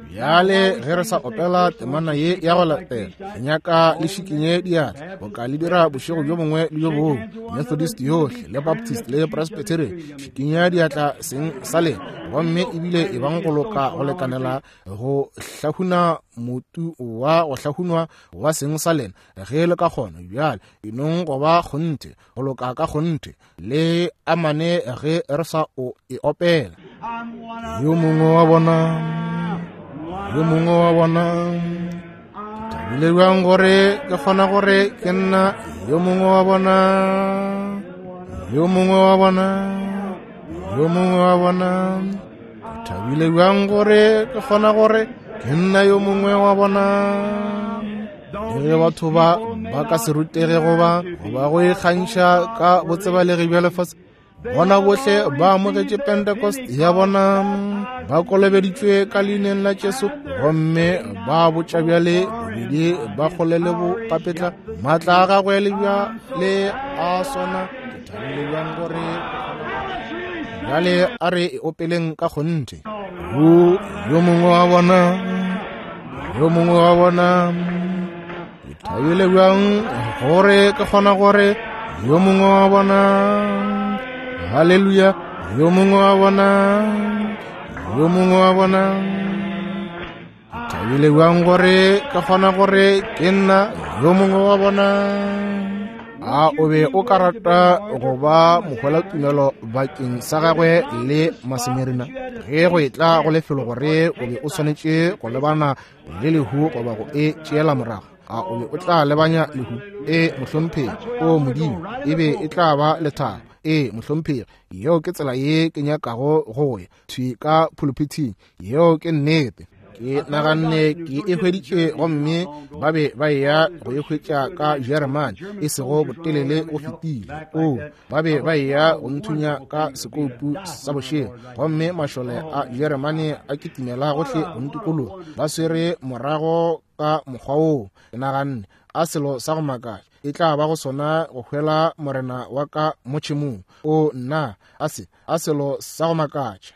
Bjale ge re sa opela temana ye ya go latela, re nyaka le šikinye diatla boka le dira bošego bjo bongwe le bjo bongwe. Methodist yohle le Baptist le Presbyterian, šikinya diatla seng sa lena, gomme ebile e bang go loka go lekanela go hlahuna motu wa go hlahunwa wa seng sa lena ge le ka kgona. Bjale enong go ba kgonthe, go loka ka kgonthe, le amane ge re sa o e opela. Yo mongwe wa bona, yo mongwe wa bona. Ke thabile bjang gore ke kgona gore ke nna yo mongwe wa bona, yo mongwe wa bona, yo mongwe wa bona. Ke thabile bjang gore ke kgona gore ke nna yo mongwe wa bona. Le ge batho ba ba ka se rutege goba goba go ikgantšha ka botsebalegi bja lefase, bona bohle ba amogetše Pentecost ya bona, ba kolobeditšwe ka leineng la Jesu, gomme ba botša bjale bobedi ba kgole le bopapetla maatla a gagwe le bja le a swana. Ke thabile bjang gore bjale a re e opeleng ka kgonthe. O yo mongwe wa bona, yo mongwe wa bona. Ke thabile bjang gore ke kgona gore yo mongwe wa bona. Haleluya, yo mongwe wa bona, yo mongwe wa bona. Ke thabile bjang gore ke kgona gore ke nna yo mongwe wa bona. A o be o ka rata go ba mohwelatumelo bakeng sa gagwe le Masemerina ge go etla go lefelo gore o be o swanetše go lebana le lehu goba go e tšeela morago? A o be o tla lebanya lehu? E mohlomphegi, o Modimo, e be e tla ba lethabo. E mohlomphegi, yeo ke tsela ye ke nyakago go ya thwi ka pulpithing. Yeo ke nnete. Ke naganne ke e hweditše, gomme ba be ba eya go e hwetša ka Jeremane e sego botelele go fetile. O ba be ba eya go nthunya ka sekoupu sa bošego, gomme mašole a Jeremane a kitimela gohle go ntikologa, ba swere morago ka mokgwa woo. Ke naganne a selo sa go makatša e tla ba go sona go hwela morena wa ka mo tšhemong. O nna, a se a selo sa go makatša.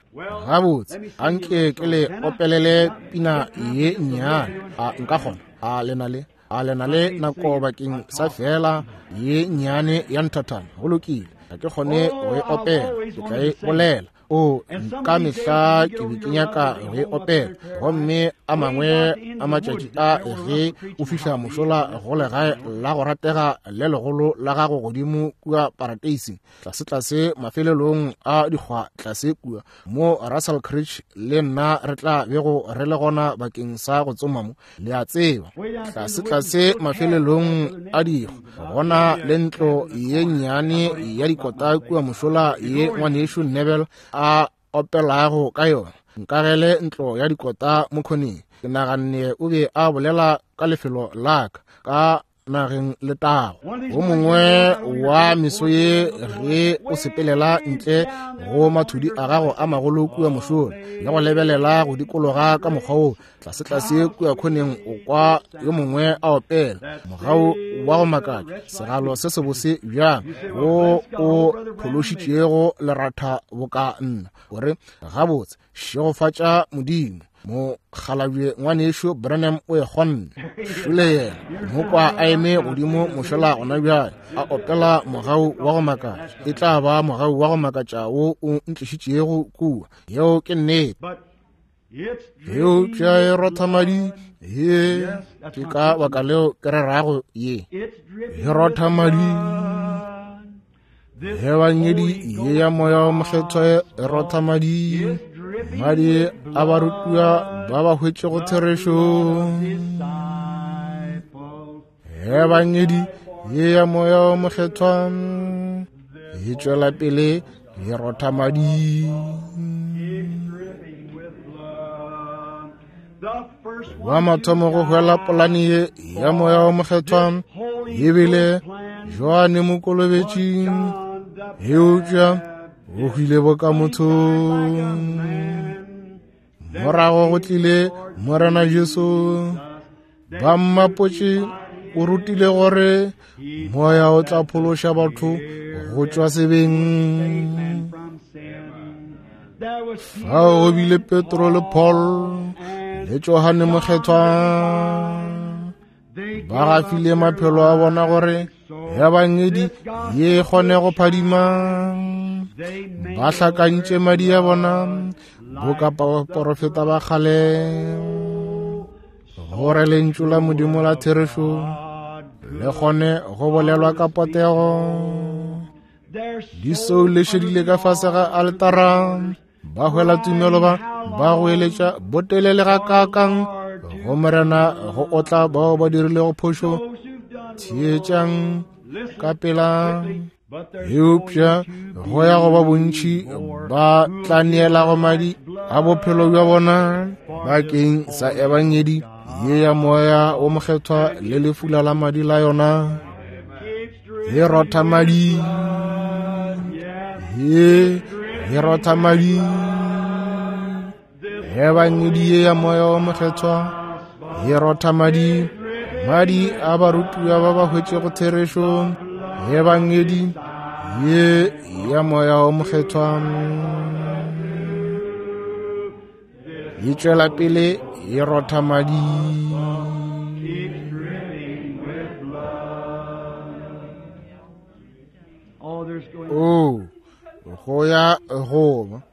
Gabotse, anke ke le opelele pina ye nnyane. A nka kgona? A lena le a lena le nako bakeng sa fela ye nnyane ya nthathana? Go lokile, ga ke kgone go e opela, ke tla e bolela. O ka mehla ke be ke nyaka go e opela, gomme a mangwe a matšatši a ge o fihla mošola go legae la go ratega le legolo la gago godimo kua parateising, tlase-tlase mafelelong a dikgwa tlase kua mo Russell Creek, le nna re tla bego re le gona bakeng sa go tsoma mo, le a tseba, tlase-tlase mafelelong a dikgwa gona le ntlo ye nnyane ya dikota kua mošola ye ngwanešu Nebel a opelago ka yona. Nkagele ntlo ya dikota mo khoneng. Ke naganne o be a bolela ka lefelo la ka, ka nageng letago. O mongwe wa meso ye ge o sepelela ntle go mathudi a gago a magolo kua mošola le go lebelela go dikologa ka mokgwa wo tlasetlase kua khoneng, o kwa yo mongwe a opela mogau wa go makatša, segalo se sebose bjang wo o phološitšego leratha boka nna. O re, gabotse, šegofatša Modimo, mokgalabje ngwanešo Branham o e kgonne. Šole yena mokwa a eme godimo mošola gona bjale a opela mogau wa go makatša. E tla ba mogau wa go makatša wo o ntlišitšego kua. Yeo ke nnete. Eupša e rotha madi. Ye ke ka baka leo ke rerago ye. E rotha madi. Ebangedi ye ya Moya wo Mokgethwa e rotha madi. Madi a barutiwa ba ba hwetšego therešo. Ebangedi ye ya Moya wo Mokgethwa e tšwela pele e rotha madi. Wa mathomo go hwela polane ye ya Moya wo Mokgethwa ebile Johane Mokolobetši, eupša o hwile boka motho. Morago go tlile Morena Jesu. Ba mmapotše o rutile gore moya o tla phološa batho go tšwa sebeng. Fao go bile Petro le Paul le Johane Mokgethwa, ba gafile maphelo a bona gore ebangedi ye e kgone go phadima. Ba hlakantše madi a bona boka baporofeta ba kgale, gore lentšu la Modimo la therešo le kgone go bolelwa ka potego. Di soulešedile ka fase ga altara, ba hwela tumelo ba ba go eletša botelele ga kaakang go Morena go otla bao ba dirilego phošo. Theetšang ka pela. Eupša go ya go ba bontši ba tla neelago madi a bophelo bja bona bakeng sa ebangedi ye ya Moya wo Mokgethwa le lefula la madi la yona. E rotha madi. Ye e rotha madi. Ebangedi ye ya Moya wo Mokgethwa e rotha madi, madi a barutiwa ba ba hwetšego therešo. Ebangedi ye ya Moya wo Mokgethwa e tšwela pele e rotha madi. O go ya go ba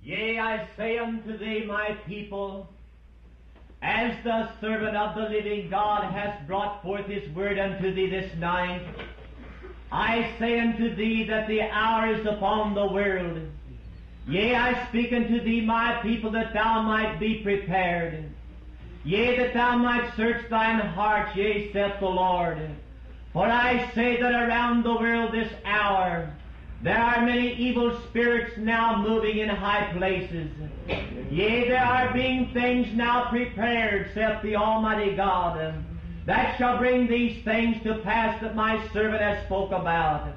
Yea, I say unto thee, my people, as the servant of the living God hath brought forth his word unto thee this night, I say unto thee that the hour is upon the world. Yea, I speak unto thee, my people, that thou might be prepared. Yea, that thou might search thine heart, yea, saith the Lord. For I say that around the world this hour there are many evil spirits now moving in high places. Yea, there are being things now prepared, saith the Almighty God, that shall bring these things to pass that my servant has spoke about.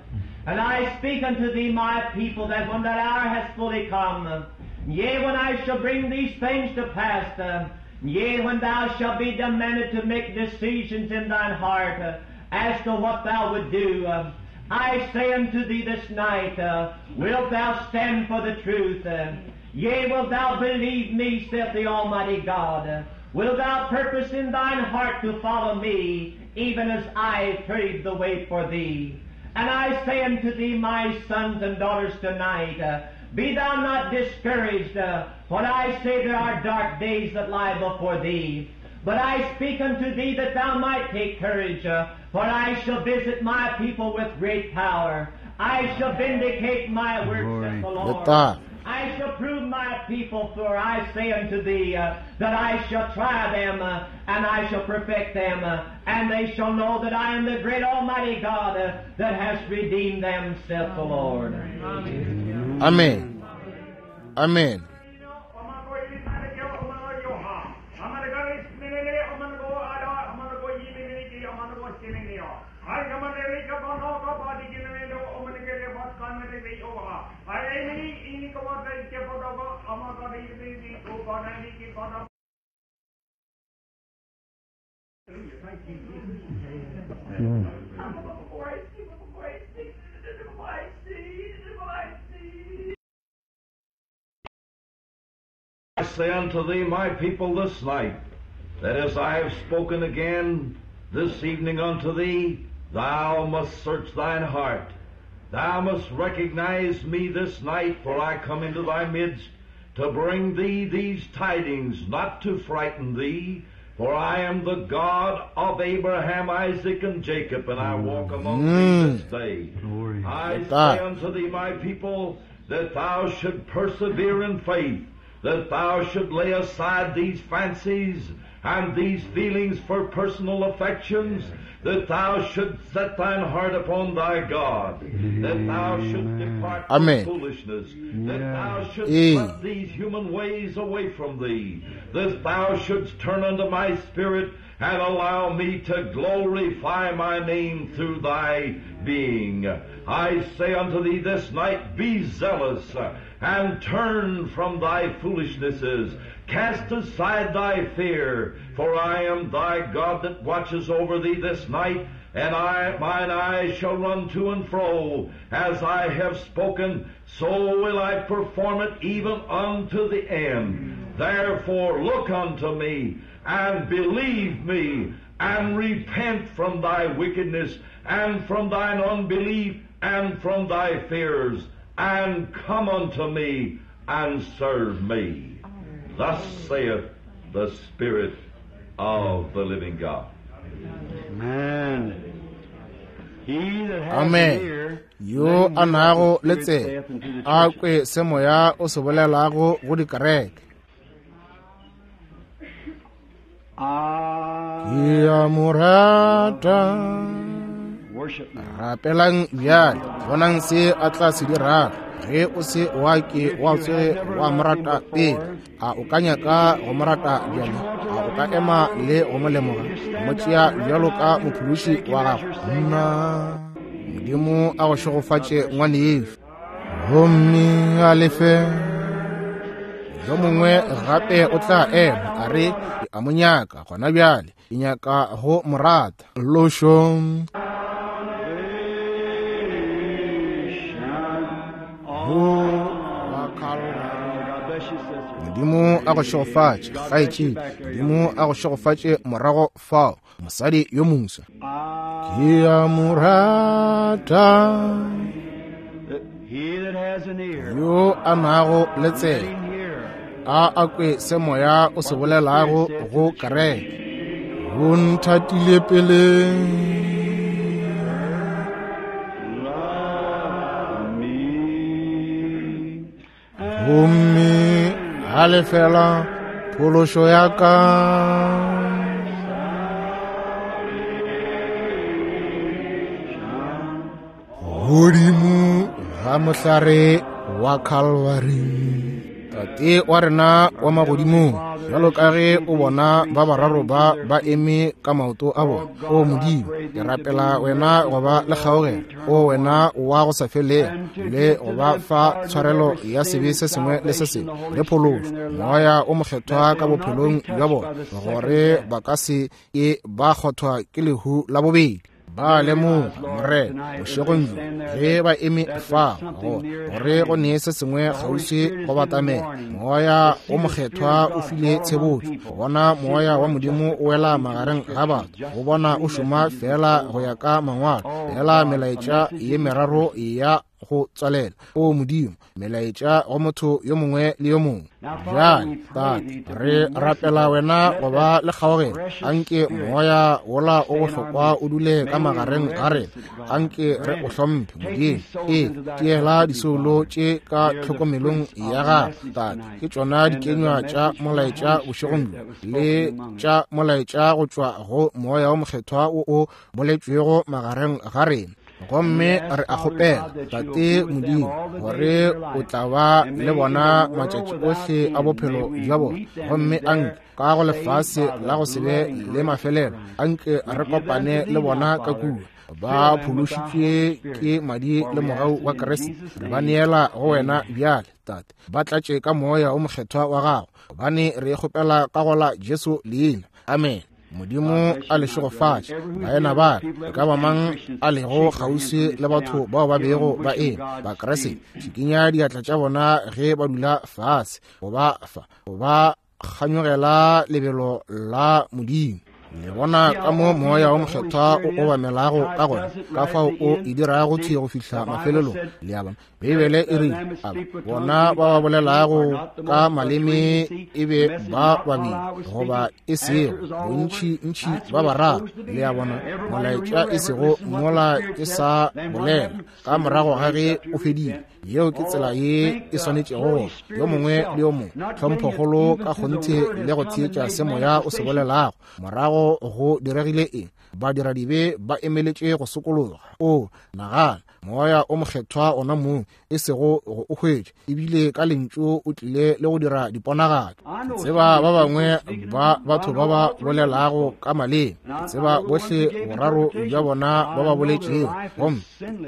And I speak unto thee, my people, that when that hour has fully come, yea, when I shall bring these things to pass, uh, yea, when thou shalt be demanded to make decisions in thine heart uh, as to what thou would do, uh, I say unto thee this night, uh, wilt thou stand for the truth? Uh, yea, wilt thou believe me, saith the Almighty God? Uh, Wilt thou purpose in thine heart to follow me, even as I paved the way for thee? And I say unto thee, my sons and daughters, tonight, uh, be thou not discouraged, uh, for I say there are dark days that lie before thee. But I speak unto thee that thou might take courage, uh, for I shall visit my people with great power. I shall vindicate my works, saith the Lord. Letago. I shall prove my people, for I say unto thee uh, that I shall try them, uh, and I shall perfect them, uh, and they shall know that I am the great Almighty God uh, that has redeemed them, saith the Lord. Amen. Amen. I say unto thee, my people, this night, that as I have spoken again this evening unto thee, thou must search thine heart. Thou must recognize me this night, for I come into thy midst to bring thee these tidings, not to frighten thee, for I am the God of Abraham, Isaac, and Jacob, and I walk among thee this day. Glory. I That. say unto thee, my people, that thou should persevere in faith, that thou should lay aside these fancies and these feelings for personal affections, that thou shouldst set thine heart upon thy God, that thou shouldst depart from Amen. foolishness, that thou shouldst Eh. let these human ways away from thee, that thou shouldst turn unto my spirit and allow me to glorify my name through thy being. I say unto thee this night, be zealous and turn from thy foolishnesses. Cast aside thy fear, for I am thy God that watches over thee this night, and I, mine eyes shall run to and fro. As I have spoken, so will I perform it even unto the end. Therefore look unto me, and believe me, and repent from thy wickedness, and from thine unbelief, and from thy fears, and come unto me, and serve me. Thus saith the Spirit of the living God. Amen. He that hath Amen. an ear, Yo let him a hear nago what the le Spirit tsebe saith unto the a churches. kwe se moya o se bolelago go dikereke. I Ke a mo rata. worship now. Rapelang bjale, bonang se a tla se dirago. Ge o se wa ke wa tsoge wa mo rata pele, a o ka nyaka go mo rata bjale? A o ka ema le go mo lemoga, go mo tšea bjalo ka mophološi wa gago? Nna Modimo a go šegofatše ngwanešu, gomme a lefe. Yo mongwe gape o tla ema a re, ke a mo nyaka gona bjale, ke nyaka go mo rata. Lošo. Ho wa Calvary. God bless you, sister. Modimo a go šegofatše, kgaetšedi. Modimo a go šegofatše morago fao, mosadi yo moswa. I, Ke a mo rata. he that has an ear, Yo a nago le let tsebe, him hear. a a kwe se moya o se bolelago go kereke. O nthatile pele. Love me. Gomme a lefela phološo ya ka. Godimo ga mohlare wa Calvary. Tate wa rena wa magodimong, bjalo ka ge o bona ba bararo ba ba eme ka maoto a bona, o Modimo, ke rapela wena go ba le kgaogelo, o wena wa go sa felego, le go ba fa tshwarelo ya sebe se sengwe le se sengwe le phološo, moya o mokgethwa ka bophelong bja bona, gore ba ka se ke ba kgothwa ke lehu la bobedi. Ba lemoga, Morena, bošegong bjo, ge ba eme fa, go gore go ne se sengwe kgauswi go batamela. Moya o Mokgethwa o file tshebotšo, go bona Moya wa Modimo o wela magareng ga batho, go bona o šoma fela go ya ka mangwalo, fela melaetša ye meraro ya go tswalela. O Modimo, melaetša go motho yo mongwe le yo mongwe. Bjale, Tate, re rapela wena go ba le kgaogelo. Anke moya wola o bohlokwa o dule ka magareng ga rena. Anke re o hlomphe, Modimo. E tšeela disoulo tše ka tlhokomelong ya gago, Tate. Ke tšona dikenywa tša molaetša bošegong bjo, le tša molaetša go tšwa go Moya o Mokgethwa wo o boletšwego magareng ga rena. Gomme re a kgopela, Tate Modimo, gore o tla ba le bona matšatši ohle a bophelo bja bona. Gomme anke ka go lefase la go se be le mafelelo, anke re kopane le bona ka kua, ba phološitšwe ke madi le mogau wa Kriste. Re ba neela go wena bjale, Tate. Ba tlatše ka Moya o Mokgethwa wa gago, gobane re kgopela ka go la Jesu leina. Amen. Modimo a le šegofatše, baena ba ka, e ka ba mang a lego kgauswi le batho bao ba bego ba eme Bakriste, šikinya diatla tša bona ge ba dula fase, go ba fa, go ba kganyogela lebelo la Modimo. Le bona ka mo Moya o Mokgethwa o obamelago ka gona, ka fao o e dirago thwi go fihla mafelelong. Le a bona, Beibele e rile, bona ba ba bolelago ka maleme e be ba babedi goba e sego bontši-ntši ba bararo. Le a bona, molaetša e sego mola e sa bolela ka morago ga ge o fedile. Yeo ke tsela ye e swanetšego go yo mongwe le yo mongwe, tlhomphokgolo ka kgonthe le go theetša se moya o se bolelago. Morago go diregile eng? Badiradibe ba emeletše go sokologa. O nagana, Moya o Mokgethwa ona mong, e sego go o hwetša, ebile ka lentšu o tlile le go dira diponagatšo. Ke tseba ba bangwe ba batho ba ba bolelago ka maleme, ke tseba bohle boraro bja bona ba ba boletšego, gomme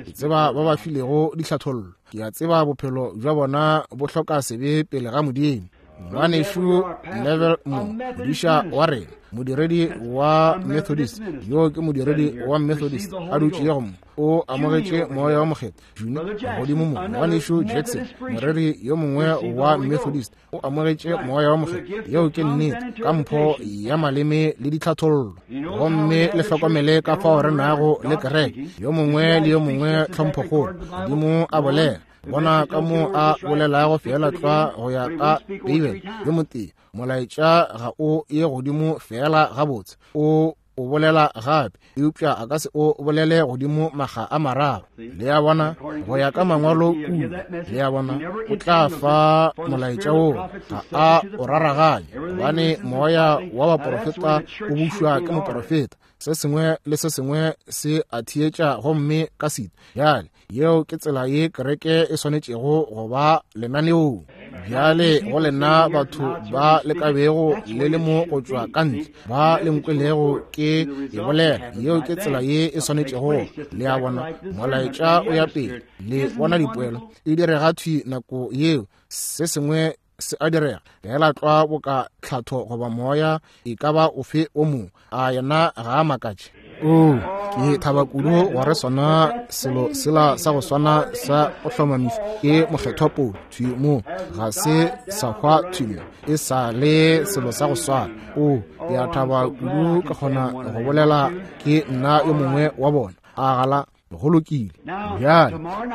ke tseba ba ba filego dihlathollo. Ke a tseba bophelo bja bona bo hloka sebe pele ga Modimo. Ngwanešu Neville mo, modiša wa rena, modiredi wa Methodist, yo ke modiredi wa Methodist a dutšego mo, o amogetše Moya o Mokgethwa. Juni godimo mo, ngwanešu Jackson, moreri yo mongwe wa Methodist, o amogetše Moya o Mokgethwa. Yeo ke nnete, ka mpho ya maleme le ditlhathollo. Gomme le hlokomele ka fao re nago le kereke, yo mongwe le yo mongwe tlhomphokgolo. Modimo a bolela, bona ka mo a bolelago fela tlwa go ya ka Beibele. Yo motee, molaetša ga o ye godimo fela gabotse, o o bolela gape, eupša a ka se o bolele godimo maga a mararo. Le a bona, go ya ka mangwalo kudu. Le a bona, o tla fa molaetša wo, ga a o raraganye, gobane moya wa baprofeta o bušwa ke moprofeta. Se sengwe le se sengwe se a theetša gomme ka sita. Bjale, yeo ke tsela ye kereke e swanetšego go ba lenaneong. Bjale go lena batho ba le ka bego le le mo go tšwa ka ntle, ba le nkwelego ke e bolela, yeo ke tsela ye e swanetšego. Le a bona, molaetša o ya pele, le bona dipoelo e direga thwi nako yeo. Se sengwe se a direga fela tlwa boka tlhatho goba moya e ka ba ofe o mongwe. A yena ga a makatše? O, ke thaba kudu gore sona selo sela sa go swana sa go hlomamišwa ke Mokgethwa Paulo thwi mo, ga se sa hwa thwi mo, e sa le selo sa go swana. O, ke a thaba kudu ka kgona go bolela ke nna yo mongwe wa bona. A gala go lokile. Bjale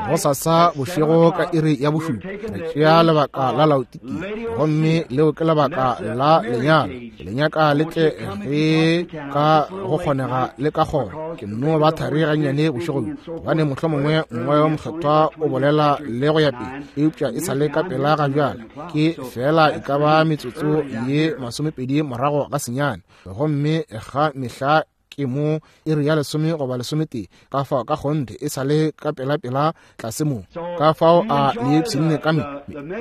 gosasa bošego ka iri ya bošupa re tšea lebaka la Laodikia, gomme leo ke lebaka la lenyalo. Le nyaka le tle ge ka go kgonega le ka kgona. Ke nno ba thari gannyane bošego bjo, gobane mohlomongwe Moya o Mokgethwa o bolela le go ya pele, eupša e sa le ka pela ga bjale. Ke fela e ka ba metsotso ye masomepedi morago ga senyane, gomme ga mehla ke mo iri ya lesome goba lesometee, ka fao ka kgonthe e sa le ka pela-pela tlase mo. Ka fao a le ipshinne ka me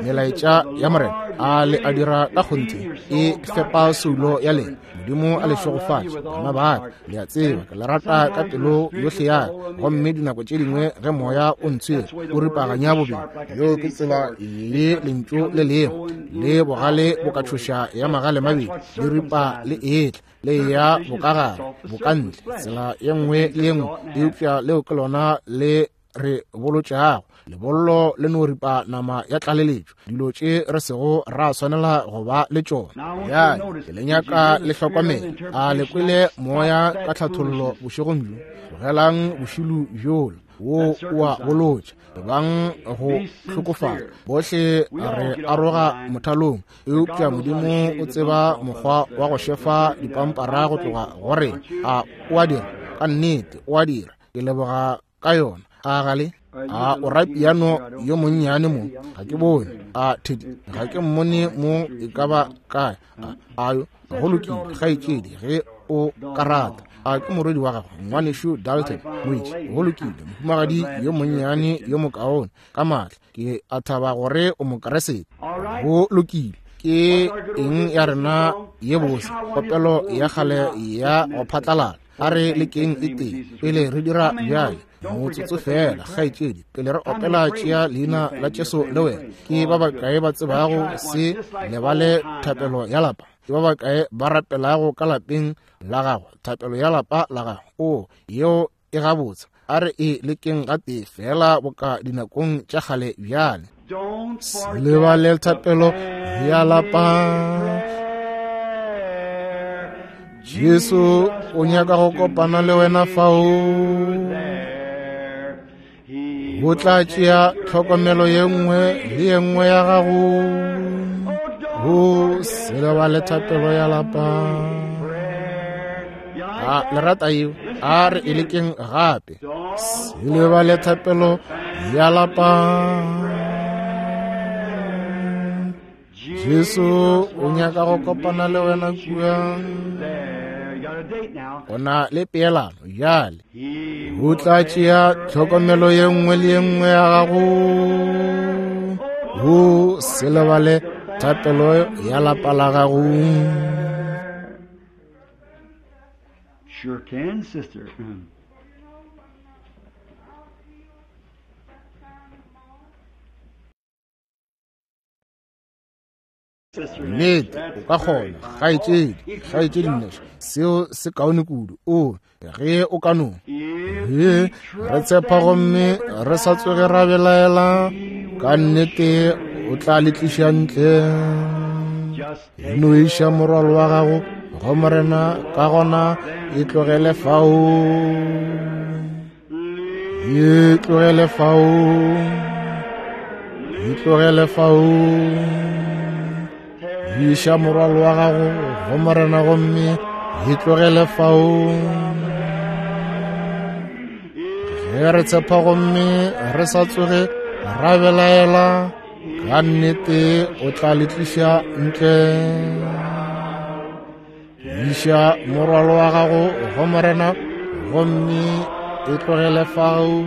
melaetša ya Morena, a le a dira ka kgonthe e fepa soulo ya lena. Modimo a le šegofatše, bana ba ka. Le a tseba ke le rata ka pelo yohle ya ka, gomme dinako tše dingwe ge moya o ntshwere o ripaganya bobedi. Yeo ke tsela le lentšu le lego le bogale bo ka tšhoša ya magale mabedi, le ripa le etla le ya bokagare, bokagare. ka ntle tsela ye nngwe le ye nngwe, eupša leo ke lona le re bolotšago. Lebollo le no ripa nama ya tlaleletšo, dilo tše re sego ra swanela go ba le tšona. Bjale ke le nyaka le hlokomele. A le kwele moya ka tlhathollo bošegong bjo? Tlogelang bošilo bjola wo o a bolotša, ebang go hlokofala. Bohle re aroga mothalong, eupša Modimo o tseba mokgwa wa go šefa dipampara go tloga go rena. A o a dira? Ka nnete o a dira. Ke leboga ka yona. A gale a o ra piano yo monnyane mo? Ga ke bone. A Teddy, ga ke mmone mo e ka ba kae. A yo go lokile, kgaetšedi, ge o ka rata. A ke morwedi wa gago, ngwanešu Dalton Moitše. Go lokile, mohumagadi yo monnyane yo mokaone ka maatla. Ke a thaba gore o Mokeresete. Go lokile. Ke eng ya rena ye bose, kopelo ya kgale ya go phatlalala. A re lekeng e tee pele re dira bjale, motsotso fela, kgaetšedi, pele re opela tšea leina la Jesu le wena. Ke ba bakae ba tsebago se lebale thapelo ya lapa? Ke ba bakae ba rapelago ka lapeng la gago thapelo ya lapa la gago? O yeo e gabotse. A re e lekeng gatee fela boka dinakong tša kgale bjale. Se lebale thapelo ya lapa. Jesu o nyaka go kopana le wena fao. O tla tšea tlhokomelo ye nngwe le ye nngwe ya gago. O se lebale thapelo ya lapa. A le rata yeo? A re e lekeng gape. Se lebale thapelo ya lapa. Jesu o nyaka go kopana le wena kua. O na le peelano bjale. O tla tšea tlhokomelo ye nngwe le ye nngwe ya gago. O se lebale thapelo ya lapa la gago. Sure can, sister. Nnete o ka kgona, kgaetšedi, kgaetšedi Nneša, seo se kaone kudu. O ge o ka no ge re tshepa gomme re sa tsoge ra belaela, ka nnete o tla le tliša ntle. E no iša morwalo wa gago go Morena, ka gona e tlogele fao. E tlogele fao. E tlogele fao. Iša morwalo wa gago go Morena gomme e tlogele fao. Ge re tshepa gomme re sa tsoge ra belaela, ka nnete o tla le tliša ntle. Iša morwalo wa gago go Morena gomme e tlogele fao.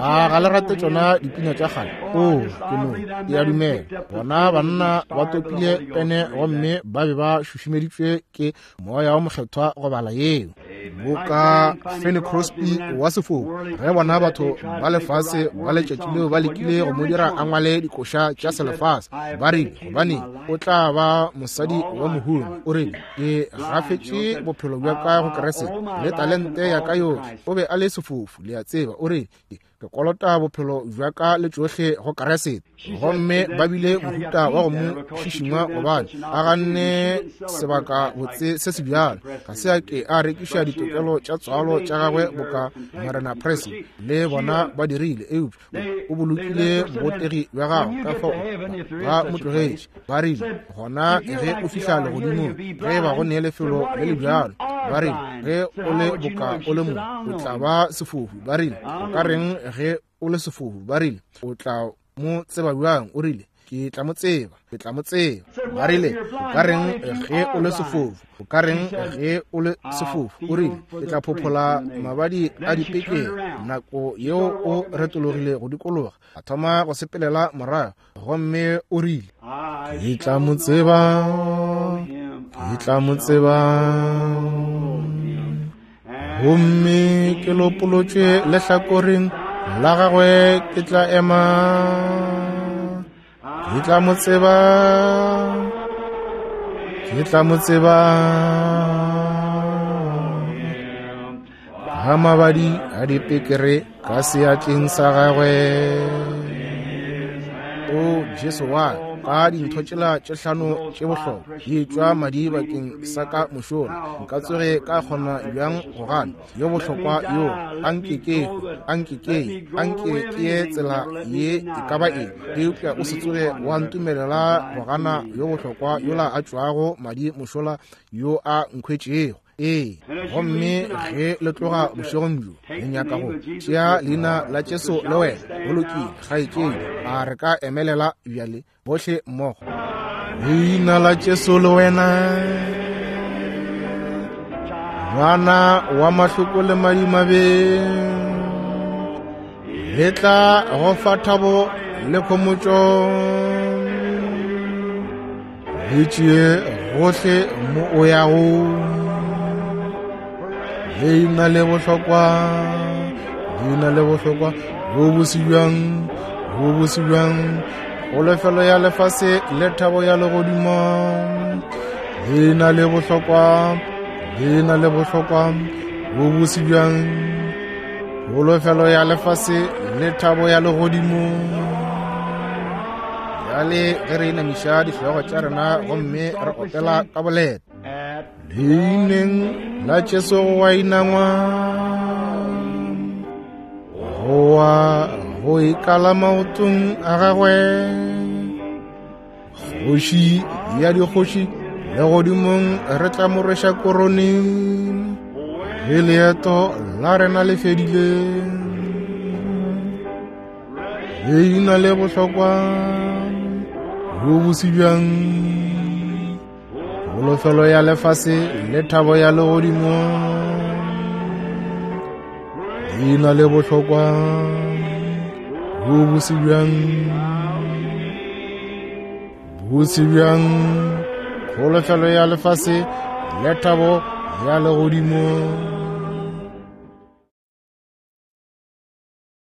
A ga le rate tšona dipina tša kgale? O ke no ke a dumela bona banna ba topile pene gomme ba be ba šušumeditšwe ke moya wa mokgethwa go bala yeo. Boka Fanny Crosby wa sefofu, ge bona batho ba lefase ba letšatši leo ba lekile go mo dira a ngwale dikoša tša selefase, ba rile gobane o tla ba mosadi wa mohumi. O rile ke gafetše bophelo bja ka go Keresete le talente ya ka yohle. O be a le sefofu, le a tseba. O rile ke kolota bophelo bja ka le tšohle go Keresete. Gomme ba bile mohuta wa go mo šišingwa gobane a ganne sebaka botse se se bjalo. Ga se a ke a rekiša ditokelo tša tswalo tša gagwe boka Morena Presley le bona ba dirile, eupša o bolokile botegi bja gagwe. Ka fao ba mo tlogetše. Ba rile gona ge o fihla legodimong, ge ba go nee lefelo le le bjalo, ba rile ge o le boka o le mo o tla ba sefofu. Ba rile o ka reng ge o le sefofu? Ba rile o tla mo tseba bjang? O rile ke tla mo tseba, ke tla mo tseba. Ba rile o ka reng ge o le sefofu? O ka reng ge o le sefofu? O rile ke tla phophola mabadi a dipekeng. Nako yeo o retologile go dikologa, a thoma go sepelela morago, gomme o rile ke tla mo tseba, ke tla mo tseba. Gomme ke lopolotšwe lehlakoreng la gagwe, ke tla ema, ke tla mo tseba, ke tla mo tseba. Ga mabadi a dipekere ka seatleng sa gagwe. O Jesu wa ka dintho tšela tše hlano tše bohlokwa di tšwa madi bakeng sa ka mošola, nka tsoge ka kgona bjang go gana yo bohlokwa yo? Anke ke anke ke anke ke ye tsela ye e ka ba eng, eupša o se tsoge wa ntumelela go gana yo bohlokwa yola a tšwago madi mošola yo a nkhwetšego. Ee, gomme ge le tloga bošegong bjo le nyaka go tšea leina la Jesu le wena, go lokile kgaetšedi, a re ka emelela bjale bohle mmogo. Leina la Jesu le wena, ngwana wa mahloko le madimabe, le tla go fa thabo le khomotšo, le tšee gohle mo o yago. Leina le bohlokwa, leina le bohlokwa, bo bose bjang, bo bose bjang, kholofelo ya lefase le thabo ya legodimo. Leina le bohlokwa, leina le bohlokwa, bo bose bjang, kholofelo ya lefase le thabo ya legodimo. Bjale ge re inamiša dihlogo tša rena gomme re opela ka boleta, leineng la Jesu go wa inangwa, go wa go ikala maotong a gagwe, kgoši ya dikgoši legodimong re tla mo rweša korone, ge leeto la rena le fedile. Leina le bohlokwa, bo bose bjang, kholofelo ya lefase le thabo ya legodimo. Leina le bohlokwa, bo bose bjang, bose bjang, kholofelo ya lefase le thabo ya legodimo.